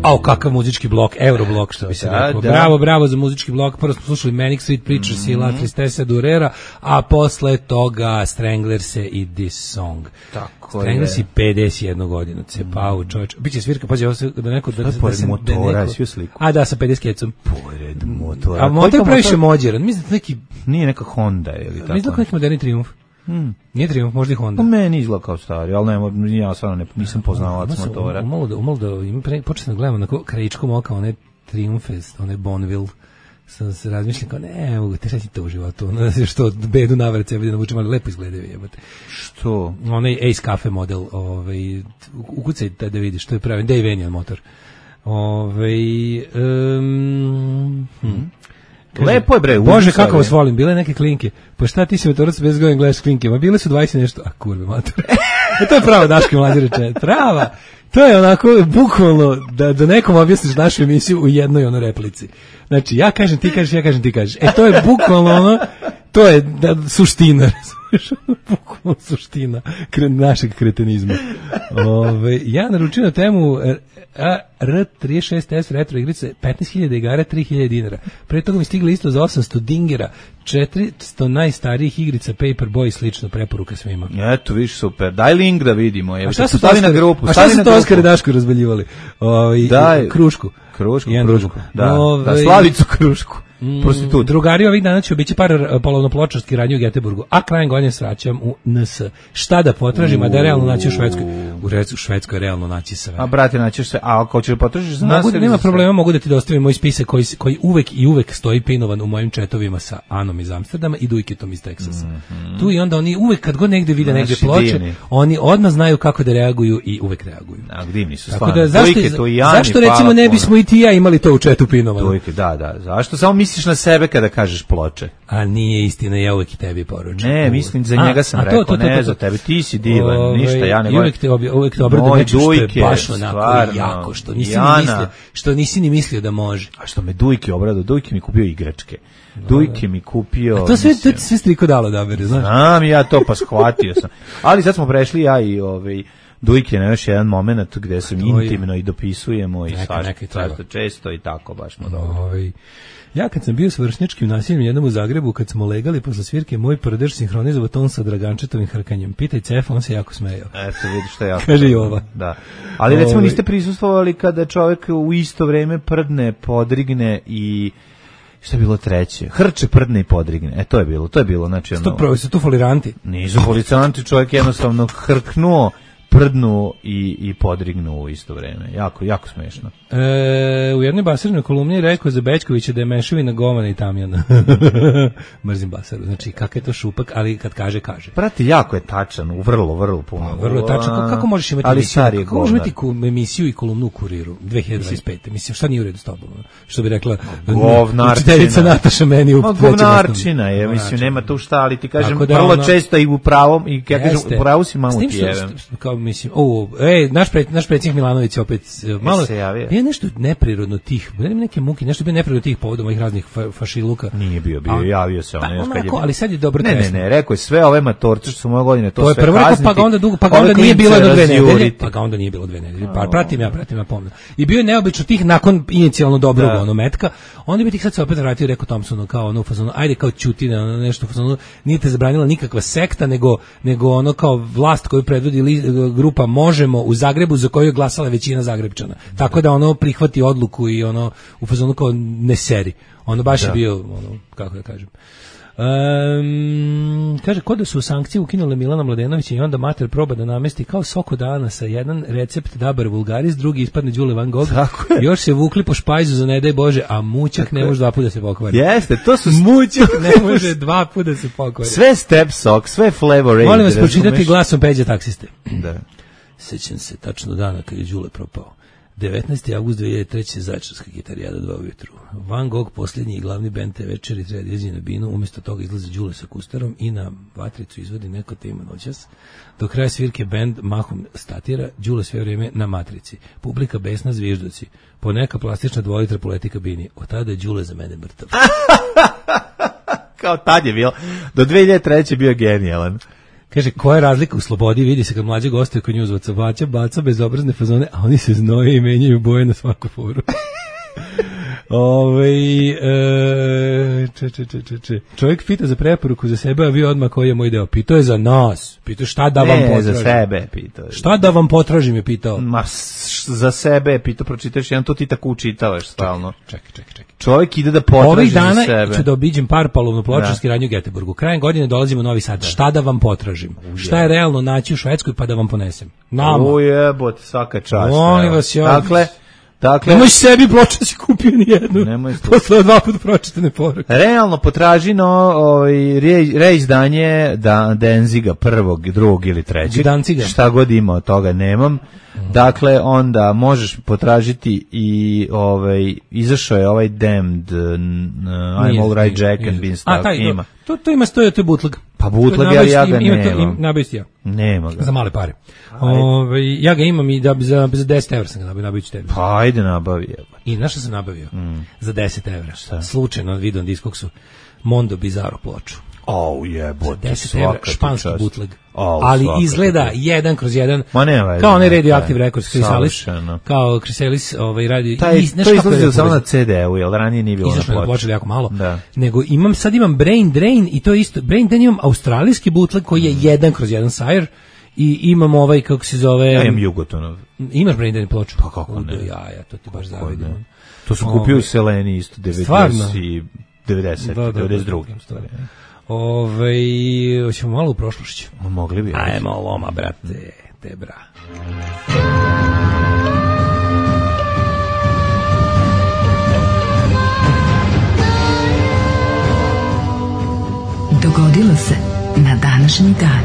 Au, kakav muzički blok, Euroblok, što bi se da, rekao. Da. Bravo, bravo za muzički blok. Prvo smo slušali Manic Street Preachers mm-hmm. i La Tristessa Durera, a posle toga Stranglers i This Song. Tako Stranglers je. i pedeset jedna godina, cepao čovječ. Biće svirka, pazi, ovo se da neko... Da, da, pored da se, motora, da neko, svi u sliku. A da, sa pedeset kecom. Pored motora. A motor previše mođeran, mislim da neki... Nije neka Honda ili tako. Mislim da neki moderni Triumf. Hmm. Nije Triumf, možda i Honda. Po meni izgleda kao stari, ali ne, ja stvarno ne, nisam poznavalac motora. Umalo da, umalo da im pre, počeo sam da gledam onako krajičkom oka, one Triumfe, one Bonneville, sam se razmišljam kao, ne, mogu te reći to u životu, ono, što bedu navrat sebe da navučem, ali lepo izgledaju, jebate. Što? Onaj Ace Cafe model, ovaj, ukucaj da vidiš, to je pravi, Davenian motor. Ovaj, um, hm. Kaže, lepo je bre. Bože kako vas volim, bile neke klinke. Pa šta ti se vetoroc bez godina gledaš klinke? Ma bile su dvadeset nešto, a kurve mater. E to je pravo Daške mlađe reče. Prava. To je onako bukvalno da da nekom objasniš našu emisiju u jednoj ono replici. Znači ja kažem ti kažeš, ja kažem ti kažeš. E to je bukvalno ono, to je da, suština. Bukvalno suština kre, našeg kretenizma. Ove, ja naručio na temu R trideset šest S retro igrice petnaest hiljada igara, tri hiljade dinara. Pre toga mi stigli isto za osamsto dingera, četiristo najstarijih igrica Paperboy i slično, preporuka svima. Eto, viš super. Daj link da vidimo. A šta su to na grupu? A šta su to Oskar i Daško razvaljivali? Ovaj Krušku. Krušku, Jedan Krušku. Da, Ove, da, Slavicu Krušku. Mm, prostitut. Drugari ovih dana će obići par polovnopločarski radnje u Göteborgu, a krajem godine sraćam u N S. Šta da potražim, a da realno naći u Švedskoj? U Švedskoj je realno naći sve. A brate, naćeš sve. A ako ćeš potražiš za nas, mogu, nema problema, mogu da ti dostavim moj spisak koji, koji uvek i uvek stoji pinovan u mojim četovima sa Anom iz Amsterdama i Dujketom iz Teksasa. Mm-hmm. Tu i onda oni uvek kad god negde vide negde ploče, divni. Oni odmah znaju kako da reaguju i uvek reaguju. A divni su stvarno. Da, zašto, zašto recimo ne bismo i ti ja imali to u četu pinovano? Dujke, da, da. Zašto? Samo mi misliš na sebe kada kažeš ploče? A nije istina, ja uvek i tebi poručujem. Ne, mislim, za njega sam a, rekao, to, to, to, to, ne za tebe, ti si divan, ove, ništa, ja ne govorim. Uvek te, obje, uvek te obradu nečem što je baš onako jako, što nisi, ni mislio, što nisi ni mislio da može. A što me Dujke obradu, Dujke mi kupio igračke. Dujke mi kupio... A to sve, to sve striko dalo da bere, znaš? Znam ja to, pa shvatio sam. Ali sad smo prešli ja i ovaj... Dujke na još jedan moment gde se intimno i dopisujemo i svašta često i tako baš smo dobro. Oj. Ja kad sam bio s vršnjačkim nasiljem jednom u Zagrebu, kad smo legali posle svirke, moj prdež sinhronizovao ton sa Dragančetovim hrkanjem. Pitaj Cefa, on se jako smejao. Eto, vidiš što je jako. Kaže i ova. Da. Ali recimo niste prisustvovali kada čovjek u isto vreme prdne, podrigne i šta je bilo treće? Hrče, prdne i podrigne. E, to je bilo, to je bilo. Znači, ono, Sto pravo, su tu foliranti? Nisu foliranti, čovjek jednostavno hrknuo, prdnu i, i podrignu u isto vreme. Jako, jako smešno. E, u jednoj Basarnoj kolumni je rekao za Bećkovića da je mešavina govana i tamjana. Mrzim Basaru. Znači, kakav je to šupak, ali kad kaže, kaže. Prati, jako je tačan, u vrlo, vrlo puno. A, vrlo je tačan. Kako, kako možeš imati ali emisiju, kako možeš imati ku, emisiju i kolumnu u Kuriru dve hiljade dvadeset pete? Mislim, šta nije u redu s tobom? Što bi rekla učiteljica Nataša meni u trećem. Govnarčina je, mislim, nema tu šta, ali ti kažem, da vrlo ona, često i u pravom, i ja kažem, u pravu si mamu tijevem. Kao, mislim, o, ej, naš, pre, naš predsjednik Milanović opet malo, je nešto neprirodno tih, neke muke, nešto bio neprirodno tih povodom ovih raznih fa, fašiluka. Nije bio, bio, javio se on. Pa, onako, ali sad je dobro ne, ne, ne, rekao je sve ove matorce što su moje godine, to, to sve prvo kazniti. Pa ga onda, dugo, pa ga onda nije bilo jedno dve nedelje, pa ga onda nije bilo dve nedelje, pa pratim ja, pratim ja pomno. I bio je neobično tih nakon inicijalno dobrog ono metka, onda bi tih sad se opet vratio, rekao Thompsonu, kao ono u fazonu, ajde kao ćuti na ono nešto u fazonu, nije te zabranila nikakva sekta, nego, nego ono kao vlast koju predvodi li, grupa Možemo u Zagrebu za koju je glasala većina Zagrebčana. Tako da ono prihvati odluku i ono u fazonu kao ne seri. Ono baš da. je bio, ono, kako da kažem. Um, kaže, kod da su sankcije ukinule Milana Mladenovića i onda mater proba da namesti kao soko dana sa jedan recept Dabar Vulgaris, drugi ispadne Đule Van Gogh, još se vukli po špajzu za ne daj Bože, a mućak tako ne može dva puta da se pokvari. Jeste, to su mućak ne može dva puta da se pokvari. Sve step sok, sve flavor aid. Molim vas pročitati glasom Peđa taksiste. Da. Sećam se tačno dana kad je Đule propao. devetnaesti avgust dve hiljade treće. Zaječarska gitarijada dva ujutru. Van Gogh, posljednji i glavni bend te večeri treba da izđe na binu, umjesto toga izlazi Đule sa kustarom i na vatricu izvodi neko tema noćas. Do kraja svirke bend mahom statira, Đule sve vrijeme na matrici. Publika besna, zvižduci. Po neka plastična dvolitra poleti kabini. Od tada je Đule za mene mrtav. Kao tad je bilo. Do dve hiljade treće bio genijalan. Kaže, koja je razlika u slobodi, vidi se kad mlađe gostuje kod njuzvaca, baća, baca bezobrazne fazone, a oni se znoje i menjaju boje na svaku foru. Ove, e, če, če, če, če, če. Čovjek pita za preporuku za sebe, a vi odmah koji je moj deo. Pitao je za nas. Pitao šta da vam ne, potražim. za sebe pitao. Šta da vam potražim je pitao. Ma, za sebe je pitao, pročitaš jedan, to ti tako učitavaš stalno. Čekaj, čekaj, čekaj. Čovjek ide da potraži za sebe. Ovih dana ću da obiđem Parpalovnu pločarski radnju u Göteborgu. Krajem godine dolazimo u Novi Sad. Da. Šta da vam potražim? Uje. Šta je realno naći u Švedskoj pa da vam ponesem? Nama. Ujebote, svaka čast. Molim vas, ja. Dakle, dakle, nemoj sebi pločarci kupio ni jednu. Nemoj posle dva puta pročitane poruke. Realno potraži no ovaj reizdanje da Denziga prvog, drugog ili trećeg. Danciga. Šta god ima od toga nemam. Dakle, onda možeš potražiti i ovaj izašao je ovaj Damned uh, I'm all right Jack and Beanstalk ima. To to ima stoje to je bootleg. Pa bootleg ja, ja ga nemam. Nabaviti ja. Nema ga. Za male pare. Ovaj ja ga imam i da za za deset evra sam ga nabavio tebi. Pa ajde nabavi. I našao sam nabavio mm. za deset evra. Šta? Slučajno video na Discogsu Mondo Bizarro ploču. Oh, jebote, deset evra, španski bootleg. Oh, ali izgleda čast. jedan kroz jedan, nema, kao onaj Radioactive Records, Chrysalis, kao Chrysalis ovaj, radi... Taj, i, to izlazio samo na ce de u, jer ranije nije bilo na ploči. Počeli jako malo. Da. Nego imam, sad imam Brain Drain i to je isto, Brain Drain imam australijski bootleg koji je jedan kroz jedan Sire i imam ovaj, kako se zove... Ja imam Jugotonov. Imaš Brain Drain ploču? Pa kako ne? Ja, ja, to ti baš zavidim. To su kupio u Seleni isto, devedeset i devedeset, devedeset druge stvari. Ove, hoćemo malo u prošlošću. Mogli bi. Ajmo loma, brate, te bra. Dogodilo se na današnji dan.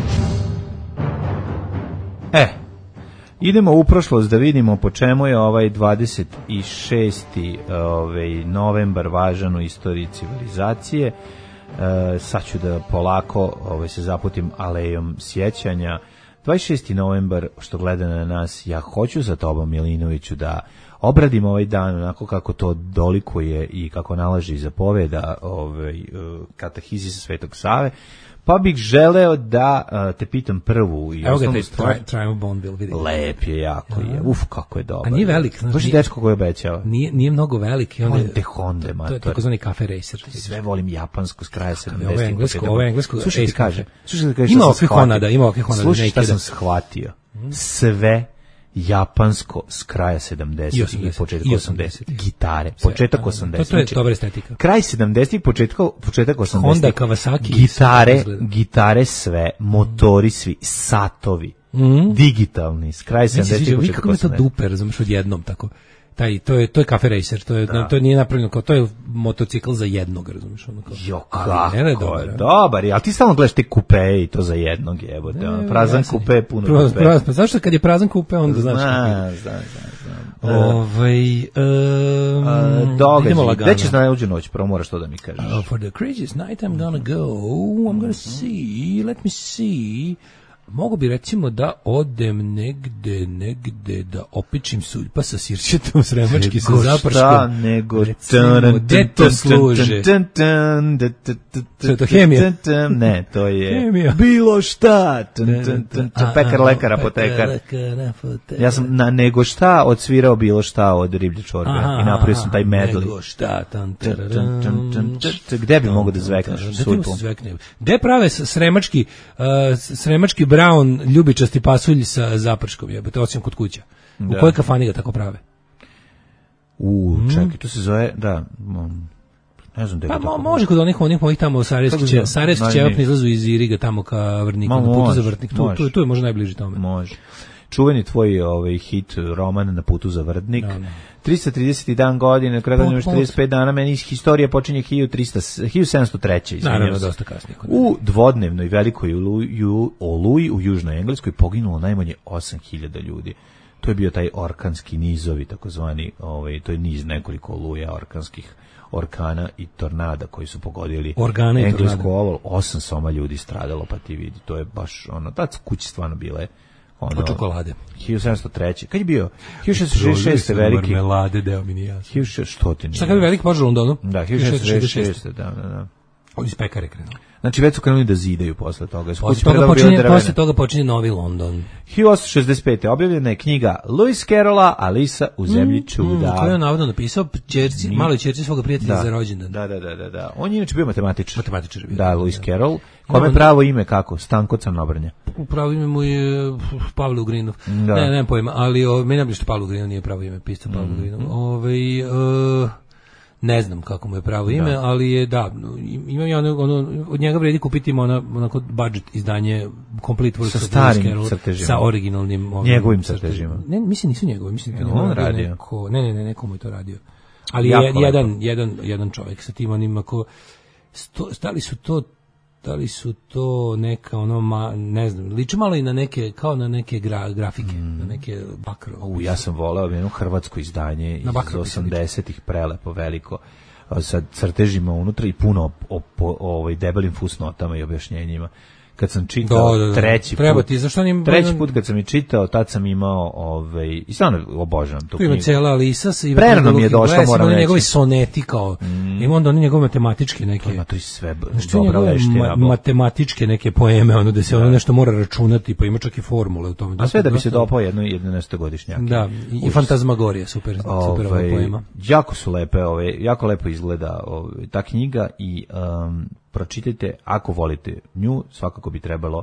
E, Idemo u prošlost da vidimo po čemu je ovaj dvadeset šesti ovaj novembar važan u istoriji civilizacije. E, sad ću da polako ovaj, se zaputim alejom sjećanja. dvadeset šesti novembar, što gleda na nas, ja hoću za tobom, Milinoviću, da obradim ovaj dan onako kako to dolikuje i kako nalaže i zapoveda ovaj, katahizisa Svetog Save. Pa bih želeo da uh, te pitam prvu i osnovnu stvar. Triumph Bonneville, vidi. Lep je, jako je. Uf, kako je dobar. A nije velik. Znaš, baš je dečko koji obećava. Nije, nije mnogo velik. I onda volim te Honde, mator. To je takozvani Cafe Racer. Sve volim japansko s kraja sedamdesetih. Ovo je englesko, ovo je englesko. Slušaj ti kaže. Slušaj ti kaže ima ovakvih Honda, ima ovakvih Honda. Slušaj šta sam shvatio. Sve japansko s kraja sedamdesetih i početak osamdesetih. Gitare, početak osamdesetih. To, to je dobra estetika. Kraj sedamdesetih, početak, početak osamdesetih. Honda, Kawasaki. Gitare, gitare sve, motori svi, satovi, mm. digitalni, s kraja sedamdesetih, početak osamdesetih. Kako je to duper, razumiješ, odjednom tako. Taj, to je to je Cafe Racer, to je da. To nije napravljeno kao, to je motocikl za jednog, razumiješ, ono kao. Jo, kako je dobar, dobar, ali ti stalno gledaš te kupe i to za jednog, jebote, ono, prazan ja kupe, puno prazan, kupe. Prazan, pa zašto kad je prazan kupe, onda znaš. Zna, zna, zna. Ovaj um, događaj, gde ćeš na uđu noć, prvo moraš to da mi kažeš. Uh, for the craziest night I'm gonna go, I'm gonna see, let me see. Mogu bi recimo da odem negde, negde da opičim suljpa sa sirćetom sremački sa zaprškom. Šta nego gde to služe? Što je to hemija? Ne, to je hemija. Bilo šta. Pekar, lekar, apotekar. Ja sam na nego šta odsvirao bilo šta od riblje čorbe i napravio sam taj medley. Nego šta. Gde bi mogo da zvekneš suljpom? Gde prave sremački sremački brown ljubičasti pasulj sa zaprškom, jebote, osim kod kuća. U kojoj kafani ga tako prave? U, čekaj, to se zove, da, ne znam da pa mo, može kod onih onih mojih tamo Sarajevski Sarajevski ćevap izlazu iz Iriga tamo ka Vrniku, na putu za Vrtnik, tu, tu, tu je možda najbliže tome. Može. Čuveni tvoj ovaj hit roman Na putu za Vrtnik. Da, da. tristo trideseti dan godine, kraj godine četrdeset pet dana, meni historija počinje hiljadu sedamsto treće. Naravno, dosta kasnije. U dvodnevnoj velikoj oluji u Južnoj Engleskoj poginulo najmanje osam hiljada ljudi. To je bio taj orkanski nizovi, takozvani, ovaj, to je niz nekoliko oluja orkanskih orkana i tornada koji su pogodili englesku oval. Osam soma ljudi stradalo, pa ti vidi, to je baš ono, ta kuće stvarno bile ono, od čokolade. hiljadu sedamsto treće. Kad je bio? hiljadu šesnaest šezdeset šeste veliki. Marmelade, deo mi nije jasno. hiljadu šesnaest nije. Šta kad je veliki požar u Londonu? Da, hiljadu šesnaest šezdeset šeste. Da, da, da. Od iz pekare krenuo. Znači već su krenuli da zidaju posle toga. Posle toga, počinje, posle toga počinje Novi London. hiljadu osamsto šezdeset pete. objavljena je knjiga Lewis Carrolla Alisa u zemlji mm, čuda. Mm, koju je navodno napisao ćerci, Mi... maloj ćerci svoga prijatelja da, za rođendan. Da, da, da, da, da. On je inače bio matematičar. Matematičar je bio. Da, Lewis Carroll. Kome je pravo ime kako? Stanko Crnobrnja. Pravo ime mu je Pavle Ugrinov. Da. Ne, nemam pojma, ali o, meni je što Pavle Ugrinov nije pravo ime, pisao Pavle mm. Ugrinov. Ovaj uh, ne znam kako mu je pravo ime, da. Ali je da, imam ja ono, ono, od njega vredi kupiti ona onako budget izdanje complete works sa starim crtežima, sa originalnim ovim, njegovim crtežima. Ne, mislim nisu njegovi, mislim da on radio. Neko, ne, ne, ne, neko mu je to radio. Ali je, jedan, jedan, jedan čovjek sa tim onim ako sto, stali su to da li su to neka ono ma, ne znam, liči malo i na neke kao na neke gra, grafike, mm. na neke bakro. U, ja sam voleo jedno hrvatsko izdanje iz osamdesetih, prelepo, veliko, sa crtežima unutra i puno o, o, ovaj debelim fusnotama i objašnjenjima. Kad sam čitao da, da, da. treći Treba put, ti, zašto nim, treći put kad sam je čitao, tad sam imao, ovaj, i stvarno obožavam tu knjigu. Tu ima cijela Alisa. Prerano mi je došlo, moram reći. Njegovi soneti kao, mm. ima onda oni njegove matematičke neke. Ima to i sve dobra veština. Ma, matematičke neke poeme, ono da se ono nešto mora računati, pa ima čak i formule u tome. A sve da bi se dopao jedno jedanaestogodišnjaki. Da, i, i fantazmagorija, super, ove, super ova poema. Jako su lepe, ove, jako lepo izgleda ove, ta knjiga i um, pročitajte, ako volite nju, svakako bi trebalo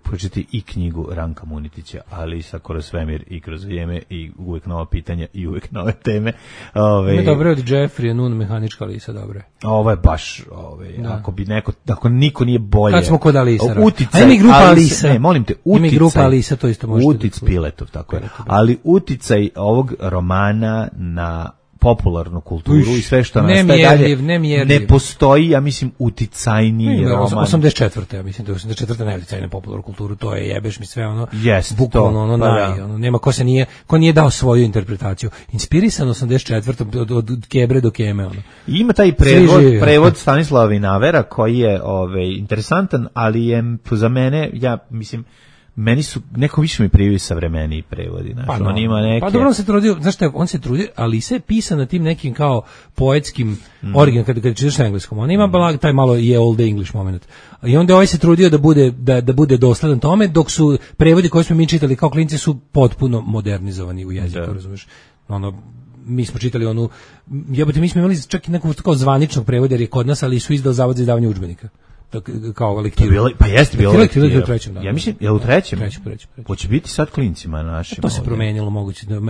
pročitati i knjigu Ranka Munitića, Alisa kroz svemir i kroz vrijeme i uvijek nova pitanja i uvijek nove teme. Ove, ne, dobro je od Jeffrey, Nun, mehanička Alisa, dobro je. Ovo je baš, ove, ako bi neko, ako niko nije bolje. Kad smo kod Alisa. Uticaj, a ima i grupa Alisa. Ne, molim te, uticaj. Ima i grupa Alisa, to isto možete. Utic Piletov, tako je. Ali uticaj ovog romana na popularnu kulturu Uš, i sve što ne nastaje dalje, ne, ne postoji, ja mislim, uticajniji roman. osamdeset četvrte ja mislim da je osamdeset četvrte najuticajnija popularnu kulturu, to je jebeš mi sve ono, yes, bukvalno ono, pa naj, da. ono, nema ko se nije, ko nije dao svoju interpretaciju. Inspirisan osamdeset četvrte od, od, od Kebre do Keme. Ono. I ima taj prevod, prevod Stanislava Vinavera koji je ovaj, interesantan, ali je za mene, ja mislim, meni su, neko više mi priviju savremeniji prevodi, znaš, pa, no. on ima neke... Pa dobro, on se trudio, znaš šta, on se trudio, ali sve je pisan na tim nekim kao poetskim mm. original, kada, kada čitaš na engleskom, on ima mm. taj malo je old English moment. I onda ovaj se trudio da bude, da, da bude dosledan tome, dok su prevodi koje smo mi čitali kao klinci su potpuno modernizovani u jeziku, da. Razumeš? Ono, mi smo čitali onu, jebote, mi smo imali čak i nekog tako zvaničnog prevoda, jer je kod nas, ali su izdao Zavod za izdavanje udžbenika. Kao lektiru. Bilo, pa jeste bilo lektiru. U trećem, da. Ja mislim, je u trećem? Trećem, trećem. Hoće biti sad klincima našim. To se ovdje promenilo moguće. Da,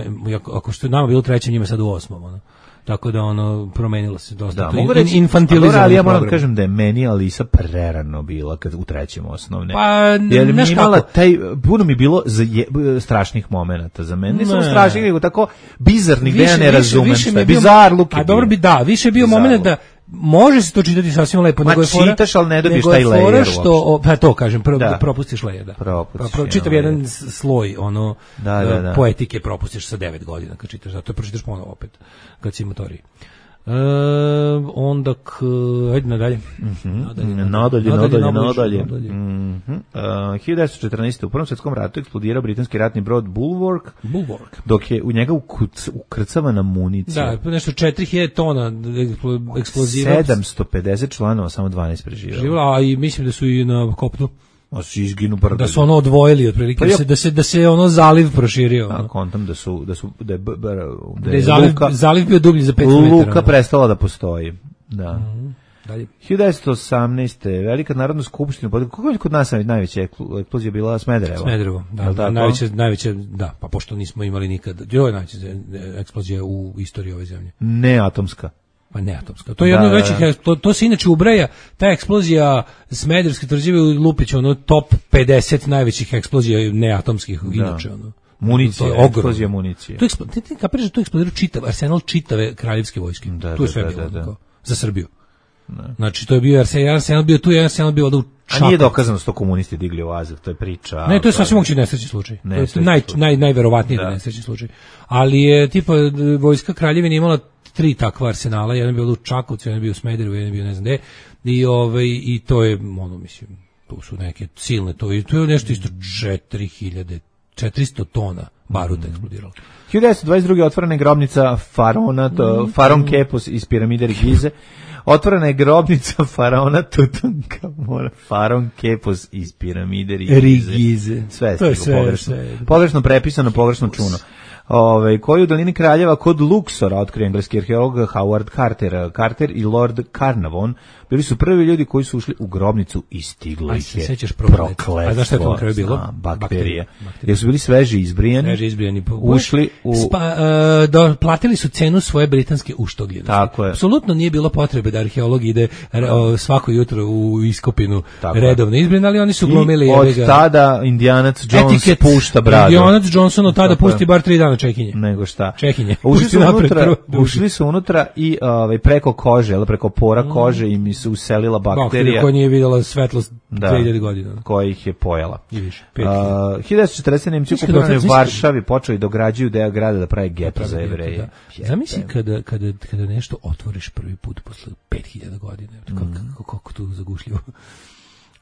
ako što je nama bilo u trećem, njima sad u osmom. Ono. Tako da ono promenilo se dosta. Da, mogu reći, infantilizam. Ali ja moram kažem da je meni Alisa prerano bila kad u trećem osnovne. Pa, jer mi imala taj, puno mi bilo za je, strašnih momenata za mene. Ne samo strašnih, nego tako bizarnih, da ja ne razumem šta je. Bizarluk je A dobro bi da, više je bio moment da može se to čitati sasvim lepo, ma nego je fora, čitaš, ali ne dobiješ taj layer što, pa to kažem, pro, da. propustiš layer, da. Propustiš, pa, pro, čitav jedan layer. Sloj, ono, da, da, da. poetike propustiš sa devet godina kad čitaš, zato pročitaš ponovo opet, kad si motoriji. E, onda k, ajde nadalje. Mm-hmm. Nadalje, nadalje, nadalje, nadalje. nadalje. Mm-hmm. Uh, hiljadu devetsto četrnaeste. u Prvom svjetskom ratu eksplodirao britanski ratni brod Bulwark, Bulwark. dok je u njega ukuc, ukrcavana municija. Da, nešto četiri hiljade tona eksploziva. sedamsto pedeset članova, samo dvanaest preživjelo. A i mislim da su i na kopnu. A su izginu brdo. Da su ono odvojili otprilike, pa da se da se da se ono zaliv proširio. A kontam da su da su da je, da je, da je zaliv, luka, zaliv bio dublji za pet metara. Luka prestala da postoji. Da. Mm-hmm. Dalje. hiljadu devetsto osamnaeste. Velika narodna skupština, kako je kod nas najveća eksplozija bila Smederevo? Smederevo, da, da najveća, najveća, da, pa pošto nismo imali nikad, jo je najveća eksplozija u istoriji ove zemlje. Ne atomska. Pa ne atomska. To je jedno od većih, to, to se inače ubraja, ta eksplozija Smederevske tvrđave u Lupiću, ono top pedeset najvećih eksplozija neatomskih, inače, ono. Municija, eksplozija municije. To eksplo, ti, ti kapiraš da to eksplodirao čitav arsenal čitave kraljevske vojske. Da, tu je sve da, bilo, da, da. za Srbiju. Ne. Znači, to je bio arsenal, arsenal bio tu, je arsenal bio da u Čakovcu. A nije dokazano da su komunisti digli u Azev, to je priča. Ne, to je sasvim mogući nesrećni slučaj. Ne, to je naj, naj, najverovatniji da. nesrećni slučaj. Ali je, tipa, vojska kraljevine imala tri takva arsenala, jedan je bio u Čakovcu, jedan je bio u Smederevu, jedan je bio ne znam gde, i, ovaj, i to je, ono, mislim, tu su neke silne, to, i to je nešto isto četiri hiljade, četiristo tona baruta eksplodiralo. hiljadu devetsto dvadeset druge. otvorena je grobnica faraona, to, faraon Kepos iz piramide Gize. Otvorena je grobnica faraona Tutankamona, faraon Kepos iz piramide Gize. Sve je sve, pogrešno. Sve. Pogrešno prepisano, pogrešno čuno. Ove, koji u dolini Kraljeva kod Luxora otkrio engleski arheolog Howard Carter. Carter i Lord Carnarvon bili su prvi ljudi koji su ušli u grobnicu i stiglo ih je prokletstvo. A znaš šta je to na kraju bilo? Zna, bakterije. Jer su bili sveži izbrijani, sveži izbrijani ušli u... Spa, uh, do, platili su cenu svoje britanske uštogljene. Tako je. Apsolutno nije bilo potrebe da arheolog ide uh, svako jutro u iskopinu redovno izbrijan, ali oni su glumili... I od ga, tada Indijanac Jones etiket, pušta bradu. Indijanac Johnson od tada pusti bar tri dana čekinje. Nego šta. Čekinje. Ušli su, unutra, ušli su unutra i ovaj, preko kože, ali preko pora kože im se uselila bakterija. Bakterija koja nije vidjela svetlost dve hiljade godina. Koja ih je pojela. I više. Uh, hiljadu devetsto četrdeset. Nemci okupirani u Varšavi počeli dograđuju deo grada da pravi geto za Jevreje. Zamisli kada, kada, kada nešto otvoriš prvi put posle pet hiljada godina. Kako, mm. kako, kako tu zagušljivo.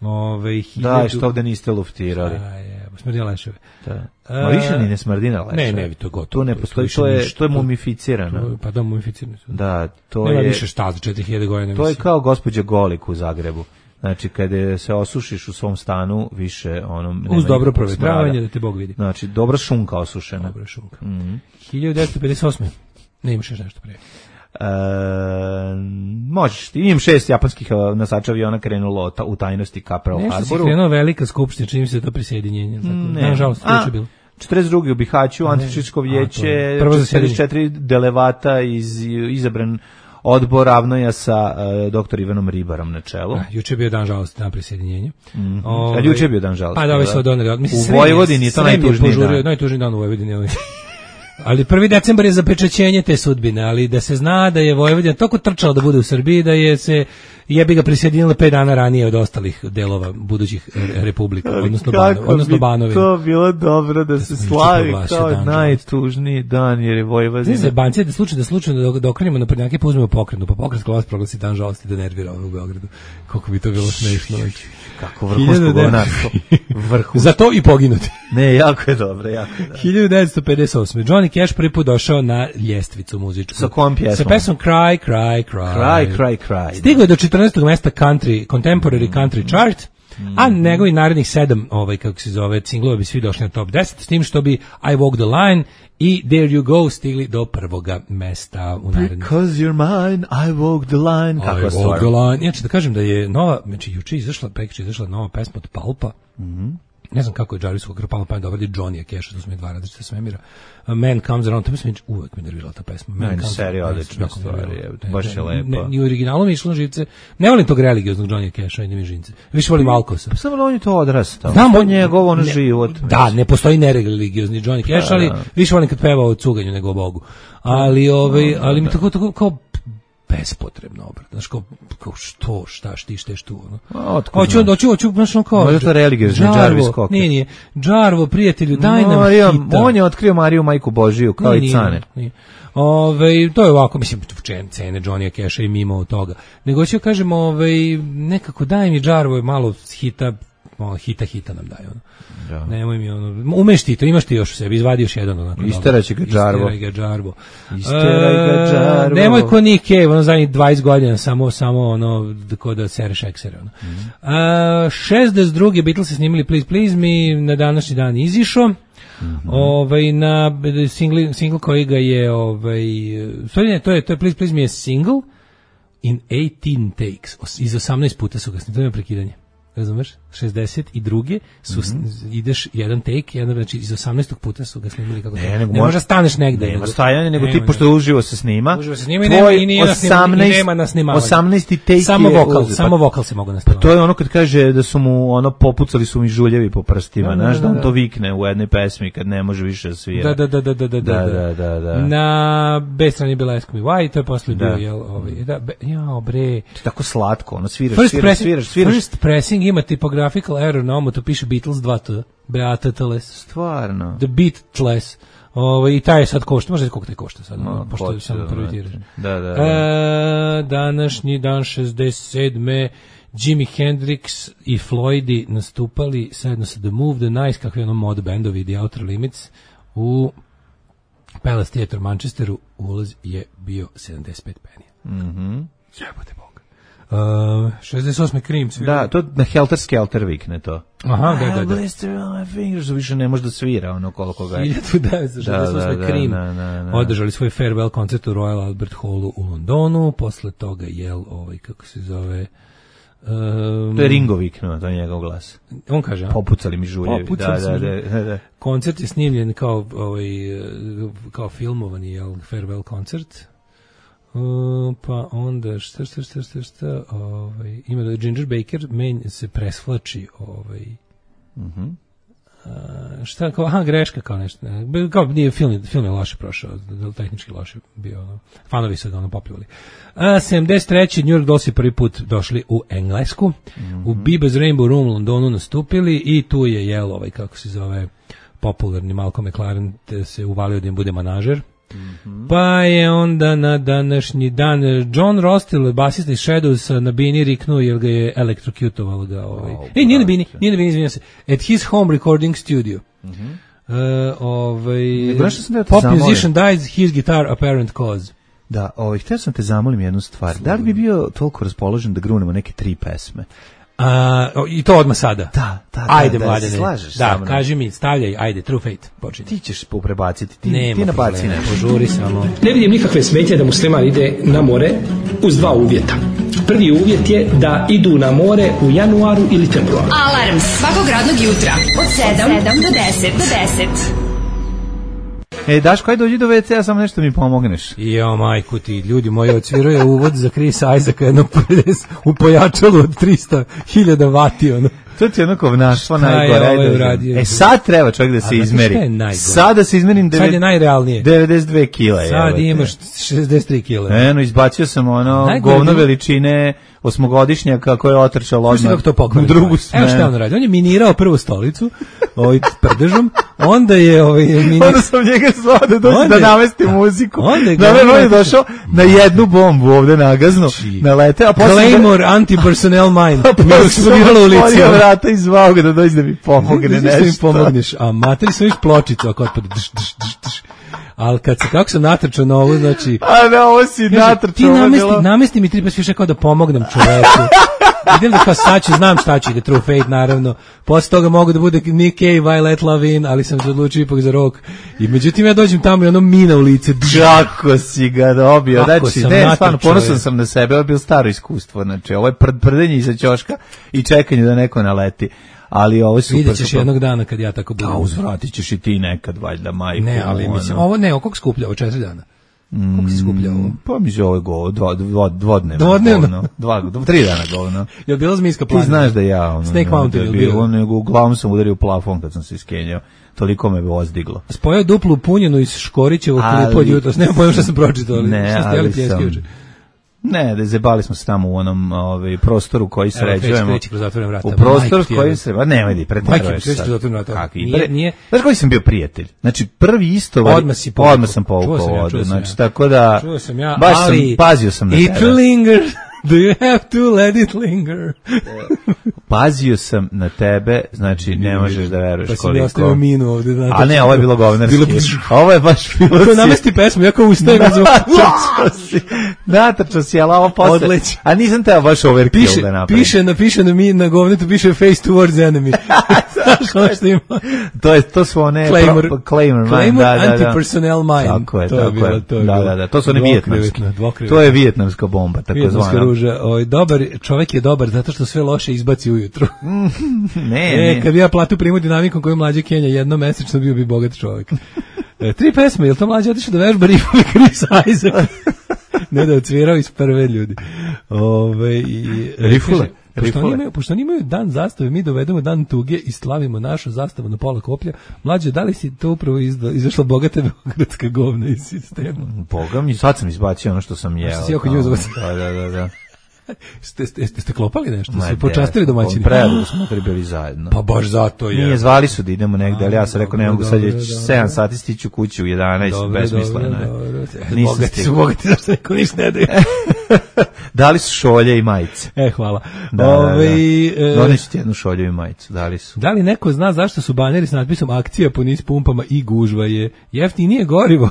Ove, hiljadu... Da, što ovde niste luftirali. A, je, smrdina leševe. Da. Ma više ni ne smrdina leševe. Ne, ne, to je gotovo. To ne postoji, to je, to je mumificirano. Pa da, mumificirano. Da, to nema je... više šta za četiri hiljade godina. To je kao gospođa Golik u Zagrebu. Znači, kada se osušiš u svom stanu, više ono... Uz dobro provetravanje, da te Bog vidi. Znači, dobra šunka osušena. Dobra šunka. Mm-hmm. hiljadu devetsto pedeset osme. Ne imaš još nešto prije. E, možeš ti, imam šest japanskih nosača aviona krenulo u tajnosti ka Pearl Harboru. Nešto si krenuo velika skupština, čini mi se to prisjedinjenje. Ne, nažalost, to je bilo. četrdeset druge u Bihaću, Antifašističko vijeće, četrdeset četiri delevata iz, izabran odbor Ravnoja sa uh, doktor Ivanom Ribarom na čelu. A, juče je bio dan žalosti na prisjedinjenje. Mm-hmm. Ove, A juče je bio dan žalosti. Pa da, ovaj se odoneli. U Vojvodini je to najtužniji dan. Najtužniji dan u Vojvodini. Ali prvi decembar je zapečaćenje te sudbine, ali da se zna da je Vojvodina toliko trčala da bude u Srbiji, da je se jebi ga prisjedinila pet dana ranije od ostalih delova budućih republika, odnosno, bano, odnosno Banovine. To bilo dobro da se slavi kao dan, najtužniji dan, jer je Vojvodina. Znači, banci da slučajno da slučajno da, da okrenemo na prednjake, pa uzmemo pokretnu, pa pokretska vlast proglasi dan žalosti da nervira ove u Beogradu. Koliko bi to bilo smešno. Kako vrhunsko govnarstvo. Vrhunsko. Za to i poginuti. Ne, jako je dobro, jako je dobro. hiljadu devetsto pedeset osme Johnny Cash prvi put došao na ljestvicu muzičku. Sa kojom pjesmom? Sa pesmom Cry, Cry, Cry. Cry, Cry, Cry. Stigao je do četrnaestog mesta country, contemporary mm. country chart, mm. a njegovi narednih sedam, ovaj, kako se zove, singlova bi svi došli na top deset, s tim što bi I Walk the Line i There You Go stigli do prvoga mesta u narednih. Because you're mine, I walk the line. Kakva I walk the line. Ja ću da kažem da je nova, znači juče izašla, prekjuče izašla nova pesma od Palpa. Mhm. Ne znam kako je Jarvisovog Krpala pa je dobro Johnny Cash, to su mi dva različita svemira. A Man Comes Around, to mi uvek me nervirala ta pesma. Man Comes Around, odlična stvar, baš je lepo. Ni u originalu mi išlo na živce. Ne volim tog religioznog Johnny Casha, ide mi živce. Više volim Alkosa. Samo on je to odrastao. Znam, on njegov on život. Da, ne postoji nereligiozni Johnny Cash, ali više volim kad peva o cuganju nego o Bogu. Ali, ovaj, ali mi tako, tako kao bespotrebno obrat. Znaš, kao, kao što, šta, šti, šteš tu, ono. Hoću, hoću, hoću, znaš, ono kao... Možda to religiozni Jarvis Cocker. Nije, nije. Džarvo, prijatelju, daj nam Marija, hita. On je otkrio Mariju, majku Božiju, kao nije, i Cane. Nije. Ove, to je ovako, mislim, cene Johnny Casha i mimo od toga. Nego ću kažem, ove, nekako daj mi Džarvo malo hita, malo hita, hita nam daj, ono. Da. Nemoj mi ono, umeš ti to, imaš ti još u sebi, izvadi još jedan onako. Isteraće ga Džarvo. Isteraj ga Džarvo. Isteraj ga Džarvo. Nemoj ko Nick Cave, ono zadnjih dvadeset godina, samo, samo ono, ko da sereš eksere, ono. Mm-hmm. Uh, šezdeset druge Beatles se snimili Please Please Me, na današnji dan izišao. Mm-hmm. Ovaj, na single, single koji ga je, ovaj, stvari ne, to je, to je Please Please Me je single in eighteen takes, iz osamnaest puta su ga snimili, to je prekidanje. Razumeš? šezdeset druge su mm-hmm. ideš jedan take, jedan, znači iz osamnaestog puta su ga snimili kako ne, ne možda staneš negde. Nema stajanje, nego ti pošto uživo se snima. Uživo se snima i nema, i nije osamnaest, i nema na snimavanju. osamnaesti take samo je vokal, uz, samo vokal se mogu nasnimati. Pa to je ono kad kaže da su mu ono popucali su mi žuljevi po prstima, znaš da, da, da, da on to vikne u jednoj pesmi kad ne može više da svira. Da, da, da, da, da, da, da, da, da. Na B strani je bila Ask Me Why, to je posle bio, jel, ovaj, da, jao bre. Tako slatko, ono sviraš, sviraš, sviraš, sviraš. First pressing ima tipographical error na omu, to piše Beatles dva T, B-A-T-T-L-S. Stvarno. The Beatles. Ovo, i taj je sad košta, možda koliko taj košta sad, no, pošto je samo prvi tiraž. Da, da, da. E, današnji dan šezdeset sedme Jimi Hendrix i Floydi nastupali zajedno sa The Move, The Nice, kakvi ono mod bendovi, The Outer Limits, u Palace Theatre u Manchesteru. Ulaz je bio sedamdeset pet penija. Mhm. Jebote Bog. Uh, šezdeset osme Cream svira. Da, to na Helter Skelter vikne to. Aha, da, da, da. Blister on my fingers, više ne može da svira ono koliko ga je. hiljadu devetsto šezdeset osme da, Cream da, da, da. održali svoj farewell koncert u Royal Albert Hallu u Londonu, posle toga jel, ovaj, kako se zove... Um, to je Ringo viknuo, to je njegov glas. On kaže, a? Popucali mi žuljevi. Popucali da, da, da, da. Koncert je snimljen kao, ovaj, kao filmovani, jel, farewell koncert. Uh, pa onda šta šta šta šta šta ovaj ima da Ginger Baker men se presvlači ovaj mhm mm uh, šta kao aha greška kao nešto ne, kao nije film film je loše prošao, tehnički loše bio, ono, fanovi su ga ono popljuvali. Uh, sedamdeset treće New York Dolls prvi put došli u Englesku, mm-hmm. u Biba's Rainbow Room u Londonu nastupili i tu je jel ovaj kako se zove popularni Malcolm McLaren se uvalio da im bude manažer. Mm-hmm. Pa je onda na današnji dan John Rostill, basista iz Shadows, na bini riknuo jer ga je elektrokutovalo ga ovaj. Oh, Ej, nije na bini, nije na bini, izvinjam se. At his home recording studio. Mm-hmm. Uh, ovaj, da pop musician dies, his guitar apparent cause. Da, ovaj, htio sam te zamolim jednu stvar. Da li bi bio toliko raspoložen da grunemo neke tri pesme? A, i to odmah sada. Da, da, ajde, da, Mladene. Da, slažeš da kaži mi, stavljaj, ajde, True Fate, počini. Ti ćeš prebaciti, ti, Nema ti nabaci ne, požuri samo. Ne vidim nikakve smetnje da musliman ide na more uz dva uvjeta. Prvi uvjet je da idu na more u januaru ili februaru. Alarm svakog radnog jutra od sedam do deset. Do deset. E, Daško, ajde dođi do ve ce a, samo nešto mi pomogneš. Jo, majku ti, ljudi moji, odsvirao je uvod za Chris Isaaca jedno u pojačalu od trista hiljada vati, ono. To ti je ono kovnaštvo Šta je najgore. ovaj uradio? E sad treba čovjek da se A znate izmeri. šta je najgore? Sad da se izmerim devet- Sad je najrealnije. devedeset dve kila. Sad imaš šezdeset tri kila. Eno, izbacio sam ono Najgore govno bilo- veličine osmogodišnjaka koje je otrčalo Slušaj odmah kako to pokvari. u drugu Evo šta je smenu. on radi. On je minirao prvu stolicu ovaj prdežom, onda je ovaj mini... Onda sam njega zvao da dođe Onda da je- namesti muziku. onda je Da me glavno on je otišao- došao na jednu bombu ovde nagaznu, nalete, a posle... Claymore anti-personnel mine. Pa Mi smo birali u lici. otvorio vrata i zvao ga da dođe da mi pomogne Ne nešto. da mi pomogneš, a materi su viš pločicu ako otpada. Dš, dš, dš, dš. Ali kad se, kako sam natrčao na ovo, znači... A ne, ovo si Kaže, natrčao. ti ovo je namesti, bilo- namesti mi tri pes više kao da pomognem čoveku. Idem da kao sad ću, znam šta će ide True Fate, naravno. Posle toga mogu da bude Nick Cave, I Let Love In, ali sam se odlučio ipak za rock. I međutim ja dođem tamo i ono mina u lice. Kako si ga dobio. Kako Znači, sam ne, natrčao stvarno, ponosan je. sam na sebe, ovo je bilo staro iskustvo. Znači, ovo je pr prdenje iza ćoška i čekanje da neko naleti. Ali ovo je super. Vidjet ćeš super. jednog dana kad ja tako budem. A uzvratit ćeš i ti nekad, valjda, majku. Ne, ali ono. mislim, ovo ne, ovo koliko skuplja, ovo četiri dana. Koliko si skuplja ovo? Pa mi se ovo je go, dva, dva, dvodnevno. Dvodnevno? govno. Dva, dva, tri dana govno. Je li bila zmijska Ti planina? znaš da ja... Ono, Snake Mountain je da bio. Ono, nego uglavnom sam udario u plafon kad sam se iskenjao. Toliko me ozdiglo. Spojao duplu punjenu iz Škorićevog Ali- klipa od jutros. Nema pojma šta sam pročitao, ali Ne, šta ste jeli ali pljeske sam- juče? Ne, da zebali smo se tamo u onom ovaj, prostoru koji sređujemo. kreće, kreće kroz zatvorena vrata. U prostoru Majku ti koji jebe. se... A nemoj di, Majke, preteruješ kreće sad. kroz zatvorena vrata. Kakvi? Nije- Pre- nije- Znaš koji sam bio prijatelj? Znači, prvi isto... Odmah si povukao. Odmah sam povukao Čuo sam ja, vodu. čuo sam Znači, ja. tako da... Čuo sam ja, baš ali... sam, pazio sam na It tebe. linger. Do you have to let it linger? Pazio sam na tebe, znači ne možeš da veruješ Pa si mi koliko. ostavio minu ovde. Da, A ne, ovo je bilo govnarski. Bilo bi- Ovo je baš bilo Ko si- namesti pesmu, ja kao ustajem. Natrčao si, natrčao si, ali ovo posle... Odleći. A nisam teo baš overkill Piše, da napravim. piše, na, piše na, mi, na govnetu, piše face towards enemy. Znaš ono što ima? To je to su one Claymore. pro, Claymore, man, Claymore da, da, da. anti-personnel mine. Tako je, To je tako bilo, je. to je da, bilo. da, da, to su one Dvokrevetna, vijetnamske. dvokrevetna. To je vijetnamska bomba, tako Vijetnamska zvana. ruža. Ovaj, dobar, čovjek je dobar zato što sve loše izbaci ujutru. Ne, E, ne. kad bi ja platu primu dinamikom koju mlađe Kenja jednomesečno, bio bi bogat čovjek. E, tri pesme, je li to mlađe otišao da vežba rifove Chris Isaac? Ne da je odsvirao iz prve ljudi. Ove, i, e, Rifule. kaže, Pošto Rifule. oni, imaju, pošto oni imaju dan zastave, mi dovedemo dan tuge i slavimo našu zastavu na pola koplja. Mlađe, da li si to upravo izda, izašla bogata beogradska govna iz sistema? Boga mi, sad sam izbacio ono što sam jeo. Što si oko tamo. njuzovac. Da, da, da, da. Ste, ste, ste, ste klopali nešto? Ma, Ste počastili de, domaćini? Predugo smo trebali zajedno. Pa baš zato je. Nije, zvali su da idemo negde, ali ja sam rekao ne mogu, sad je Dobro, dobro. sedam sati stiću kući u jedanaest, Dobro, besmisleno dobro, je. dobro. E, Nisam bogati su, stigao. bogati, zašto neko ništa ne daju. Dali su šolje i majice. E, hvala. Da, Ove, da, da. e, Doneću ti jednu šolju i majicu, dali su. Da li neko zna zašto su baneri s natpisom akcija po niz pumpama i gužva je jeftinije gorivo?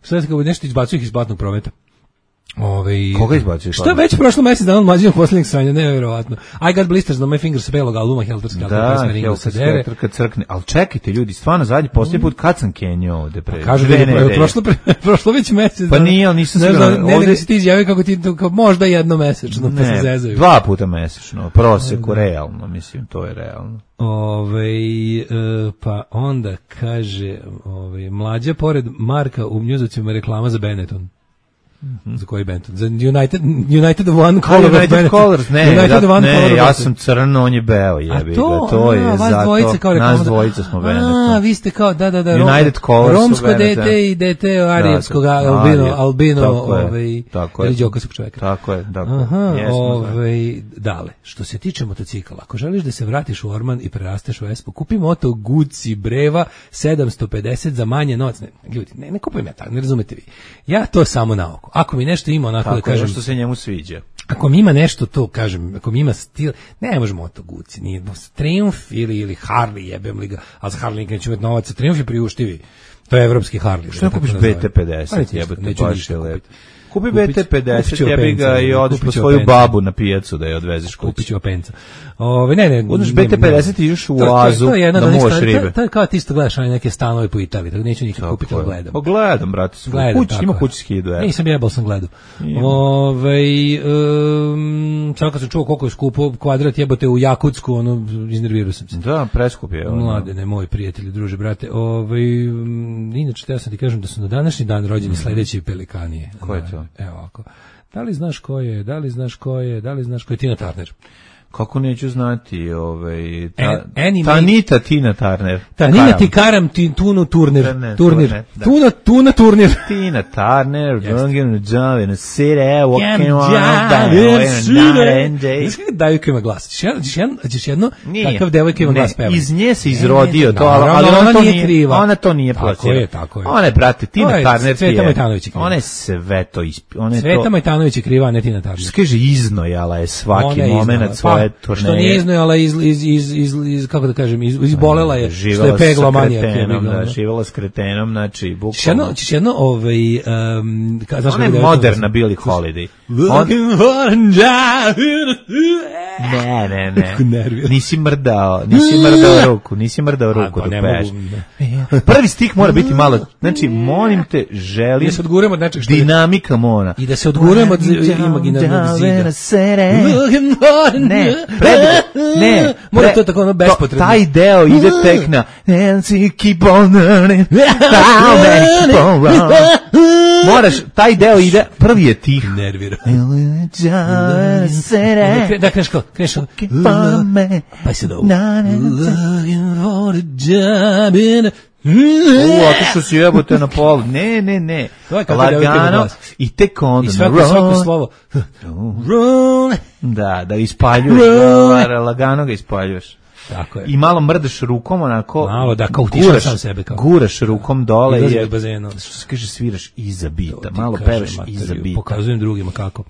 Šta se kao nešto izbacuju ih iz platnog prometa? Ove, Koga izbacuju iz Šta platnog? već prošlo mesec dana od mlađinog poslednjeg sranja, nevjerovatno. I got blisters na my fingers belog albuma Helterski, Da, Helter pesma Ringo sa dere. Helter kad crkne. Ali čekajte ljudi, stvarno zadnji posljednji put kad sam kenjao ovde pre. Kažu da dve je pro- nedelje. prošlo, pre, prošlo već mesec. Pa dana. nije, ali nisam ne siguran. znam, ne, Ovde- nego si ti izjavio kako ti to, kao možda jedno mesečno, pa se Ne, zezaju. dva puta mesečno, proseku, realno, mislim, to je realno. Ove, e, pa onda kaže, ove, mlađa pored Marka u mnjuzovcima reklama za Benetton. Za koji Benetton? Za United, United One Color of United Benetton. Colors, ne, United da, One ne, Color of ja Benetton. sam crno, on je beo, jebi A to, ga, to je a, vas zato, dvojica kao reklama nas za- dvojica smo A, Benetton. vi ste kao, da, da, da, United Colors su romsko Benetton. dete i dete arijevskog Da, da, albino, Arije, albino, tako je, ovaj, tako je. reliđokasog čoveka. Tako je, tako je. Aha, Jesmo, da. ovaj, dale, što se tiče motocikala, ako želiš da se vratiš u Orman i prerasteš u Espu, kupi moto Guzzi Breva sedamsto pedeset za manje novac. Ne, ljudi, ne, ne kupujem ja tako, ne razumete vi. Ja to samo na oko. Ako mi nešto ima onako da Tako je, kažem, što se njemu sviđa. ako mi ima nešto to, kažem, ako mi ima stil, ne možemo moto Guzzi, nije Triumph ili, ili Harley, jebem li ga, ali za Harley neću imati novac, Triumph je priuštivi. To je evropski Harley. Što ne kupiš B T pedeset, jebote, baš je lepo. Kupi B T pedeset, jebi ga i odeš po svoju babu na pijacu da je odvezeš kući. Kupit ću openca. Ove, ne, ne. Uzmeš ne, B T pedeset i ideš u to- to- oazu to je jedna da od onih movaš stvari, to- ribe. To je kao ti isto gledaš one neke stanove po Italiji, tako neću nikad kupiti, ali gledam. Pa gledam, brate, Gledam, kuć, tako ima je. kući s hiljadu evra. Nisam jebal, sam gledao. Ima. Ove, um, samo kad sam čuo koliko je skupo kvadrat jebote u Jakutsku, ono, iznervirao sam se. Da, preskup je. ono. Mladene, moj prijatelji, druže, brate. Ove, um, inače, teo sam ti kažem da su na današnji dan rođeni sledeći pelikanije. Ko je to? Evo ovako. Da li znaš ko je, da li znaš ko je, da li znaš ko je Tina Turner? Kako neću znati, ovaj ta, An- anime- Tanita Tina Turner. Tanina ti karam ti tunu turnir. Turner, Turnir. Turner, da. Tuna, tuna turnir. Tina Turner, Drunken Java in a city, walking Jam, on jam, down, it's and day. Znaš kako devojka ima glas? Ćeš jedno, ćeš jedno, ćeš jedno Nije. takav devojka ima Ne, glas peva. iz nje se izrodio to, naravno, ali ona, ona to nije nije kriva. Ona to nije Tako plasirala. je, tako je. Ona je, brate, Tina To je Turner Cveta je. Majtanović je kriva. Ona je sve to ispi. Ona je Sveta to. Majtanović je kriva, a ne Tina Turner. Kaže, iznojala je svaki Ona je momenat iznala. svoje Pa, turneje. Što nije iznojala, iz, iz, iz, iz, iz, kako da kažem, iz, izbolela je, što Živala je pegla sa manijak. kretenom, da, živala s kretenom, znači, Ćeš bukvalno. jedno, ćeš jedno, ovaj, um, ka, znaš Ona je kako devojka moderna glasi? Billie Holiday. On, Looking for a job. ne, ne, ne. Kako nervira. Nisi mrdao, nisi mrdao ruku, nisi mrdao ruku pa dok ne peš. mogu, ne. Prvi stih mora biti malo, znači, molim te, želim Da se odguremo od nečeg što je- dinamika mora. I da se odgurujemo od imaginarnog zida. Ne, predugo, ne. Mora pre- to tako ono bespotrebno. to- Taj deo ide tek na Nancy keep on learning how many keep on running. Moraš, taj deo ide, prvi je tih. Nervira. Da Da, kreneš kao, kreneš kao. Pa se da ovo. Looking for a job in a... U, otišao si jebote na pol. Ne, ne, ne. To je kako devojka ima Lagano glas. i tek onda. I svako, roll. svako slovo. Roll. Da, da ispaljuješ. Roll. Da, lagano ga ispaljuješ. Tako je. I malo mrdeš rukom, onako. Malo, da, kao utišaš guraš, sam sebe, kao. Guraš rukom dole. Izlazi je- iz bazena. Što se kaže, sviraš iza bita. To ti Malo kažem, pevaš materiju, iza bita. Pokazujem drugima kako.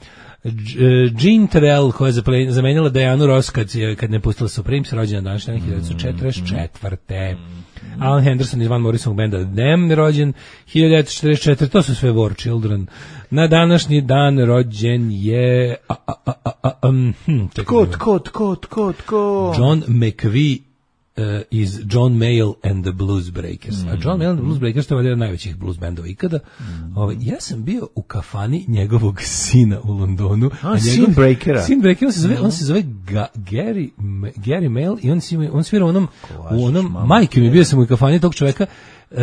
Dž- Jean Terrell, koja je zapre- zamenila Dianu Ross kad, je- kad ne pustila Supremes, rođena današnja hiljadu devetsto četrdeset četvrte. Alan Henderson iz Van Morrisonov benda Them je rođen hiljadu devetsto četrdeset četvrte. To su sve War Children. Na današnji dan rođen je... A, a, a, a, a, um, hm, čekaj, Tko, tko, tko, tko, tko? John McVie uh, iz John Mayall and the Blues Breakers. A John Mayall and the Blues Breakers to je jedan od najvećih blues bendova ikada. Mm. Ovaj, ja sam bio u kafani njegovog sina u Londonu. A, njegov, sin Breakera. Sin Breakera, on se zove, on se zove Ga, Gary, M- Gary Mayall i on, si, on svira u onom, u onom majke mi, bio sam u kafani tog čoveka, Uh,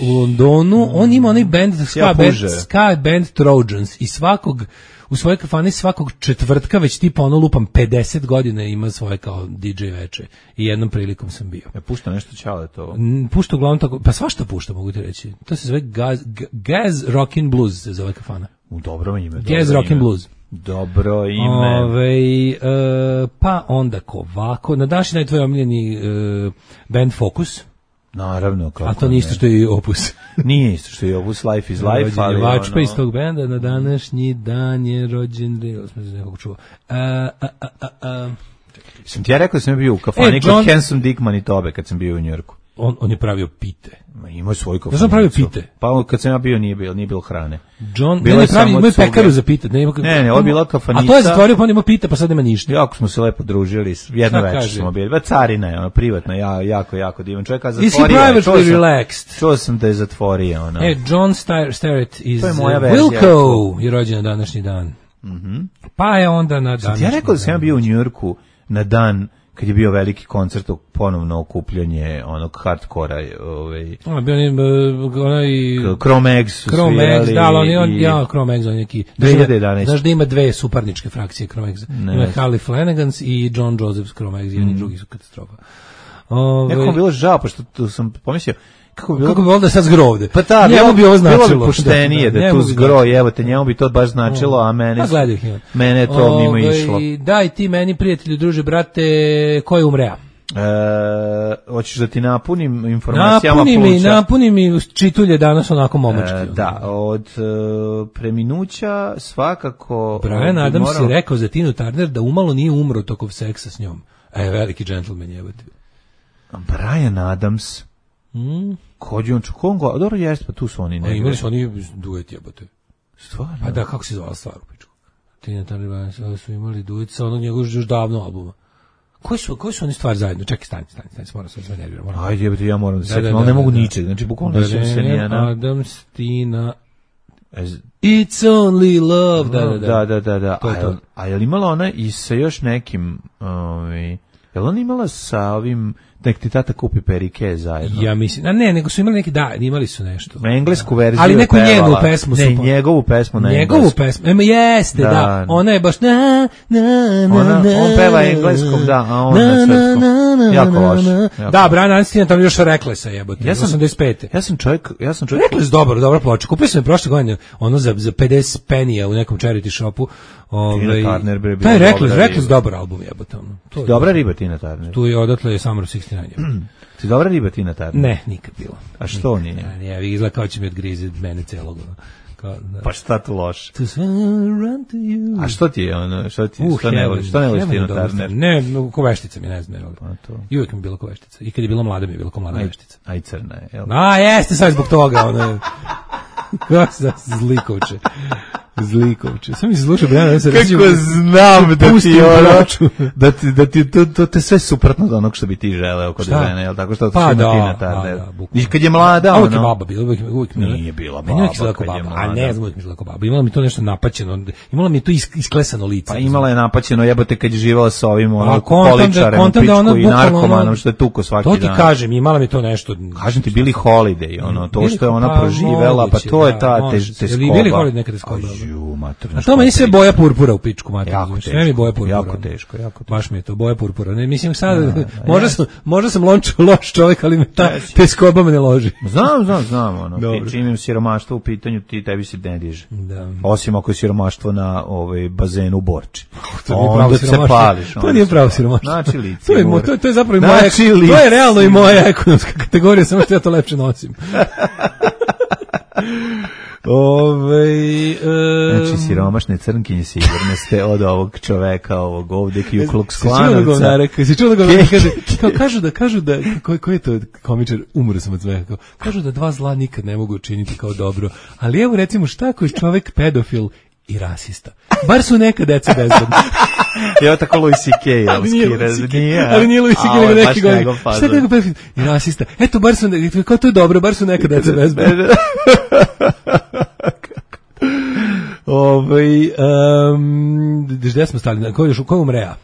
u Londonu, on ima onaj band ska, Ja band, puže. ska band Trojans i svakog u svojoj kafani svakog četvrtka već tipa ono lupam pedeset godina ima svoje kao D J veče i jednom prilikom sam bio. Ja pušta nešto čale to. N- Pušta uglavnom tako, pa svašta pušta mogu ti reći. To se zove Gaz, G- Gaz Rockin' Blues se zove kafana. U dobro ime. Gaz dobro Rockin' ime. Blues. Dobro ime. Ove, e, pa onda ovako, na današnji dan tvoj omiljeni e, band Focus, Naravno, kako a to nije isto što je i Opus. Nije isto što je Opus Life is Life, Rođen je ali Vačpa iz ono... tog benda, na današnji dan je rođen, ili smo se nekog čuo. A, a, a, a, a. Sam ti ja rekao da sam bio u kafani E, kod John- Handsome Dick Manitobe kad sam bio u Njujorku. On, on je pravio pite. Ma imao je svoju kafanu. Da sam pravio pite. Pa kad sam ja bio nije bilo, nije bilo hrane. John, Bilo ne, je ne pravi, samo imaju cuge. pekaru za pite. Ne, ima, Ne, ne, ovo je bila kafanica. A to je zatvorio, pa on ima pite, pa sad nema ništa. Jako smo se lepo družili, jedno Šta večer kaže? smo bili. Ba carina je, ono, privatna, ja, jako, jako divan čovjek, a Is he zatvorio je. Čuo privately sam- relaxed? Čuo sam da je zatvorio, ono. E, John Star- Starrett iz To je moja uh, verzija. Wilco je rođen na današnji dan. Pa je onda na današnji Ja rekao da sam ja dan. bio u Njujorku na dan kad je bio veliki koncert, ponovno okupljanje onog hardkora, ovaj, On je bio onaj, uh, onaj Cro-Mags su Cro-Mags, svirali da, ali on, je on, i- ja, Cro-Mags, on je neki... dve hiljade jedanaeste. Znaš da ima dve suparničke frakcije Cro-Mags. Ne. Ima Harley Flanagans i John Joseph's Cro-Mags, jedni Mm. drugi su katastrofa. Ove, Nekako mi je bilo žao, pošto tu sam pomislio, kako bi bilo... kako bi onda sad zgrovde? Pa ta, njemu bilo, bi ovo značilo. bilo bi poštenije da, njemu tu bi zgro, značilo. evo te, njemu bi to baš značilo, a mene, Pa gledaj ih ima. mene je to mimo Ove, išlo. Daj ti meni, prijatelju, druže, brate, ko je umrea? E, hoćeš da ti napunim informacijama Napuni mi, pluća? napuni mi čitulje danas onako momački. E, da, od e, preminuća svakako... Brian bi Adams morao- je rekao za Tinu Turner da umalo nije umro tokov seksa s njom. A je veliki džentlmen jebote. Brian Adams, Mm. kođe on čukongo, dobro jeste, pa tu su oni A negdje. imali su oni duet jebote. Stvarno? Pa da, kako se zvala stvar u pičku? Tina Turner Brian Adams su imali duet sa onog njegovog još davno albuma. Koji su, koji su oni stvari zajedno? Čekaj, stani, stani, stani, moram se nervirati. moram. Ajde, jebate, ja moram da se Da, da, setim, ali da, ne mogu da. ničeg, znači bukvalno ne sjećam se Brian nijena. Adams, Tina... Ez- It's only love, da, da, da. da, da, da, da. To je A, to. jel- a je li imala ona i sa još nekim, ovaj, Jel on imala sa ovim, nek ti tata kupi perike zajedno? Ja mislim, a ne, nego su imali neki, da, imali su nešto. Englesku verziju. Ali neku pevala. njenu pesmu su. Ne, njegovu pesmu na njegovu englesku. pesmu, ema jeste, da, da. Ona je baš na, na, na, ona, na, on peva engleskom, da, a on na, na srpskom. Jako loše. Da, Brian Adams tamo još Reklesa jebote, ja sam, osamdeset pete. Ja sam čovjek, ja sam čovjek. Rekles dobro, dobra ploča. Kupio sam je prošle godine, ono za, za pedeset penija u nekom charity shopu. Ovaj taj Rekles, Rekles dobar album jebote ono. To je dobra riba Tina Turner. Tu je odatle je Summer of šezdeset devet. Ti dobra riba Tina Turner? Ne, nikad bilo. A što nije? Ja, ja izgleda kao će mi odgrize mene celog. Kao, da. Pa šta tu loše? To run to you. A što ti je ono, što ti, uh, što ne voliš, što ne voliš Tina Turner? Ne, no, ko veštica mi ne znam. Pa to. I uvijek mi je bila ko veštica. I kad je bila mlada mi je bila ko mlada veštica. Aj crna je, jel? A, jeste sad zbog toga, ono. Kako se zlikovče. Zlikovče. Sam mi se slušao Brian Adams. Kako znam da ti ono, da ti, da ti to, to te sve suprotno od onog što bi ti želeo kod žene, jel tako što to pa što da, Tina Turner. Da, I kad je mlada, ono. Uvijek je ono, baba bila, uvijek, uvijek nije bila baba. Meni uvijek izgleda kao baba, a ne znam uvijek mi izgleda kao baba. Imala mi to nešto napaćeno, imala mi to isklesano lice. Pa imala je napaćeno jebote kad je živala sa ovim ono poličarem, pičku i narkomanom što je tuko svaki dan. To ti kažem, imala mi to nešto. Kažem ti Billie Holiday, ono, to što je ona proživela, pa to je ta teskoba. Billie Holiday nekada skoba. A to meni se boja purpura u pičku materinu. Sve mi boja purpura. Jako teško, jako teško. Baš mi je to boja purpura. Ne, mislim sad, da, da, možda, sam, možda sam lonč, loš čovjek, ali me ta teskoba me ne loži. Znam, znam, znam. Ono, čim imam siromaštvo u pitanju, ti tebi se ne diže. Da. Osim ako je siromaštvo na ovaj, bazenu u Borči. Onda se pališ. To nije pravo siromaštvo. Znači lice. To je, to, to je zapravo i moja, to je realno i moja ekonomska kategorija, samo što ja to lepše nosim. Ove, e, znači siromašne crnkinje sigurne ste od ovog čoveka ovog ovdje Ku Klux Klanovca. Si čuo da govori, kaže, kao, kažu da, kažu da, ko, ko je to komičar, umro sam od smeha, kao, kažu da dva zla nikad ne mogu učiniti kao dobro, ali evo recimo šta ako je čovek pedofil i rasista, bar su neka deca bezbedna. Evo tako Louis C K ali nije, ali nije Louis C K nego neki godin. Šta kako pedofil i rasista, eto bar su, kao to je dobro, bar su neka deca bezbedna. Ovaj um, gde smo stali? Ko je ko umrea?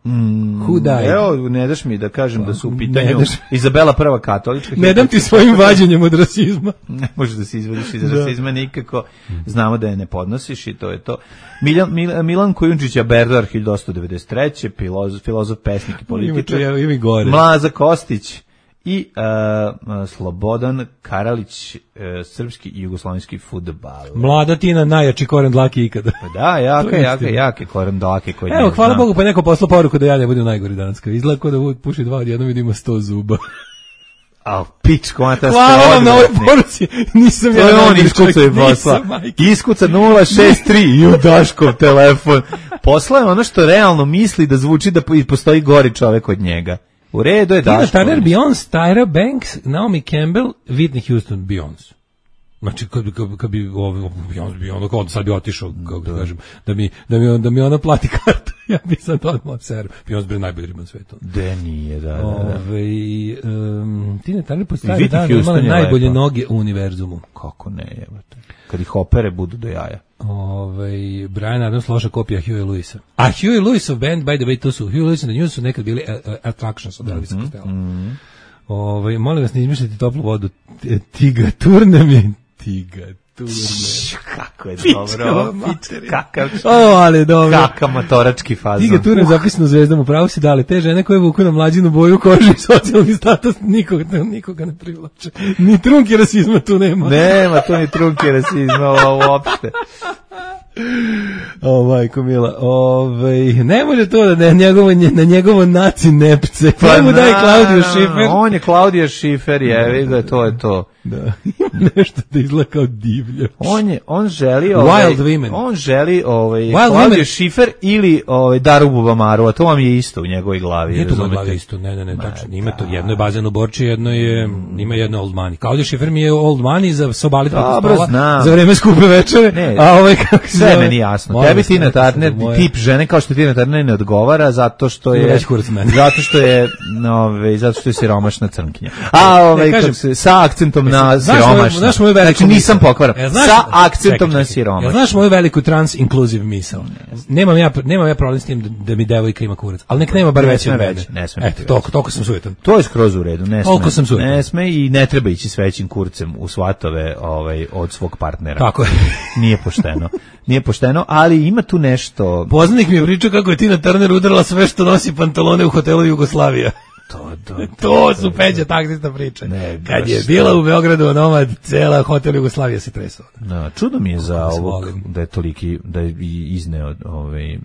Mm, Who died? Evo, ne daš mi da kažem da su u pitanju Izabela prva katolička. Ne dam ti svojim vađenjem od rasizma. Ne možeš da se izvadiš iz rasizma nikako. Znamo da je ne podnosiš i to je to. Milan, Mil, Milan Kujundžić Berdar hiljadu osamsto devedeset treće filozof, filozof, pesnik i političar. Mlaza Kostić i uh, Slobodan Karalić, uh, srpski i jugoslovenski fudbal. Mlada Tina, najjači koren dlake ikada. Pa da, jaka, jaka, jaka koren dlake. Koji evo, hvala Bogu, pa neko poslao poruku da ja ne budem najgori danas. Izgleda kao da puši dva odjednom vidimo sto zuba. A pičko, ona ta hvala vam na ovoj poruci. Nisam to ja je on iskucao i posla. Iskuca nula šest tri i u Daškov telefon. Posla je ono što realno misli da zvuči da postoji gori čovek od njega. U redu je Daško. Tina Turner, Beyoncé, Tyra Banks, Naomi Campbell, Whitney Houston, Beyoncé. Znači kad bi kad, kad bi ovaj Beyoncé bi onda kao sad bi otišao kako da kažem da mi da mi da mi ona plati kartu. Ja bi sad odmah ser. Beyoncé bi najbolji riba na svetu. Da nije, da. da, da. Ovaj um, Tina Turner postaje da ima najbolje lepa noge u univerzumu. Kako ne, jebote. Kad ih opere budu do jaja. Ovaj Brian Adams loša kopija Huey Lewisa. A Huey Lewisov band, by the way, to su Huey Lewis and the News su nekad bili uh, Attractions od Elvisa Costello. Mm-hmm. Ovaj molim vas ne izmišljate toplu vodu. Tiga turne mi, tiga turne. Kako je dobro. Kakav. O, ali dobro. Kakav motorački fazon. Tiga turne zapisano Zvezdom, upravo si dali. Te žene koje vuku na mlađinu boju kože i socijalni status nikoga, nikoga ne privlače. Ni trunke rasizma tu nema. Nema tu ni trunke rasizma uopšte. O, majko mila, ovaj, ne može to da ne, njegovo, na njegovo naci nepce, pa njemu daj Claudio Schiffer. On je Claudio Schiffer, je, vidi da to je to. Da, ima nešto da izgleda kao divljač. On je, on želi, ovaj, Wild Women. On želi, ovaj, Wild Claudio Women. Schiffer ili, ovaj, Daru Bubamaru, a to vam je isto u njegovoj glavi. Nije to u mojoj glavi isto, ne, ne, ne, tačno, ima to, jedno je bazen u Borči, jedno je, ima jedno Old Money. Claudio Schiffer mi je Old Money za sobali preko stola, za vreme skupe večere, ne, a ovaj kako se sve meni jasno. Tebi Tina Turner, tip žene kao što Tina Turner ne odgovara zato što je zato što je, ovaj, zato što je siromašna crnkinja. A ovaj kako se sa akcentom na na znaš siromašno. moju, znaš moju veliku znači nisam misao? pokvaran. E, znaš, sa akcentom čekaj, čekaj. na siromašno. Ja, znaš moju veliku trans-inclusive misao? Nemam ja, nemam ja problem s tim da, da mi devojka ima kurac, ali nek nema bar Ne veći sme od mene. veći, ne sme Eto, biti toliko, toliko sam sujetan. To je skroz u redu, ne Toliko sme. sam sujetan. Ne sme i ne treba ići s većim kurcem u svatove ovaj, od svog partnera. Tako je. Nije pošteno. Nije pošteno, ali ima tu nešto... Poznanik mi je pričao kako je Tina Turner udarala sve što nosi pantalone u hotelu Jugoslavija. To, to, To su Peđa taksista priče. Ne, Kad je baš bila u Beogradu nomad, cela hotel Jugoslavija se tresao. Da, čudo mi je za Kako se ovog, volim. da je toliki, da je i izneo ovaj,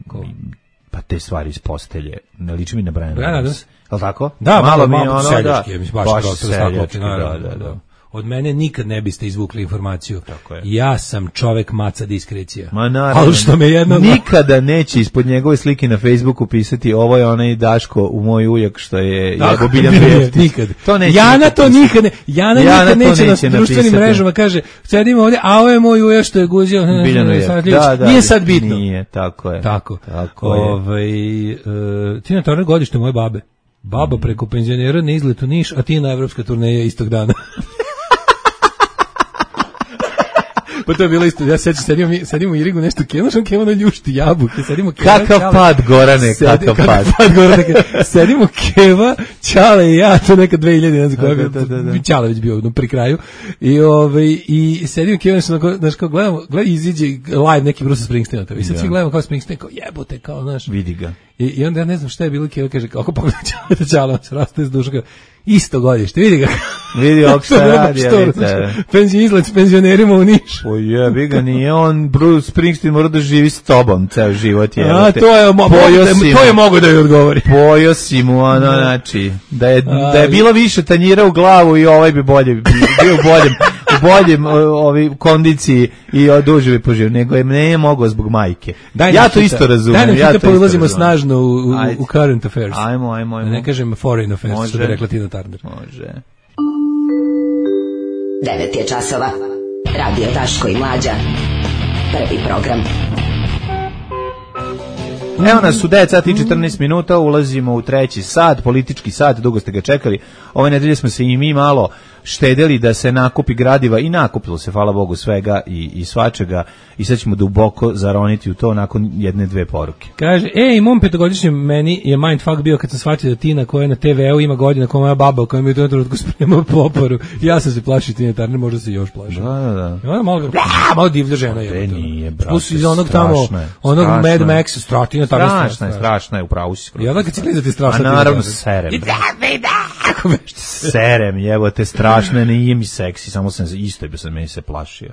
pa te stvari iz postelje. Ne liči mi na Brian Brian Adams. Adams? Je li tako? Da, malo, malo, mi je malo ono, seljački, da, je, mislim, baš, baš baš seljački, da, da, da, da. Od mene nikad ne biste izvukli informaciju. Tako je. Ja sam čovek maca diskrecija. Ma naravno. Ali što me jedno... Nikada neće ispod njegove slike na Facebooku pisati ovo je onaj Daško u moj ujak što je jebo Biljan Beftić. Nikad. To neće Jana nikad to pisati. nikad ne, Jana, Jana nikad to neće na neće društvenim napisati. mrežama kaže sedimo ovdje, a ovo je moj ujak što je guzio. Biljan Beftić. Da, da, Nije sad bitno. Nije, tako je. Tako. Tako je. Ovaj uh, Tina Turner godište moje babe. Baba preko penzionera na izletu Niš, a ti na evropska turneja istog dana. Pa to je bilo isto, ja sećam, sedimo, mi, sedimo u Irigu nešto kemo, što kemo na ljušti jabuke, sedimo keva, Kakav čale, pad, Gorane, sedi, kakav pad. pad Gorane, sedimo keva, Čale i ja, to neka dve hiljade, ne znam koja, Da, da, da, da. Čale već bio no, pri kraju, i, ovaj, i sedimo keva, nešto, znaš, kao gledamo, gledamo, iziđe live neki Bruce Springsteen, i sad Da. svi gledamo kao Springsteen, kao jebote, kao, znaš, Vidi ga. I, i onda ja ne znam šta je bilo, keva kaže, kako pogledaj Čale, Čale, on se raste iz duša, kao, isto godište, vidi ga. Vidi ovog šta radi, Što, ja znači, penzij izlet s penzionerima u Niš. O jebi ga, nije on Bruce Springsteen mora da živi s tobom ceo život. Je, A, to je, mo, Pojeo to si je, to je mu. mogo da joj odgovori. Pojeo si mu, ono, znači, da je, da je bilo više tanjira u glavu i ovaj bi bolje, bio u boljem, u boljem o, ovi, kondiciji i duže bi poživio, nego je ne je mogao zbog majke. Daj Ja nam to hita, isto razumem. Daj nam ja hita, to pa isto ulazimo razumem. snažno u, u, Ajde. u current affairs. Ajmo, ajmo, ajmo. Da ne kažem foreign affairs, Može. što bi rekla Tina Turner. Može. devet je časova. Radio Daško i Mlađa. Prvi program. Evo nas u devet sati i četrnaest minuta, ulazimo u treći sat, politički sat, dugo ste ga čekali. Ove nedelje smo se i mi malo štedeli da se nakupi gradiva i nakupilo se, hvala Bogu, svega i, i svačega i sad ćemo duboko zaroniti u to nakon jedne, dve poruke. Kaže, ej, mom petogodišnjem meni je mindfuck bio kad sam shvatio da Tina koja je na te ve u ima godina kao moja baba koja mi je u tom trenutku spremao poparu. Ja sam se plašio Tina Turner, možda se još plašio. Da, da, da. I ona malo, malo divlja žena je. Te nije, brate, Plus iz onog tamo, strašno je, onog strašno Mad je. Max, strašna, Strašna je, strašna je, upravo si skroz. I onda kad si gledati strašno. A naravno serem. Kako već. Serem, jebote, strašno, nije mi seksi, samo sam se, isto bi sam meni se plašio.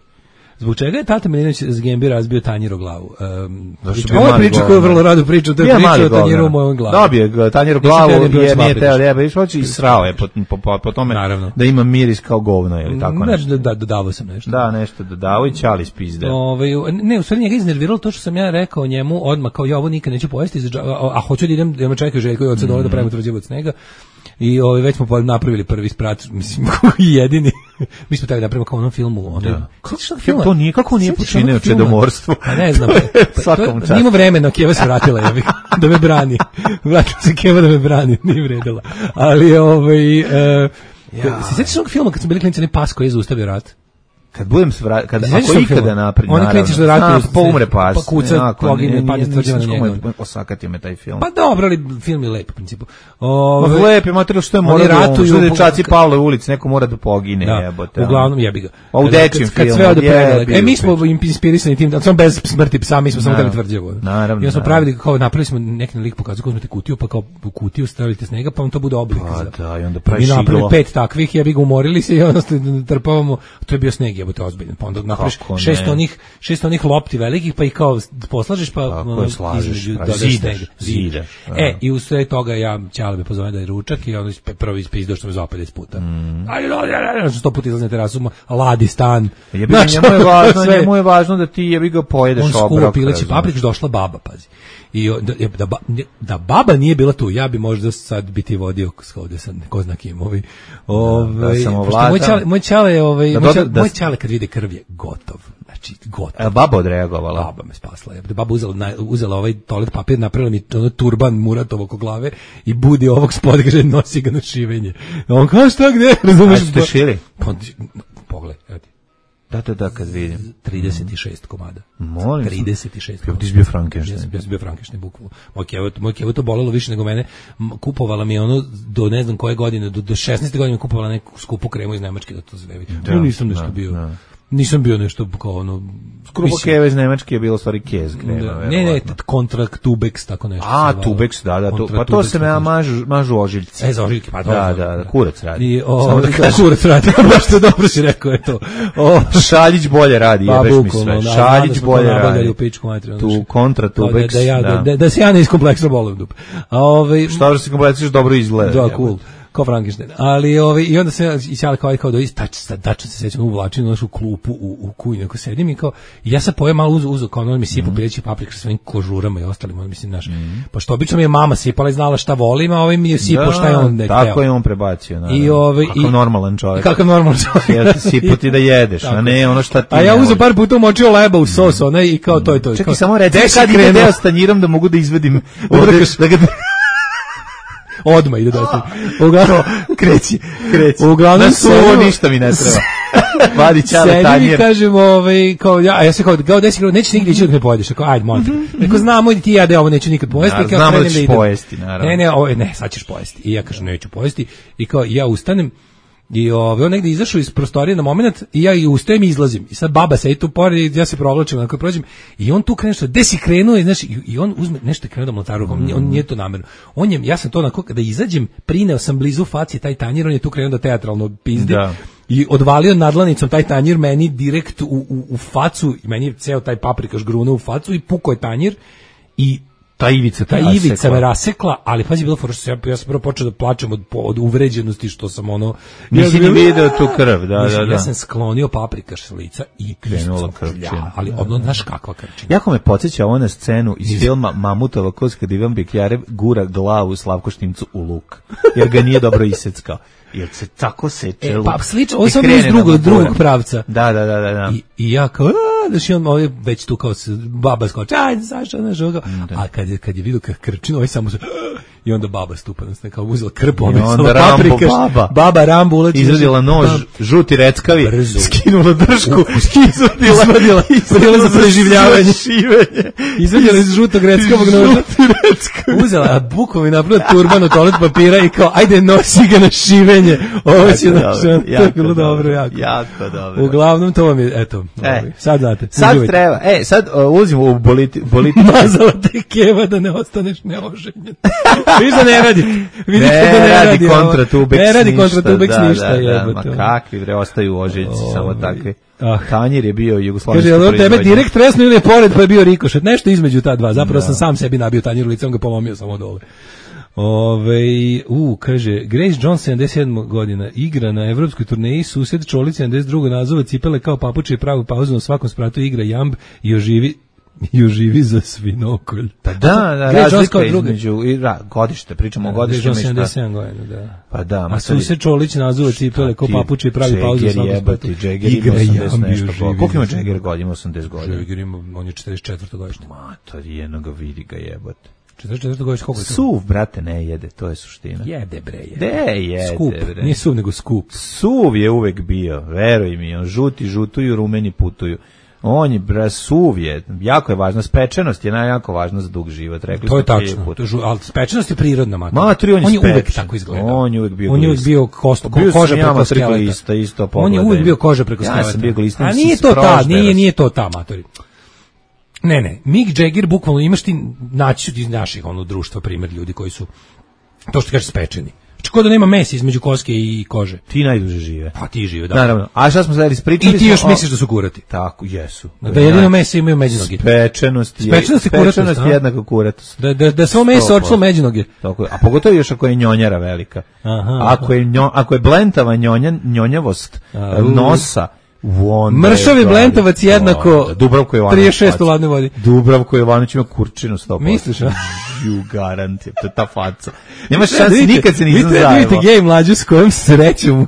Zbog čega je Tata Milinović z Gembi razbio tanjir o glavu? Um, Zašto priča, bi ovo je mali priča govnar? koju vrlo rado pričam, to je Bio priča mali o tanjiru u govnar. mojom glavu. Dobio je tanjir u Nisam glavu teo da je bio jer nije Švabić. teo da jebe, išloći i srao je po, po, po, po tome Naravno. da ima miris kao govno ili tako Ne, nešto. da, da, dodavao sam nešto. Da, nešto dodao i ćali spizde. Ove, ne, u stvari njega iznerviralo to što sam ja rekao njemu odmah, kao ja ovo nikad neću pojesti, za dža- a, a hoću da idem, da me čekaju Željko i od sad dole da pravimo tvrđevo snega. I ovaj već smo po- napravili prvi sprat, mislim i jedini. Mi smo tako napravili kao u onom filmu, onaj. Da. Sećaš se onog filma? To nije kako nije Sećaš se počinio onog filma? čedomorstvo. Pa ne znam. To je Pa, svakom to- času. Nima vremena, Keva se vratila, ja bih, da me brani. Vratila se Keva da me brani, nije vredila. Ali ovaj e, se sećaš onog filma kad smo bili klinici, onaj pas koji je zaustavio rat? Kad budem svra, kad Sećaš ako se ikada filma? napred, Oni naravno. klinci što ratuju, Znam, pa umre pas. pa kuca, Onako, pogine, nije- padne nije- tvrđava na nisam njega. čuo, osakatio me taj film. Pa dobro, ali film je lep u principu. Ma Ove, lep je materijal što je oni mora da ratuju, što je dečaci po- Pavle u ulici, neko mora da pogine, da, jebote. uglavnom jebi ga. A u Kad- dečjem kad, kad filmu, sve ode predale. jebi E, mi ga smo inspirisani tim, da samo bez smrti psa, mi smo samo Naravno. teli tvrđevo. Naravno, I smo naravno. pravili, kao napravili smo neki lik pokazao, kako smo te kutiju, pa kao u kutiju stavite snega, pa vam to bude oblik. Pa za- da, i onda Mi praviš napravili iglo. pet takvih, jebi ga, umorili se i onda ste trpavamo, to je bio sneg, jebote, ozbiljan. Pa onda napraviš Kako ne? šest onih, šest onih lopti velikih, pa ih kao poslažeš, pa Tako ono, je, slažeš, između pa dodaš zidaš, sneg. zidaš, da. E, i u sve toga ja Ćale me pozove da je ručak i onda ispe- prvo ispizdao što me zvao pedeset puta. Mm. Aj, no, sto puta izlazi na terasu, ladi stan. Jebi ga, Znači, njemu je važno, sve. njemu je važno da ti jebi ga pojedeš On obrok. skuva pileći razumeš. papriku, došla baba, pazi. I o- da, da, ba- da baba nije bila tu, ja bi možda sad biti vodio ovde sad, ko zna kim, ovaj. Ovaj, da sam pošto ovladao. moj Ćale, moj Ćale, je, ovaj, Da moj doda- Ćale, da- moj Ćale kad vide krv je gotov. Znači, gotov. E, baba odreagovala. Baba me spasla. Je. Baba uzela, naj- uzela ovaj toalet papir, napravila mi ono turban Muratov oko glave i budi ovog spod, kaže, nosi ga na šivenje. A on kao šta gde? Razumeš? A ste šili? Pa, pogledaj, evo ti. Da, da, da, kad vidim. trideset šest komada. Molim. trideset šest. Ti si bio Frankenstein. Ja sam bio Frankenstein, bukvalno. Moj kevo, moj kevo to bolelo više nego mene. Kupovala mi je ono do ne znam koje godine, do, do šesnaeste godine kupovala neku skupu kremu iz Nemačke da to zvevi. Da, no, nisam nešto da, bio. Da. Nisam bio nešto kao ono... Skrupo keve iz Nemačke je bilo stvari kez krema. Da, ne, ne, kontrakt Tubex, tako nešto. A, Tubex, da, da, to, pa to se me mažu, mažu ožiljci. E, za ožiljke, pa da, da, da, kurac radi. I, o, Samo da kažem. Kurac radi, baš to dobro si rekao, je to. O, Šaljić bolje radi, pa, jebeš mi sve. Šaljić bolje radi. U pičku materiju, tu kontra Tubex, da, da, ja, da. Da, da se ja ne iskompleksno bolim dupe. A ovaj... Što se kompleksiš, dobro izgleda. Da, cool. Kao Frankenstein. Ali ovaj i onda se i sjala kao kao da istač tačno se sećam uvlačim u našu klupu u u kuhinju kako sedim i kao i ja sam pojem malo uz uz kao ono mi sipa pileći paprika sa svojim kožurama i ostalim, on mislim naš. Mm. Pa što obično mi je mama sipala i znala šta volim, a ovaj mi je sipao šta je on ne tako teo. Je on prebacio, naravno. I ovaj i normalan čovjek. Kakav normalan čovjek. Ja ti sipati da jedeš, a ne ono šta ti. A ja uzeo par puta umočio leba u sos, onaj i kao to je to. Čekaj, samo reci kad ide s tanjirom da mogu da izvedim da ga odma ide dosta. Uglavnom kreći, kreći. Uglavnom na suvo ništa mi ne treba. Vadi čale tanjir. Sebi kažemo, ovaj kao ja, a ja se kao kao desi kao nećeš nigdje ići dok ne pojedeš, kao ajde molim. Rekao znamo i ti ja da ovo neću nikad pojesti, kao znamo da ćeš pojesti, naravno. Ne, ne, ovo ne, sad ćeš pojesti. I ja kažem neću pojesti i kao ja ustanem i ovaj on negde izašao iz prostorije na momenat i ja i ustajem i izlazim. I sad baba sedi tu pored, ja se provlačim onako prođem i on tu krene što gde si krenuo i znaš i on uzme nešto krenuo da mlata rukom. Mm. On nije to namerno. On je ja sam to onako kada izađem, prineo sam blizu faci taj tanjir, on je tu krenuo da teatralno pizdi. Da. I odvalio nadlanicom taj tanjir meni direkt u, u, u facu i meni je ceo taj paprikaš grunuo u facu i pukao je tanjir i ta ivica, ta ivica me rasekla, ali pazi bilo fora što ja, ja sam prvo počeo da plačem od, od uvređenosti što sam ono... Nisi ni video tu krv, da, da, da. Ja sam sklonio paprikaš s lica i krenula krvčina. Ali odno, znaš kakva krvčina. Jako me podsjeća ovo na scenu iz filma Mamutova kost kad Ivan Bekjarev gura glavu Slavko Štimcu u luk, jer ga nije dobro iseckao. Jer se tako seče e, luk. Pa slično, ovo sam iz drugog, drugog pravca. Da, da, da, da. da. I, i ja kao, znaš, i on ovaj već tu kao se, baba skoče, ajde, Saša, znaš, ovoga. A kad je, kad je vidio kako krčino, ovaj samo se, i onda baba stupa, znači, kao uzela krpu, ovaj samo paprikaš, baba. Baba Rambo ulači. Izvadila nož, žuti reckavi, brzo. Skinula držku, izvadila, izvadila, izvadila za preživljavanje. Izvadila iz žutog reckavog noža. Uzela, a bukom je napravila turban od toalet papira i kao, ajde, nosi ga na šivenje. Ovo će naš, to je bilo dobro, jako. Jako dobro. Uglavnom, to vam je, eto, e, sad znate. Sad uživajte. Treba, e, sad uh, ulazimo u boliti, boliti. Mazala te keva da ne ostaneš neoženjen. Viš da ne radi. Vidiš ne, da ne radi radi. Kontra Tubex ne radi kontra Tubex ništa. Da, da, jebate. Ma kakvi, bre, ostaju ožiljci, oh, samo takvi. Ah. Tanjir je bio jugoslovenski proizvodnje. Kaže, tebe direkt tresno ili je pored, pa je bio rikošet. Nešto između ta dva. Zapravo da. sam sam sebi nabio tanjir u lice, on ga polomio samo dole. Ove, u, kaže, Grace Jones, sedamdeset sedma godina, igra na evropskoj turneji, sused Čolić, sedamdeset druga nazove cipele kao papuče i pravu pauzu, na svakom spratu igra jamb i oživi i oživi za svinokolj. Pa da, da, razlika između i ra, godište, pričamo o godištima. sedamdeset sedam godina, da. Pa da, a sused Čolić nazove cipele kao papuče i pravi pauzu na svakom spratu. Džeger ima osamdeset nešto. Koliko ima Džeger godina? osamdeset godina. Džeger ima, on je četrdeset četvrta godište. Mator, jednoga vidi ga jebote. četrdeset četvrta godište, koliko je to? Suv, brate, ne jede, to je suština. Jede, bre, jede. De, jede, skup. Bre. Nije suv, nego skup. Suv je uvek bio, veruj mi, on žuti žutuju, rumeni putuju. On je, bre, suv je, jako je važno, spečenost je najjako važno za dug život, rekli to je tačno, to je žu, ali spečenost je prirodna mater. Matri, on je, on je spečen. uvek tako izgledao. On je uvek bio On je uvek bio kost, ko, koža preko skeleta. Isto, on je uvek bio koža preko skeleta. Ja sam bio glista. A nije to ta, nije, nije to ta, matori. Ne, ne, Mick Jagger, bukvalno imaš ti, naći iz naših ono, društva primjer ljudi koji su, to što kažeš, spečeni. Čako da nema mesa između koske i kože. Ti najduže žive. Pa ti žive, da. Naravno. A šta smo sad ispričali? I ti još o... misliš da su kurati. Tako, jesu. Da jedino meso imaju međunoge. Spečenost je. Spečenost je kuratost. Spečenost je jednako kuratost. Da, da, da svo meso očilo međunoge. Tako je. A pogotovo još ako je njonjara velika. Aha. Ako je, njo, ako je blentava njonja, njonjavost A, nosa, mršavi blentavac jednako Dubravko Jovanović trideset šest u ladnoj vodi. Dubravko Jovanović ima kurčinu sto posto. Misliš, a? Đu garant, to je ta faca. Nemaš šanse, nikad se nisam zajebao. Vi vidite gej mlađu s kojom srećom,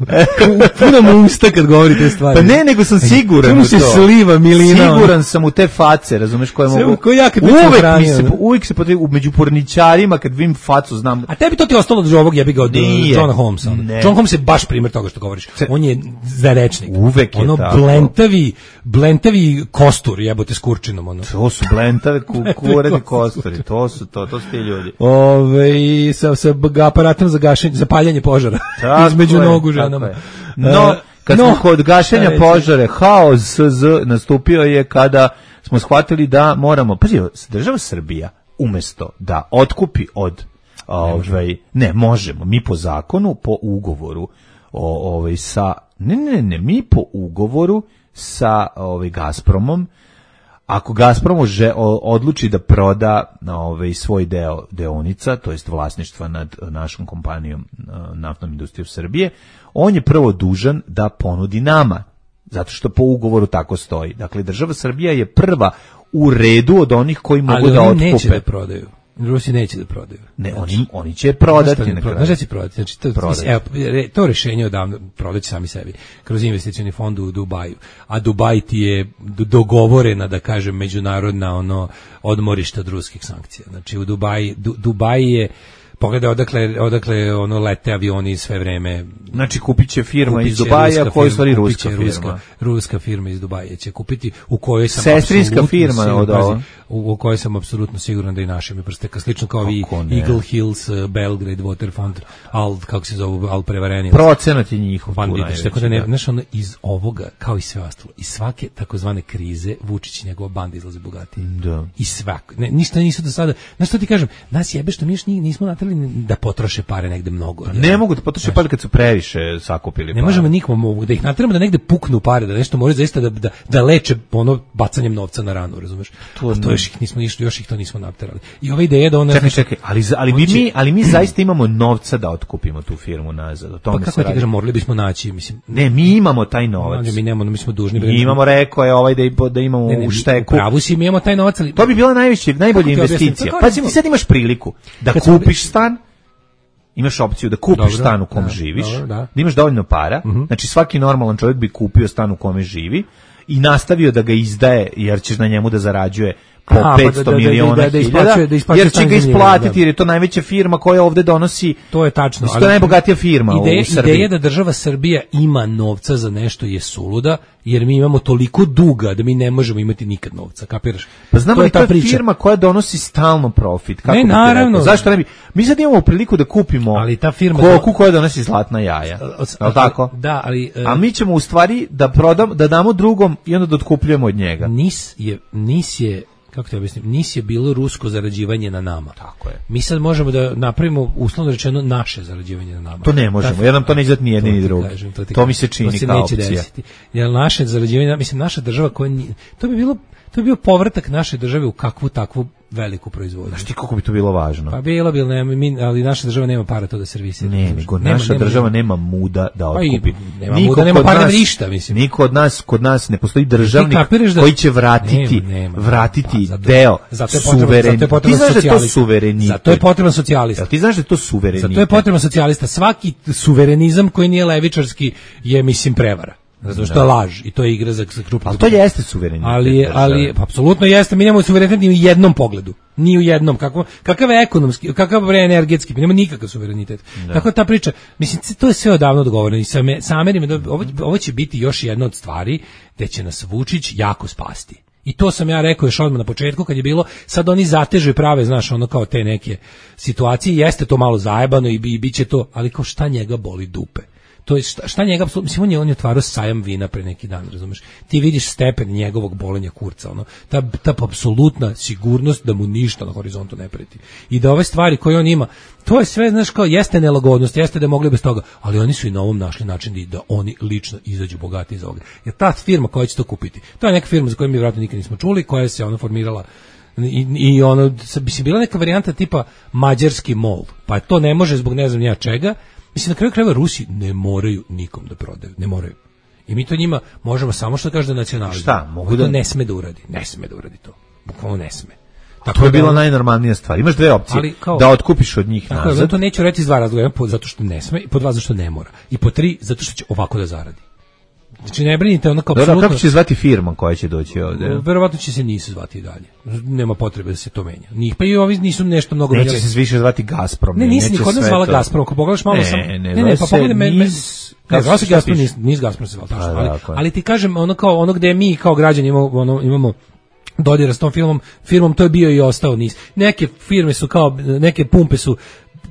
puno mu usta kad govori te stvari. Pa ne, nego sam siguran u to. Se sliva milina. Siguran sam u te face, razumeš, koje mogu... Ko ja kad uvek mi se, uvek se potrebi, među porničarima, kad vidim facu, znam... A tebi to ti ostalo od ovog jebi ga od Johna Holmesa. John Holmes je baš primjer toga što govoriš. On je zarečnik. Uvek je ono tako. blentavi, blentavi kostur, jebote s kurčinom. Ono. To su blentave kureni kosturi, to su to, to su ti ljudi. Ove, sa, sa aparatom za gašenje, za paljanje požara. Između je, nogu ženama. No, kad no, smo kod gašenja požare, haos z nastupio je kada smo shvatili da moramo, pazi, država Srbija umesto da otkupi od ovaj, ne, možemo, mi po zakonu, po ugovoru o, ovaj, sa, ne, ne, ne, mi po ugovoru sa ovaj, Gazpromom, ako Gazprom že odluči da proda ovaj, svoj deo deonica, to jest vlasništva nad našom kompanijom Naftnom industrijom Srbije, on je prvo dužan da ponudi nama, zato što po ugovoru tako stoji. Dakle, država Srbija je prva u redu od onih koji mogu ali da otkupe. Ali oni neće da prodaju. Rusi neće da prodaju. Ne, znači, oni, oni će prodati na kraju. Znaš da će prodati? Znači, to, prodati. Evo, to rješenje odavno prodaći sami sebi, kroz investicioni fond u Dubaju. A Dubaj ti je dogovorena, da kažem, međunarodna ono odmorišta od ruskih sankcija. Znači, u Dubaji, du, Dubaji je pogledaj odakle, odakle ono lete avioni sve vreme. Znači kupit će firma iz Dubaja, koja je stvari ruska firma. Ruska, ruska firma iz Dubaja će kupiti, u kojoj sam sestrinska firma siguran, od ovo. U, u kojoj sam apsolutno siguran da i naši mi prste, slično kao i Eagle Hills, Belgrade, Waterfront, al, kako se zove, al prevareni. Procenat je njihov. Tako da ne, znaš, ono, iz ovoga, kao i sve ostalo, iz svake takozvane krize, Vučić i njegova banda izlaze bogati. Da. I svako, ne, ništa nisu do sada, znaš što ti kažem, nas jebe što mi još nismo natrali da potroše pare negde mnogo. Ne ja, mogu da potroše pare kad su previše sakupili pare. Ne možemo nikomu da ih nateramo da negde puknu pare, da nešto moraju zaista da, da, da leče ono bacanjem novca na ranu, razumeš? To, A to još ih nismo išli, još ih to nismo naterali. I ova ideja da ona... Čekaj, čekaj, ali, ali, mi, mi, ali mi zaista imamo novca da otkupimo tu firmu nazad. O tome pa kako ti kažem, morali bismo naći, mislim... Ne, mi imamo taj novac. Mi nemamo, mi smo dužni. Mi imamo, rekao je ovaj da, da imamo ne, ne, u šteku. Pravu si, mi imamo taj novac, ali... To bi bila najveća, najbolja investicija. Pa ti sad imaš priliku da kupiš stan, imaš opciju da kupiš dobro, stan u kom da, živiš, dobro, da. da imaš dovoljno para, uh-huh. Znači svaki normalan čovjek bi kupio stan u kome živi i nastavio da ga izdaje, jer ćeš na njemu da zarađuje po A, petsto da, da, miliona da, da, da, hiljada, da jer će ga isplatiti, jer je to najveća firma koja ovde donosi, to je tačno, to je najbogatija firma ideja, u Srbiji. Ideja da država Srbija ima novca za nešto je suluda, jer mi imamo toliko duga da mi ne možemo imati nikad novca, kapiraš? Pa znamo li to je priča. Firma koja donosi stalno profit, kako ne, naravno. Zašto ne bi? Mi sad imamo priliku da kupimo ali ta firma koku to... koja donosi zlatna jaja. Je tako? Da, ali uh, a mi ćemo u stvari da prodam, da damo drugom i onda da otkupljujemo od njega. Nis je nis je kako te objasnim, nis je bilo rusko zarađivanje na nama. Tako je. Mi sad možemo da napravimo, uslovno rečeno, naše zarađivanje na nama. To ne možemo, Ta, jer nam to ne izgleda ni jedni ni drugi. To, to, to mi se čini to se kao opcija. Desiti. Jer naše zarađivanje, mislim, naša država koja nije, to bi bilo, to bi bio povratak naše države u kakvu takvu veliku proizvodnju. Znaš ti koliko bi to bilo važno? Pa bilo bi, ne, mi, ali naša država nema para to da servisira. Ne, nego naša nema, država nema, nema muda da otkupi. Pa nema muda, nema para, nema ništa, mislim. Niko od nas, kod nas ne postoji državnik da, koji će vratiti, nema, nema, vratiti pa, zato, deo suvereniteta. Ti znaš da je to suverenitet. Zato je potreban socijalista. Ti znaš da je to suverenitet. Zato je potreban socijalista. Svaki suverenizam koji nije levičarski je, mislim, prevara. Zato što je laž i to je igra za krupnu. Ali to jeste suverenitet. Ali, ali apsolutno jeste. Mi nemamo suverenitet ni u jednom pogledu. Ni u jednom. Kako, kakav je ekonomski, kakav je energetski. Mi nemamo nikakav suverenitet. Da. Tako ta priča, mislim, to je sve odavno dogovoreno. I sa, sa Amerima, ovo, ovo će biti još jedna od stvari gde će nas Vučić jako spasti. I to sam ja rekao još odmah na početku kad je bilo, sad oni zatežu i prave, znaš, ono kao te neke situacije. Jeste to malo zajebano i, i bit će to, ali kao šta njega boli dupe. To je šta, šta njega apsolutno, mislim, on je, on je otvarao sajam vina pre neki dan, razumeš? Ti vidiš stepen njegovog bolenja kurca, ono, ta, ta apsolutna sigurnost da mu ništa na horizontu ne preti. I da ove stvari koje on ima, to je sve, znaš, kao, jeste nelagodnost, jeste da je mogli bez toga, ali oni su i na ovom našli način da, da oni lično izađu bogati iz ovoga. Jer ta firma koja će to kupiti, to je neka firma za koju mi vjerojatno nikad nismo čuli, koja se ono formirala i, i ono, bi se bila neka varijanta tipa mađarski mol, pa to ne može zbog ne znam ja čega. Mislim, na kraju krajeva Rusi ne moraju nikom da prodaju, ne moraju. I mi to njima možemo samo što kaže da nacionalizam. Šta? Mogu da... To ne sme da uradi, ne sme da uradi to. Bukvalno ne sme. Tako to je da, bila najnormalnija stvar. Imaš dve opcije, ali, kao, da otkupiš od njih tako nazad. To neću reći iz dva razloga, po, zato što ne sme, i po dva zato što ne mora. I po tri zato što će ovako da zaradi. Znači ne brinite ono kao apsolutno. Kako će zvati firma koja će doći ovde? Verovatno će se nisu zvati i dalje. Nema potrebe da se to menja. Njih pa i ovi nisu nešto mnogo menjali. Neće se više zvati Gazprom. Ne, nisi niko nas zvala Gazprom. Ako pogledaš malo ne, sam. Ne, ne, ne, pa pogledaj me. Ne, zvao se Gazprom, nis Gazprom se zvala tačno. Ali, ali ti kažem ono kao ono gde mi kao građani imamo ono imamo dodira s tom filmom, firmom to je bio i ostao niz. Neke firme su kao neke pumpe su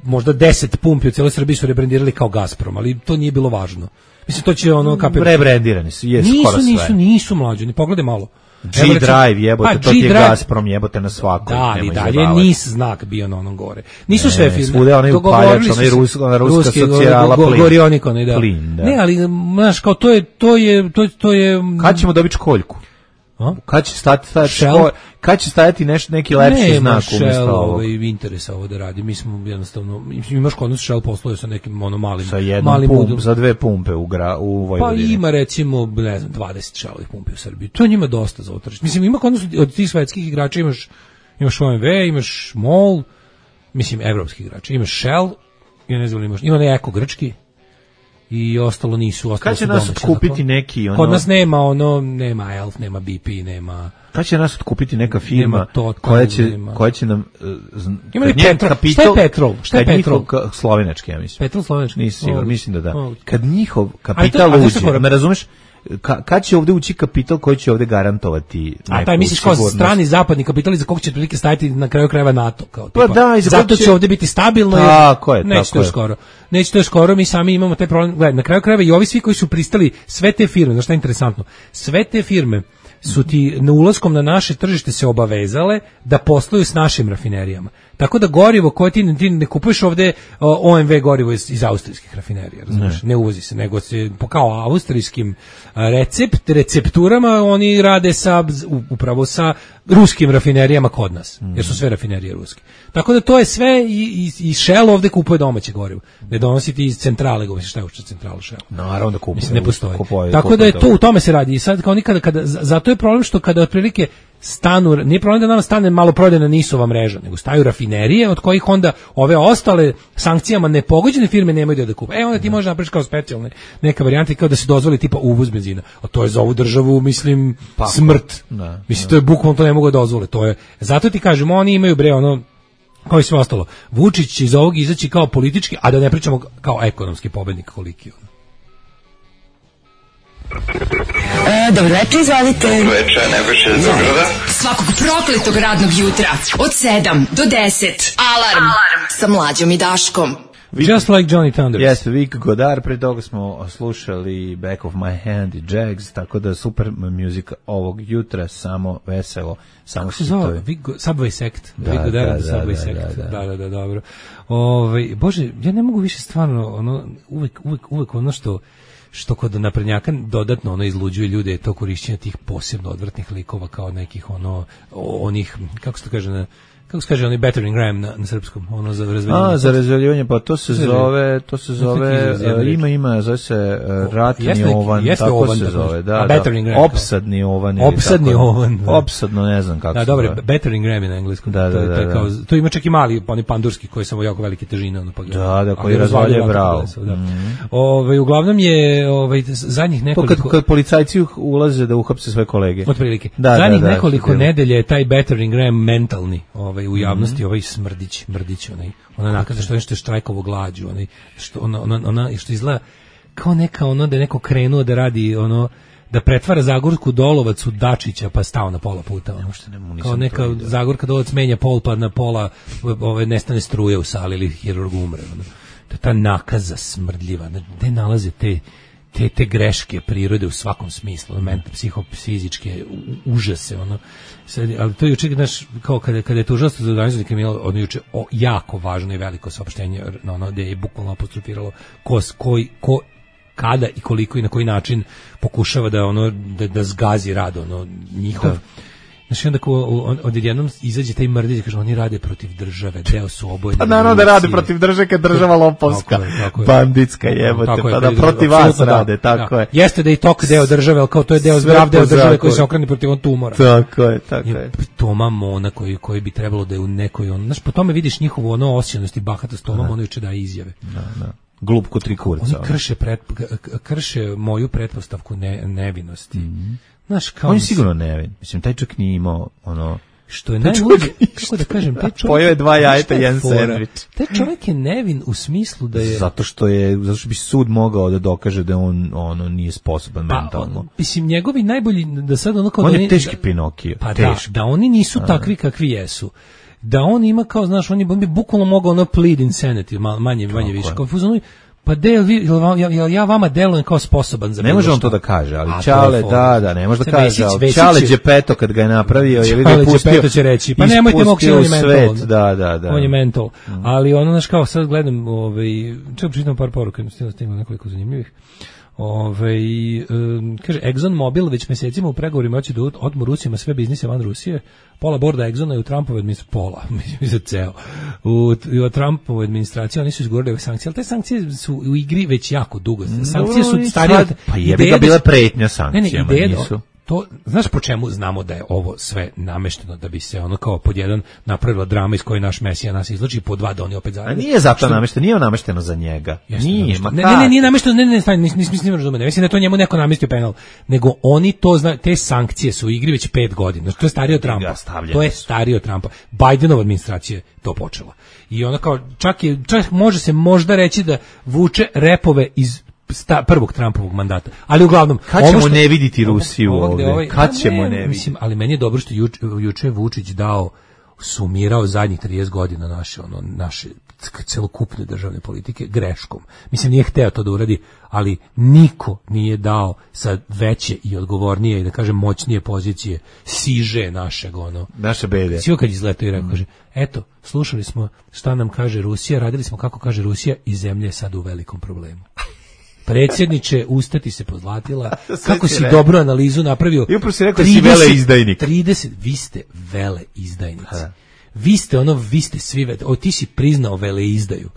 možda deset pumpi u cijeloj Srbiji su rebrendirali kao Gazprom, ali to nije bilo važno. Mislim to će ono kapir... Rebrendirani su, jesu skoro sve. Nisu, nisu, nisu mlađi, ni pogledaj malo. G-Drive jebote, to ti je Gazprom jebote na svakoj. Da, ali dalje nis znak bio na onom gore. Nisu ne, sve firme. Svude onaj upaljač, onaj rus, ona ruska socijala go, go, plin. Gorionikon, da. Plin, da. Ne, ali, znaš, kao to je, to je, to, to je... Kad ćemo dobiti školjku? A? Kad će stati, stati škol, kad će stajati nešto, neki lepši ne, znak umjesto ovog? Ovaj, interesa ovo da radi. Mi smo jednostavno, imaš kod nas Shell posluje sa nekim ono malim... Sa jednom malim pump, udom. za dve pumpe u, gra, u Vojvodini. Pa ima recimo, ne znam, dvadeset Shellovih pumpi u Srbiji. To je njima dosta za utržište. Mislim, ima kod nas od tih svetskih igrača imaš, imaš O M V, imaš MOL, mislim, evropski igrači. Imaš Shell, ja ne znam, imaš, ima ne Eko grčki, i ostalo nisu, ostalo kad će nas otkupiti neki ono... Kod nas nema ono, nema Elf, nema B P, nema... Kad će nas otkupiti neka firma to, koja će, koja će nam... Uh, ima li Petrol? Kapital, šta je Petrol? Šta je Petrol? Njihov, slovenački, ja mislim. Petrol slovenački? Nisam siguran, oh. mislim da da. Oh. Kad njihov kapital uđe, me razumeš? Ka, kad će ovde ući kapital koji će ovde garantovati neku a taj misliš kao strani zapadni kapital za kog će prilike stajati na kraju krajeva NATO kao tipa. Pa da, zato će ovde biti stabilno tako je, neće tako to skoro. Neće to skoro, mi sami imamo taj problem. Gledaj, na kraju krajeva i ovi svi koji su pristali, sve te firme, znači šta je interesantno, sve te firme su ti na ulaskom na naše tržište se obavezale da posluju s našim rafinerijama. Tako da gorivo koje ti, ti ne kupuješ ovde O M V gorivo iz, iz austrijskih rafinerija, razumiješ? Ne. ne uvozi se, nego se kao austrijskim recept, recepturama oni rade sa, upravo sa ruskim rafinerijama kod nas, mm. jer su sve rafinerije ruske. Tako da to je sve i, i, i Shell ovde kupuje domaće gorivo. Ne donosi ti iz centrale, govoriš šta je uopšte centralu Shell. Naravno da kupuje. Mislim, ne postoji. Kupuje, Tako kupuje, da je to, u tome se radi. I sad kao nikada, kada, zato je problem što kada otprilike stanu, nije problem da nam stane maloprodajna nisova mreža, nego staju rafinerije od kojih onda ove ostale sankcijama nepogođene firme nemaju da kupe. E onda ti možeš napraviš kao specijalne neka varijanta kao da se dozvoli tipa uvoz benzina. A to je za ovu državu, mislim, pa, smrt. Da, mislim, da. To je bukvalno, to ne mogu da dozvole. To je, zato ti kažem, oni imaju bre ono, kao i sve ostalo. Vučić će iz ovog izaći kao politički, a da ne pričamo kao ekonomski pobednik koliki on. E, dobro večer, izvalite. Dobro večer, Nebojša iz Beograda. Svakog prokletog radnog jutra od sedam do deset. Alarm, Alarm. Sa Mlađom i Daškom. Just like Johnny Thunders. Jeste, Vik Godar, pre toga smo slušali Back of my hand i Jags, tako da super muzika ovog jutra, samo veselo, samo se zove, Subway Sect, da, Vik Godar da, da, Subway da, Sect, da, da, da, da, da dobro. Ove, Bože, ja ne mogu više stvarno, ono, uvek, uvek, uvek ono što što kod naprednjaka dodatno ono izluđuje ljude je to korišćenje tih posebno odvratnih likova kao nekih ono onih kako se to kaže na kako se kaže onaj battering ram na, na srpskom ono za razvaljivanje. A za razvaljivanje pa to se zove to se zove uh, ima ima zove se uh, ratni jeste, ovan jeste tako ovan, se zove da, da ram, opsadni ovan opsadni ovan da. Opsadno ne znam kako da, se dobro zove battering ram na engleskom da, da, to, da, to, je, da. kao, to ima čak i mali oni pandurski koji samo jako velike težine ono pa da da koji razvaljuje bravo da. Mm. Ovaj uglavnom je ovaj zadnjih nekoliko kad, kad policajci ulaze da uhapse sve kolege otprilike da, zadnjih da, da, nekoliko nedelja je taj battering ram mentalni ovaj u javnosti ovaj smrdić, mrdić, onaj, ona nakaza što je nešto štrajkovo glađu, onaj, što, ona, ona, ona, što izgleda kao neka ono da je neko krenuo da radi ono, da pretvara Zagorsku Dolovac u Dačića pa stao na pola puta. Ono. Ne, kao neka Zagorka Dolovac menja pol pa na pola ove, nestane struje u sali ili hirurg umre. Ono. To je ta nakaza smrdljiva. Gde nalaze te te te greške prirode u svakom smislu, mentalne, psihofizičke užase, ono. Sad, ali to je juče, znaš, kao kada, kada je tužilaštvo za organizovani kriminal, ono juče o, jako važno i veliko saopštenje, ono, gde je bukvalno apostrofiralo ko, koji, ko, kada i koliko i na koji način pokušava da ono da, da zgazi rad ono njihov. Da. Znači onda ko on, odjednom izađe taj mrdić i kaže oni rade protiv države, deo su obojeni. Pa naravno da rade protiv države kad država lopovska, tako je, tako je. Banditska jebote, pa da protiv vas rade, tako je. Jeste da i tok deo države, al kao to je deo zdrav deo države koji se okrene protiv on tumora. Tako je, tako je. Toma Mona koji koji bi trebalo da je u nekoj on, znaš, po tome vidiš njihovu ono osjećanost i bahatost, Toma Mona juče daje izjave. Da, da. Glup ko tri kurca. Oni krše pret, krše moju pretpostavku ne, nevinosti. Mm-hmm. Znaš, kao on je sigurno nevin. Mislim, taj čak nije imao ono... Što je najluđe, kako da kažem, taj čovjek... Pojeo je dva jajeta, jedan sandvič. Taj čovjek je nevin u smislu da je... Zato što je, zato što bi sud mogao da dokaže da on ono nije sposoban pa, mentalno. On, mislim, njegovi najbolji, da sad ono kao... On da je teški da, Pinokio. Pa teški. Da, da oni nisu A. takvi kakvi jesu. Da on ima kao, znaš, on, je, on bi bukvalno mogao ono plead insanity, manje, manje više. Kao fuzonu, pa del, jel ja vama delujem kao sposoban za ne može on to da kaže, ali Čale, da, da, ne može da kaže, ali Čale Đepeto kad ga je napravio, je li ga pustio, će reći, pa nemojte moći on je mental, da, da, da. On je mental, mm. ali ono, znaš, kao sad gledam, ovaj, čekaj, čitam par poruka, stigla stigla nekoliko zanimljivih. Ove, um, kaže, Exxon Mobil već mesecima u pregovorima hoće da otmu Rusima sve biznise van Rusije. Pola borda Exxona je u Trumpovoj administraciji, pola, mislim ceo. U, u Trumpovoj administraciji oni su izgovorili ove sankcije, ali te sankcije su u igri već jako dugo. Sankcije su starije. Pa jebi ga bila pretnja sankcijama, ne, ne, ideja, nisu. To, znaš po čemu znamo da je ovo sve namešteno, da bi se ono kao pod jedan napravila drama iz koje naš Mesija nas izlači, po dva da oni opet zajedno. A nije zato namešteno, nije namešteno za njega. Jeste, nije, ma ne, ne, ne, nije namešteno, ne, ne, ne, ne, nisam nisam razumeo. Mislim da to njemu neko namestio penal, nego oni to znaju, te sankcije su u igri već pet godina. Znači, to je starije od Trumpa. To je starije od Trumpa. Bidenova administracija je to počela. I ona kao čak je čak može se možda reći da vuče repove iz sta, prvog Trumpovog mandata. Ali uglavnom, kad ćemo što, ne viditi Rusiju ovdje? Ovaj, kad ćemo ne, ne vidjeti? Mislim, ali meni je dobro što juče, juče Vučić dao, sumirao zadnjih trideset godina naše, ono, naše celokupne državne politike greškom. Mislim, nije hteo to da uradi, ali niko nije dao sa veće i odgovornije i da kažem moćnije pozicije siže našeg, ono. Naše bede. Svi kad izletao i rekao, kaže, eto, slušali smo šta nam kaže Rusija, radili smo kako kaže Rusija i zemlja je sad u velikom problemu. Predsjedniče, ustati se pozlatila, kako si rekao. Dobru analizu napravio. I upravo si rekao trideset, si vele izdajnik. trideset, vi ste vele izdajnici. Ha. Vi ste ono, vi ste svi, o ti si priznao vele izdaju.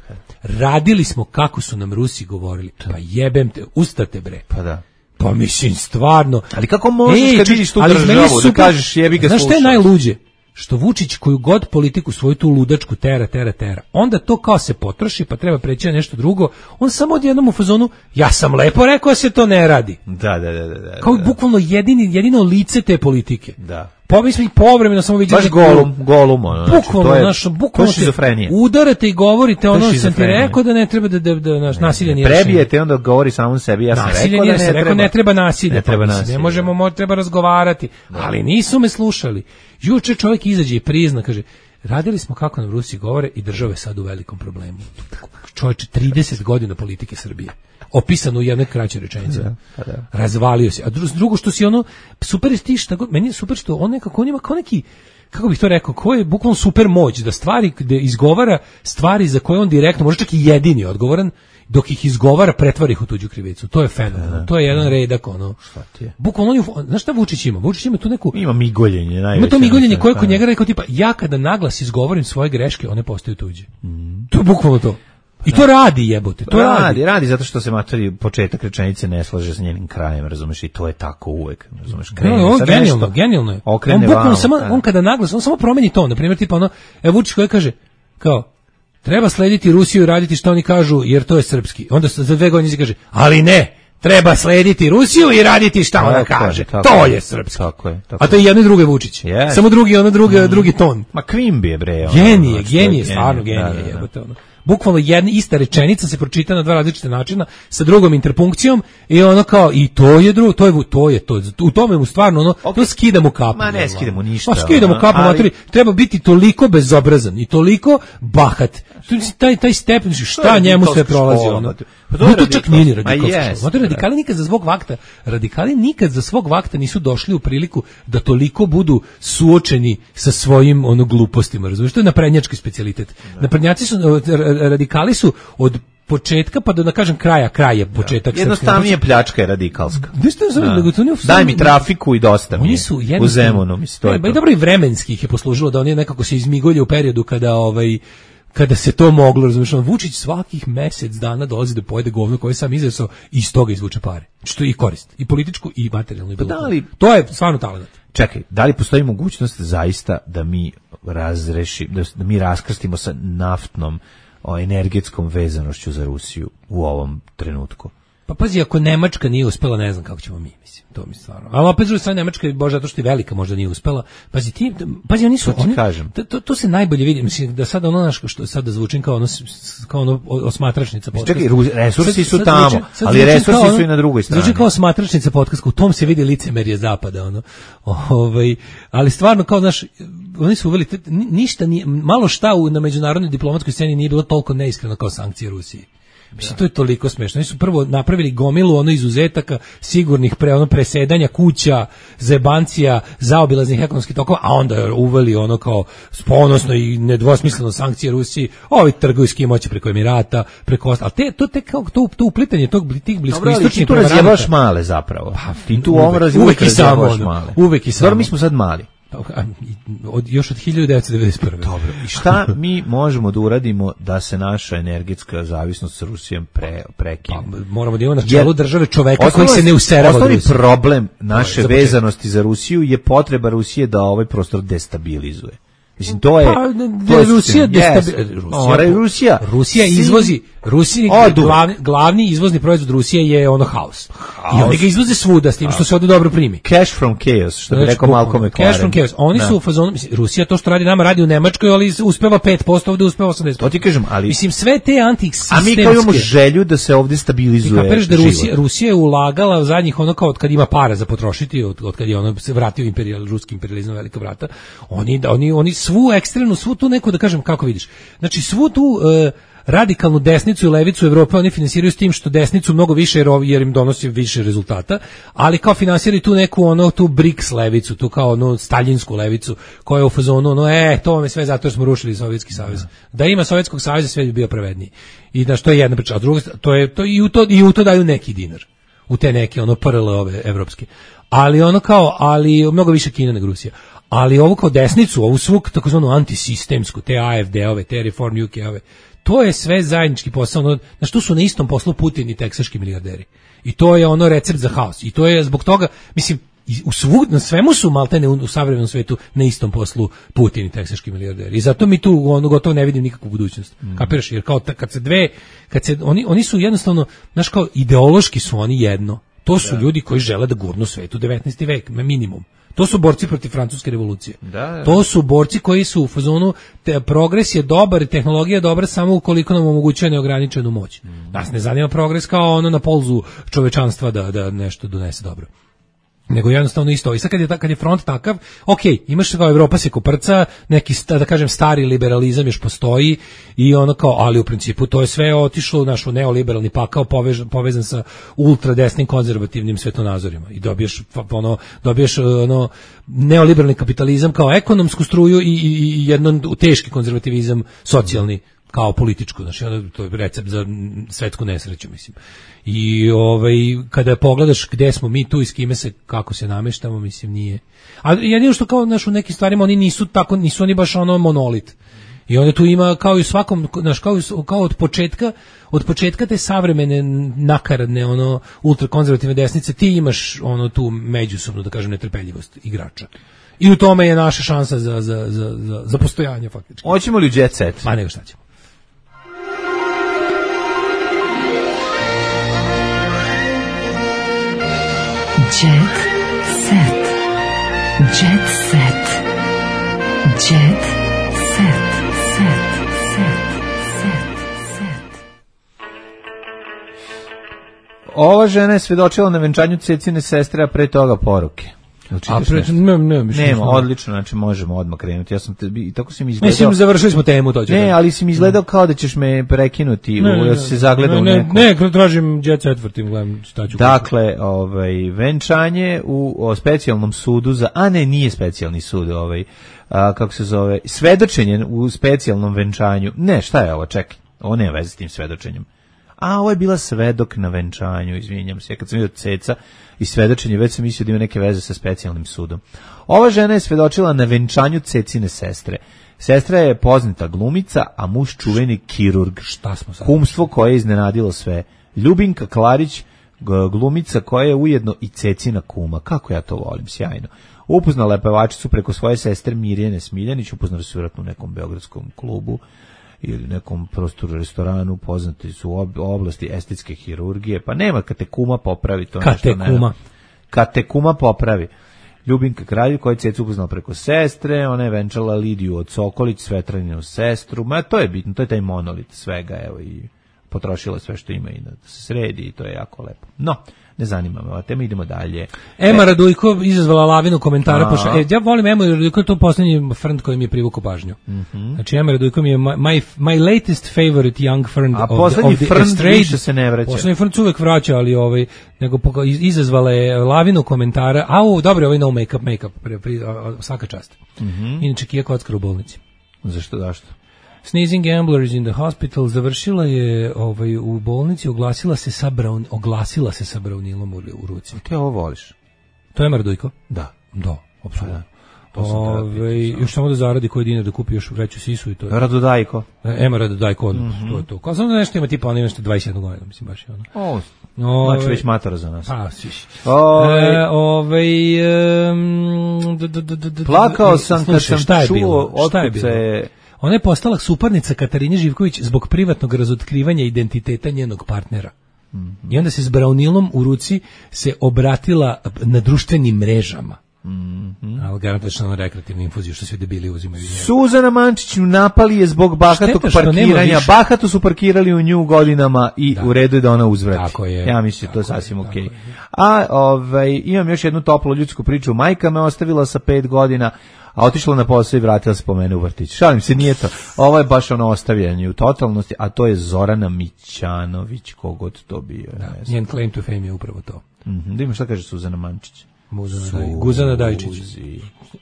Radili smo kako su nam Rusi govorili. Pa jebem te, ustate bre. Pa da. Pa mislim, stvarno. Ali kako možeš Ej, kad vidiš tu državu da kažeš jebi ga slušao. Znaš šta je najluđe? Što Vučić koju god politiku svoju tu ludačku tera, tera, tera, onda to kao se potroši, pa treba preći na nešto drugo, on samo odjednom u fazonu, ja sam lepo rekao da se to ne radi. Da, da, da. da kao da. Bukvalno jedini, jedino lice te politike. Da. Pa mi smo i povremeno samo vidjeli... Baš golum, golum, ono. Bukvalno, znači, to je, naš, bukvalno te udarate i govorite, ono sam ti rekao da ne treba da, da, da naš, nasilje nije rešenje. Prebijete, onda govori samom sebi, ja sam nasilje rekao da ne rekao, treba. Ne treba nasilje, ne treba pa, nasilje. Ne možemo, mo, treba razgovarati, da. Ali nisu me slušali. Juče čovjek izađe i prizna, kaže, radili smo kako nam Rusi govore i država je sad u velikom problemu. Čovječe, trideset godina politike Srbije. Opisano u jednoj kraćoj rečenici. Da, pa da. Razvalio se. A drugo što si ono, super je ti šta god, meni je super što on nekako, on ima kao neki, kako bih to rekao, ko je bukvalno super moć, da stvari, da izgovara stvari za koje on direktno, može čak i jedini odgovoran, dok ih izgovara, pretvara ih u tuđu krivicu. To je fenomenalno. To je jedan redak, ono. Šta ti je? Bukvalno on je, znaš šta Vučić ima? Vučić ima tu neku... Ima migoljenje, najveće. Ima to migoljenje koje kod njega rekao, tipa, ja kada naglas izgovorim svoje greške, one postaju tuđe. Mm. To je bukvalno to. I to radi, jebote, to radi. Radi, radi zato što se matori početak rečenice ne slaže sa njenim krajem, razumeš, i to je tako uvek, razumeš, krene no, sa genijalno, nešto, genijalno je. On bukvalno samo, on kada naglas, on samo promeni ton, na primjer, tipa ono, e Vučić koji kaže, kao, treba slediti Rusiju i raditi što oni kažu, jer to je srpski. Onda za dve godine se kaže, ali ne, treba slediti Rusiju i raditi šta ona kaže. Tako, to je srpski. Tako je, tako. A to je jedno i druge Vučić. Yes. Samo drugi, ono drugi, mm. drugi ton. Ma Kvimbi je bre. Genije, genije, stvarno genije, jebote ono. Bukvalno jedna ista rečenica se pročita na dva različite načina sa drugom interpunkcijom i ono kao i to je drugo, to je to je to. U tome mu stvarno ono okay. To skidamo kapu. Ma ne skidamo ništa. Pa skidamo kapu, ali... matori, treba biti toliko bezobrazan i toliko bahat. Taj taj stepen šta njemu sve prolazi ono. Pa to, to čak nije radikalsko. Matori radikali nikad za svog vakta, radikali nikad za svog vakta nisu došli u priliku da toliko budu suočeni sa svojim ono glupostima, razumiješ? To je naprednjački specijalitet. Naprednjaci su radikali su od početka pa do da kažem kraja, kraj je početak. Jednostavnije pljačka je radikalska. Da. Daj mi trafiku i dosta mi je. U Zemunu, mislim, to je to. I dobro i vremenski ih je poslužilo da oni nekako se izmigolje u periodu kada ovaj kada se to moglo, razumiješ, Vučić svakih mjesec dana dolazi da pojede govno koje sam izresao i iz toga izvuče pare. Što je i korist, i političku i materijalnu. I pa da li, to je stvarno talent. Čekaj, da li postoji mogućnost zaista da mi razreši, da, da mi raskrstimo sa naftnom o energetskom vezanošću za Rusiju u ovom trenutku? Pa pazi, ako Nemačka nije uspela, ne znam kako ćemo mi, mislim, to mi stvarno. Ali opet druga strana, Nemačka, bože, zato što je velika, možda nije uspela. Pazi, ti, pazi, oni su, to oni, kažem. To, to, to se najbolje vidi, mislim, da sada ono, naš, što sada zvučim kao ono, kao ono osmatračnica podcast. Čekaj, resursi sad, su sad tamo, zvučim, ali resursi ono, su i na drugoj strani. Zvučim kao osmatračnica podcast, u tom se vidi licemerje zapada, ono. Ovaj, ali stvarno, kao, znaš, oni su uveli, ništa nije, malo šta u, na međunarodnoj diplomatskoj sceni nije bilo toliko neiskreno kao sankcije Rusiji. Mislim, to je toliko smešno. Oni su prvo napravili gomilu ono izuzetaka sigurnih pre, ono presedanja kuća, zebancija, zaobilaznih ekonomskih tokova, a onda uveli ono kao ponosno i nedvosmisleno sankcije Rusiji, ovi trguju s kim hoće preko Emirata, preko ostalo. Ali te, to, te, kao, to, to uplitanje tog, tih bliskoistočnih prevaranata. Ti tu razjebaš male zapravo. Pa, ti tu ovo razjebaš male. Uvek i samo. Dobro, mi smo sad mali. Od, još od hiljadu devetsto devedeset prve. Dobro. I šta mi možemo da uradimo da se naša energetska zavisnost s Rusijom pre, prekine? Pa, moramo da imamo na čelu države čoveka koji se ne userava od Rusije. Osnovni problem naše za vezanosti za Rusiju je potreba Rusije da ovaj prostor destabilizuje. Mislim, to je... Pa, to je Rusija destabilizuje. Yes. Rusija, Rusija izvozi... Rusiji glavni, glavni izvozni proizvod Rusije je ono haos. I oni ga izvoze svuda s tim što se ovdje dobro primi. Cash from chaos, što bi rekao Malcolm McLaren. Cash from chaos. Oni da. su u fazonu, mislim, Rusija to što radi nama radi u Nemačkoj, ali uspeva pet posto, ovdje uspeva osamdeset posto. To ti kažem, ali... Mislim, sve te antisistemske... A mi kao imamo želju da se ovdje stabilizuje život. Da Rusija, Rusija je ulagala u zadnjih ono kao od kad ima para za potrošiti, od, od kad je ono se vratio imperijal, ruski imperijalizam velika vrata, oni, oni, oni svu ekstremnu, svu tu neku, da kažem, kako vidiš, znači svu tu... Uh, radikalnu desnicu i levicu Evrope oni finansiraju s tim što desnicu mnogo više jer, jer im donosi više rezultata, ali kao finansiraju tu neku ono tu BRICS levicu, tu kao ono staljinsku levicu koja je u fazonu ono e to vam je sve zato što smo rušili Sovjetski savez. Ja. Da ima Sovjetskog saveza sve bi bio pravedniji. I da što je jedna priča, a druga to je to i u to i u to daju neki dinar. U te neke ono P R L ove evropske. Ali ono kao ali mnogo više Kina nego Rusija. Ali ovo kao desnicu, ovu svu takozvanu antisistemsku, te A F D-ove, te Reform U K-ove, to je sve zajednički posao, ono, na što su na istom poslu Putin i teksaški milijarderi. I to je ono recept za haos. I to je zbog toga, mislim, u svu, na svemu su maltene u, u savremenom svetu na istom poslu Putin i teksaški milijarderi. I zato mi tu ono gotovo ne vidim nikakvu budućnost. Mm. Kapiraš? Jer kao kad se dve, kad se, oni, oni su jednostavno, znaš kao, ideološki su oni jedno. To su da. ljudi koji žele da gurnu svet u devetnaesti vek, minimum. To su borci protiv francuske revolucije. Da, da. To su borci koji su u fazonu te, progres je dobar, tehnologija je dobra samo ukoliko nam omogućuje neograničenu moć. Mm. Nas ne zanima progres kao ono na polzu čovečanstva da, da nešto donese dobro. Nego jednostavno isto. I sad kad je, kad je front takav, ok, imaš kao Evropa se koprca, neki, da kažem, stari liberalizam još postoji i ono kao, ali u principu to je sve otišlo u našu neoliberalni pakao povežan, povezan sa ultradesnim konzervativnim svetonazorima i dobiješ, ono, dobiješ ono, neoliberalni kapitalizam kao ekonomsku struju i, i, i jedan teški konzervativizam socijalni kao političku, znači ono, to je recept za svetsku nesreću, mislim. I ovaj kada pogledaš gde smo mi tu i s kime se kako se nameštamo, mislim nije. A jedino što kao naš u nekim stvarima oni nisu tako, nisu oni baš ono monolit. I onda tu ima kao i u svakom, znaš, kao, kao od početka, od početka te savremene nakaradne ono ultrakonzervativne desnice ti imaš ono tu međusobnu, da kažem, netrpeljivost igrača. I u tome je naša šansa za za za za, za postojanje faktički. Hoćemo li jet set? Ma nego šta ćemo. Jet set. Jet set. Jet set. Set. Set. Set. Set. Ova žena je svedočila na venčanju Cecine sestre, a pre toga poruke. A pre, ne, ne, mislim, nema, odlično, znači možemo odmah krenuti. Ja sam te, i tako si mi izgledao. Mislim, završili smo temu, to ću. Ne, ali si mi izgledao kao da ćeš me prekinuti, ne, u, ja si se zagledao ne, u neku. Ne, ne, tražim jet set, vrtim, gledam šta ću. Dakle, ovaj, venčanje u o specijalnom sudu za, a ne, nije specijalni sud, ovaj, a, kako se zove, svedočenje u specijalnom venčanju. Ne, šta je ovo, čekaj, ovo nema veze s tim svedočenjem. A ovo je bila svedok na venčanju, izvinjam se. Kad sam vidio Ceca i svedočenje, već sam mislio da ima neke veze sa specijalnim sudom. Ova žena je svedočila na venčanju Cecine sestre. Sestra je poznata glumica, a muž čuveni kirurg. Šta smo sad? Kumstvo koje je iznenadilo sve. Ljubinka Klarić, glumica koja je ujedno i Cecina kuma. Kako ja to volim, sjajno. Upoznala je pevačicu preko svoje sestre Mirjane Smiljanić, upoznali su vjerojatno u nekom beogradskom klubu ili nekom prostoru restoranu, poznati su u oblasti estetske hirurgije, pa nema kad te kuma popravi to. Kad te kuma. Kad te kuma popravi. Ljubinka Kralj koja je Cecu upoznala preko sestre, ona je venčala Lidiju od Sokolić, Svetraninu sestru, ma to je bitno, to je taj monolit svega, evo i potrošila sve što ima i da se sredi i to je jako lepo. No, ne zanima me ova tema, idemo dalje. Ema e, Radujko izazvala lavinu komentara. Pošla, e, ja volim Emu Radujko, to je posljednji frnd koji mi je privukao pažnju. Mm-hmm. Znači, Ema Radujko mi je my, my latest favorite young frnd. A posljednji frnd više se ne vraća. Posljednji frnd se uvek vraća, ali ovaj, nego izazvala je lavinu komentara. Au, dobro, ovaj no make-up, make-up, pri, pri, svaka čast. Mm-hmm. Inače, Kija kockar u bolnici. Zašto, zašto? Sneezing Gamblers in the Hospital završila je ovaj, u bolnici, oglasila se sa, braun, oglasila se sa braunilom u, u ruci. Ti ovo voliš? To je Mardujko? Da. Da, apsolutno. Ove, još samo da zaradi koji dinar da kupi još veću sisu i to je. Radodajko. Ema Radodajko, odmah, mm-hmm. to je to. Kao samo da nešto ima tipa, ono ima nešto dvadeset jedna godina, mislim baš je ono. O, ove, znači već matora za nas. Pa, sviš. Ove, e, ove, um, d, d, d, d, d, plakao sam kad sam šta je čuo bilo? Šta je otkuce bilo? Ona je postala suparnica Katarine Živković zbog privatnog razotkrivanja identiteta njenog partnera. Mm-hmm. I onda se s braunilom u ruci se obratila na društvenim mrežama. Mm-hmm. Ali garantačno na rekreativnu infuziju što svi debili uzimaju. Suzana Mančić napali je zbog bahatog parkiranja. Bahato su parkirali u nju godinama i da. U redu je da ona uzvrati. Tako je. Ja mislim to je sasvim okej. Okay. A ovaj, imam još jednu toplu ljudsku priču. Majka me ostavila sa pet godina, a otišla na posao i vratila se po mene u vrtić. Šalim se, nije to. Ovo je baš ono ostavljanje u totalnosti, a to je Zorana Mićanović, kogod to bio. Da, njen claim to fame je upravo to. Mm-hmm. Da ima šta kaže Suzana Mančić. Suzi. Guzana Dajčić.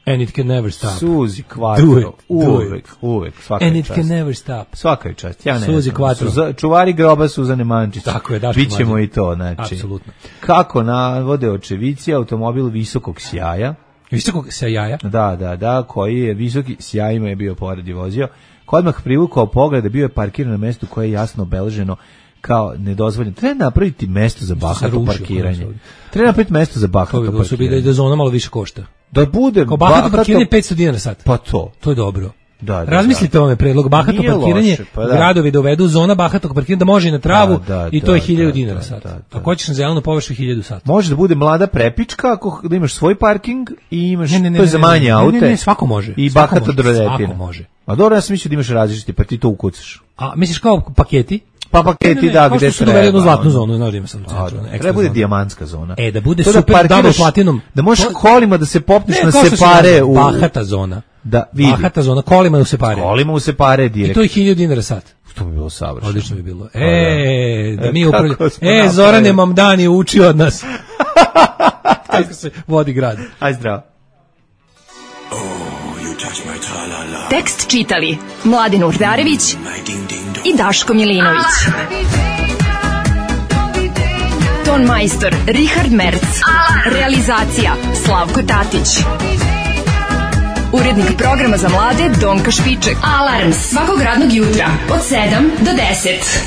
And it can never stop. Suzi Quattro. Uvek, uvek. Svaka And it čast. can never stop. Svaka je čast. Ja ne Suzi Quattro. Suza, čuvari groba Suzane Mančić. Tako je, Daško Mlađe. Bićemo i to, znači. Apsolutno. Kako navode očevici, automobil visokog sjaja. Visokog sjaja? Da, da, da, koji je visoki sjajima je bio pored i vozio. Ko odmah privukao poglede, bio je parkiran na mestu koje je jasno obeleženo kao nedozvoljeno. Treba napraviti mesto za bahato parkiranje. Treba napraviti mesto za bahato to parkiranje. Da zona malo više košta. Da bude kao bahato, bahato parkiranje petsto dinara sat. Pa to. To je dobro. Da, da, razmislite o ovome predlog bahato nije parkiranje, loše, pa da. Gradovi dovedu zona bahatog parkiranja da može i na travu da, da, i to je da, hiljadu da, dinara da, sat. Da, da, ako hoćeš na zelenu površinu hiljadu sat. Može da bude mlada prepička ako da imaš svoj parking i imaš ne, ne, ne, to je za manje aute. Ne, ne, ne, svako može. I svako bahato droletina. Svako može. A dobro, ja sam mislio da imaš različiti, pa ti to ukucaš. A misliš kao paketi? Pa paketi, ne, ne, ne, da, gde treba. Kao što su doveli jednu zlatnu zonu, znaš da ima sam centru. Treba bude dijamantska zona. E, da bude to super da double platinum. Da možeš to... kolima da se popneš ne, na separe u... Bahata zona. Da, vidi. Bahata zona, kolima u separe. Kolima u separe direkt. I to je hiljadu dinara sat. To bi bilo savršeno. Odlično bi bilo. E, da mi upravljamo. E, Zorane Mamdani uči od nas. Kako se vodi grad. Aj zdravo. Tekst čitali Mladin Urdarević i Daško Milinović. Ton majstor Richard Merc. Realizacija Slavko Tatić. Urednik programa za mlade Donka Špiček. Alarms svakog radnog jutra od sedam do deset.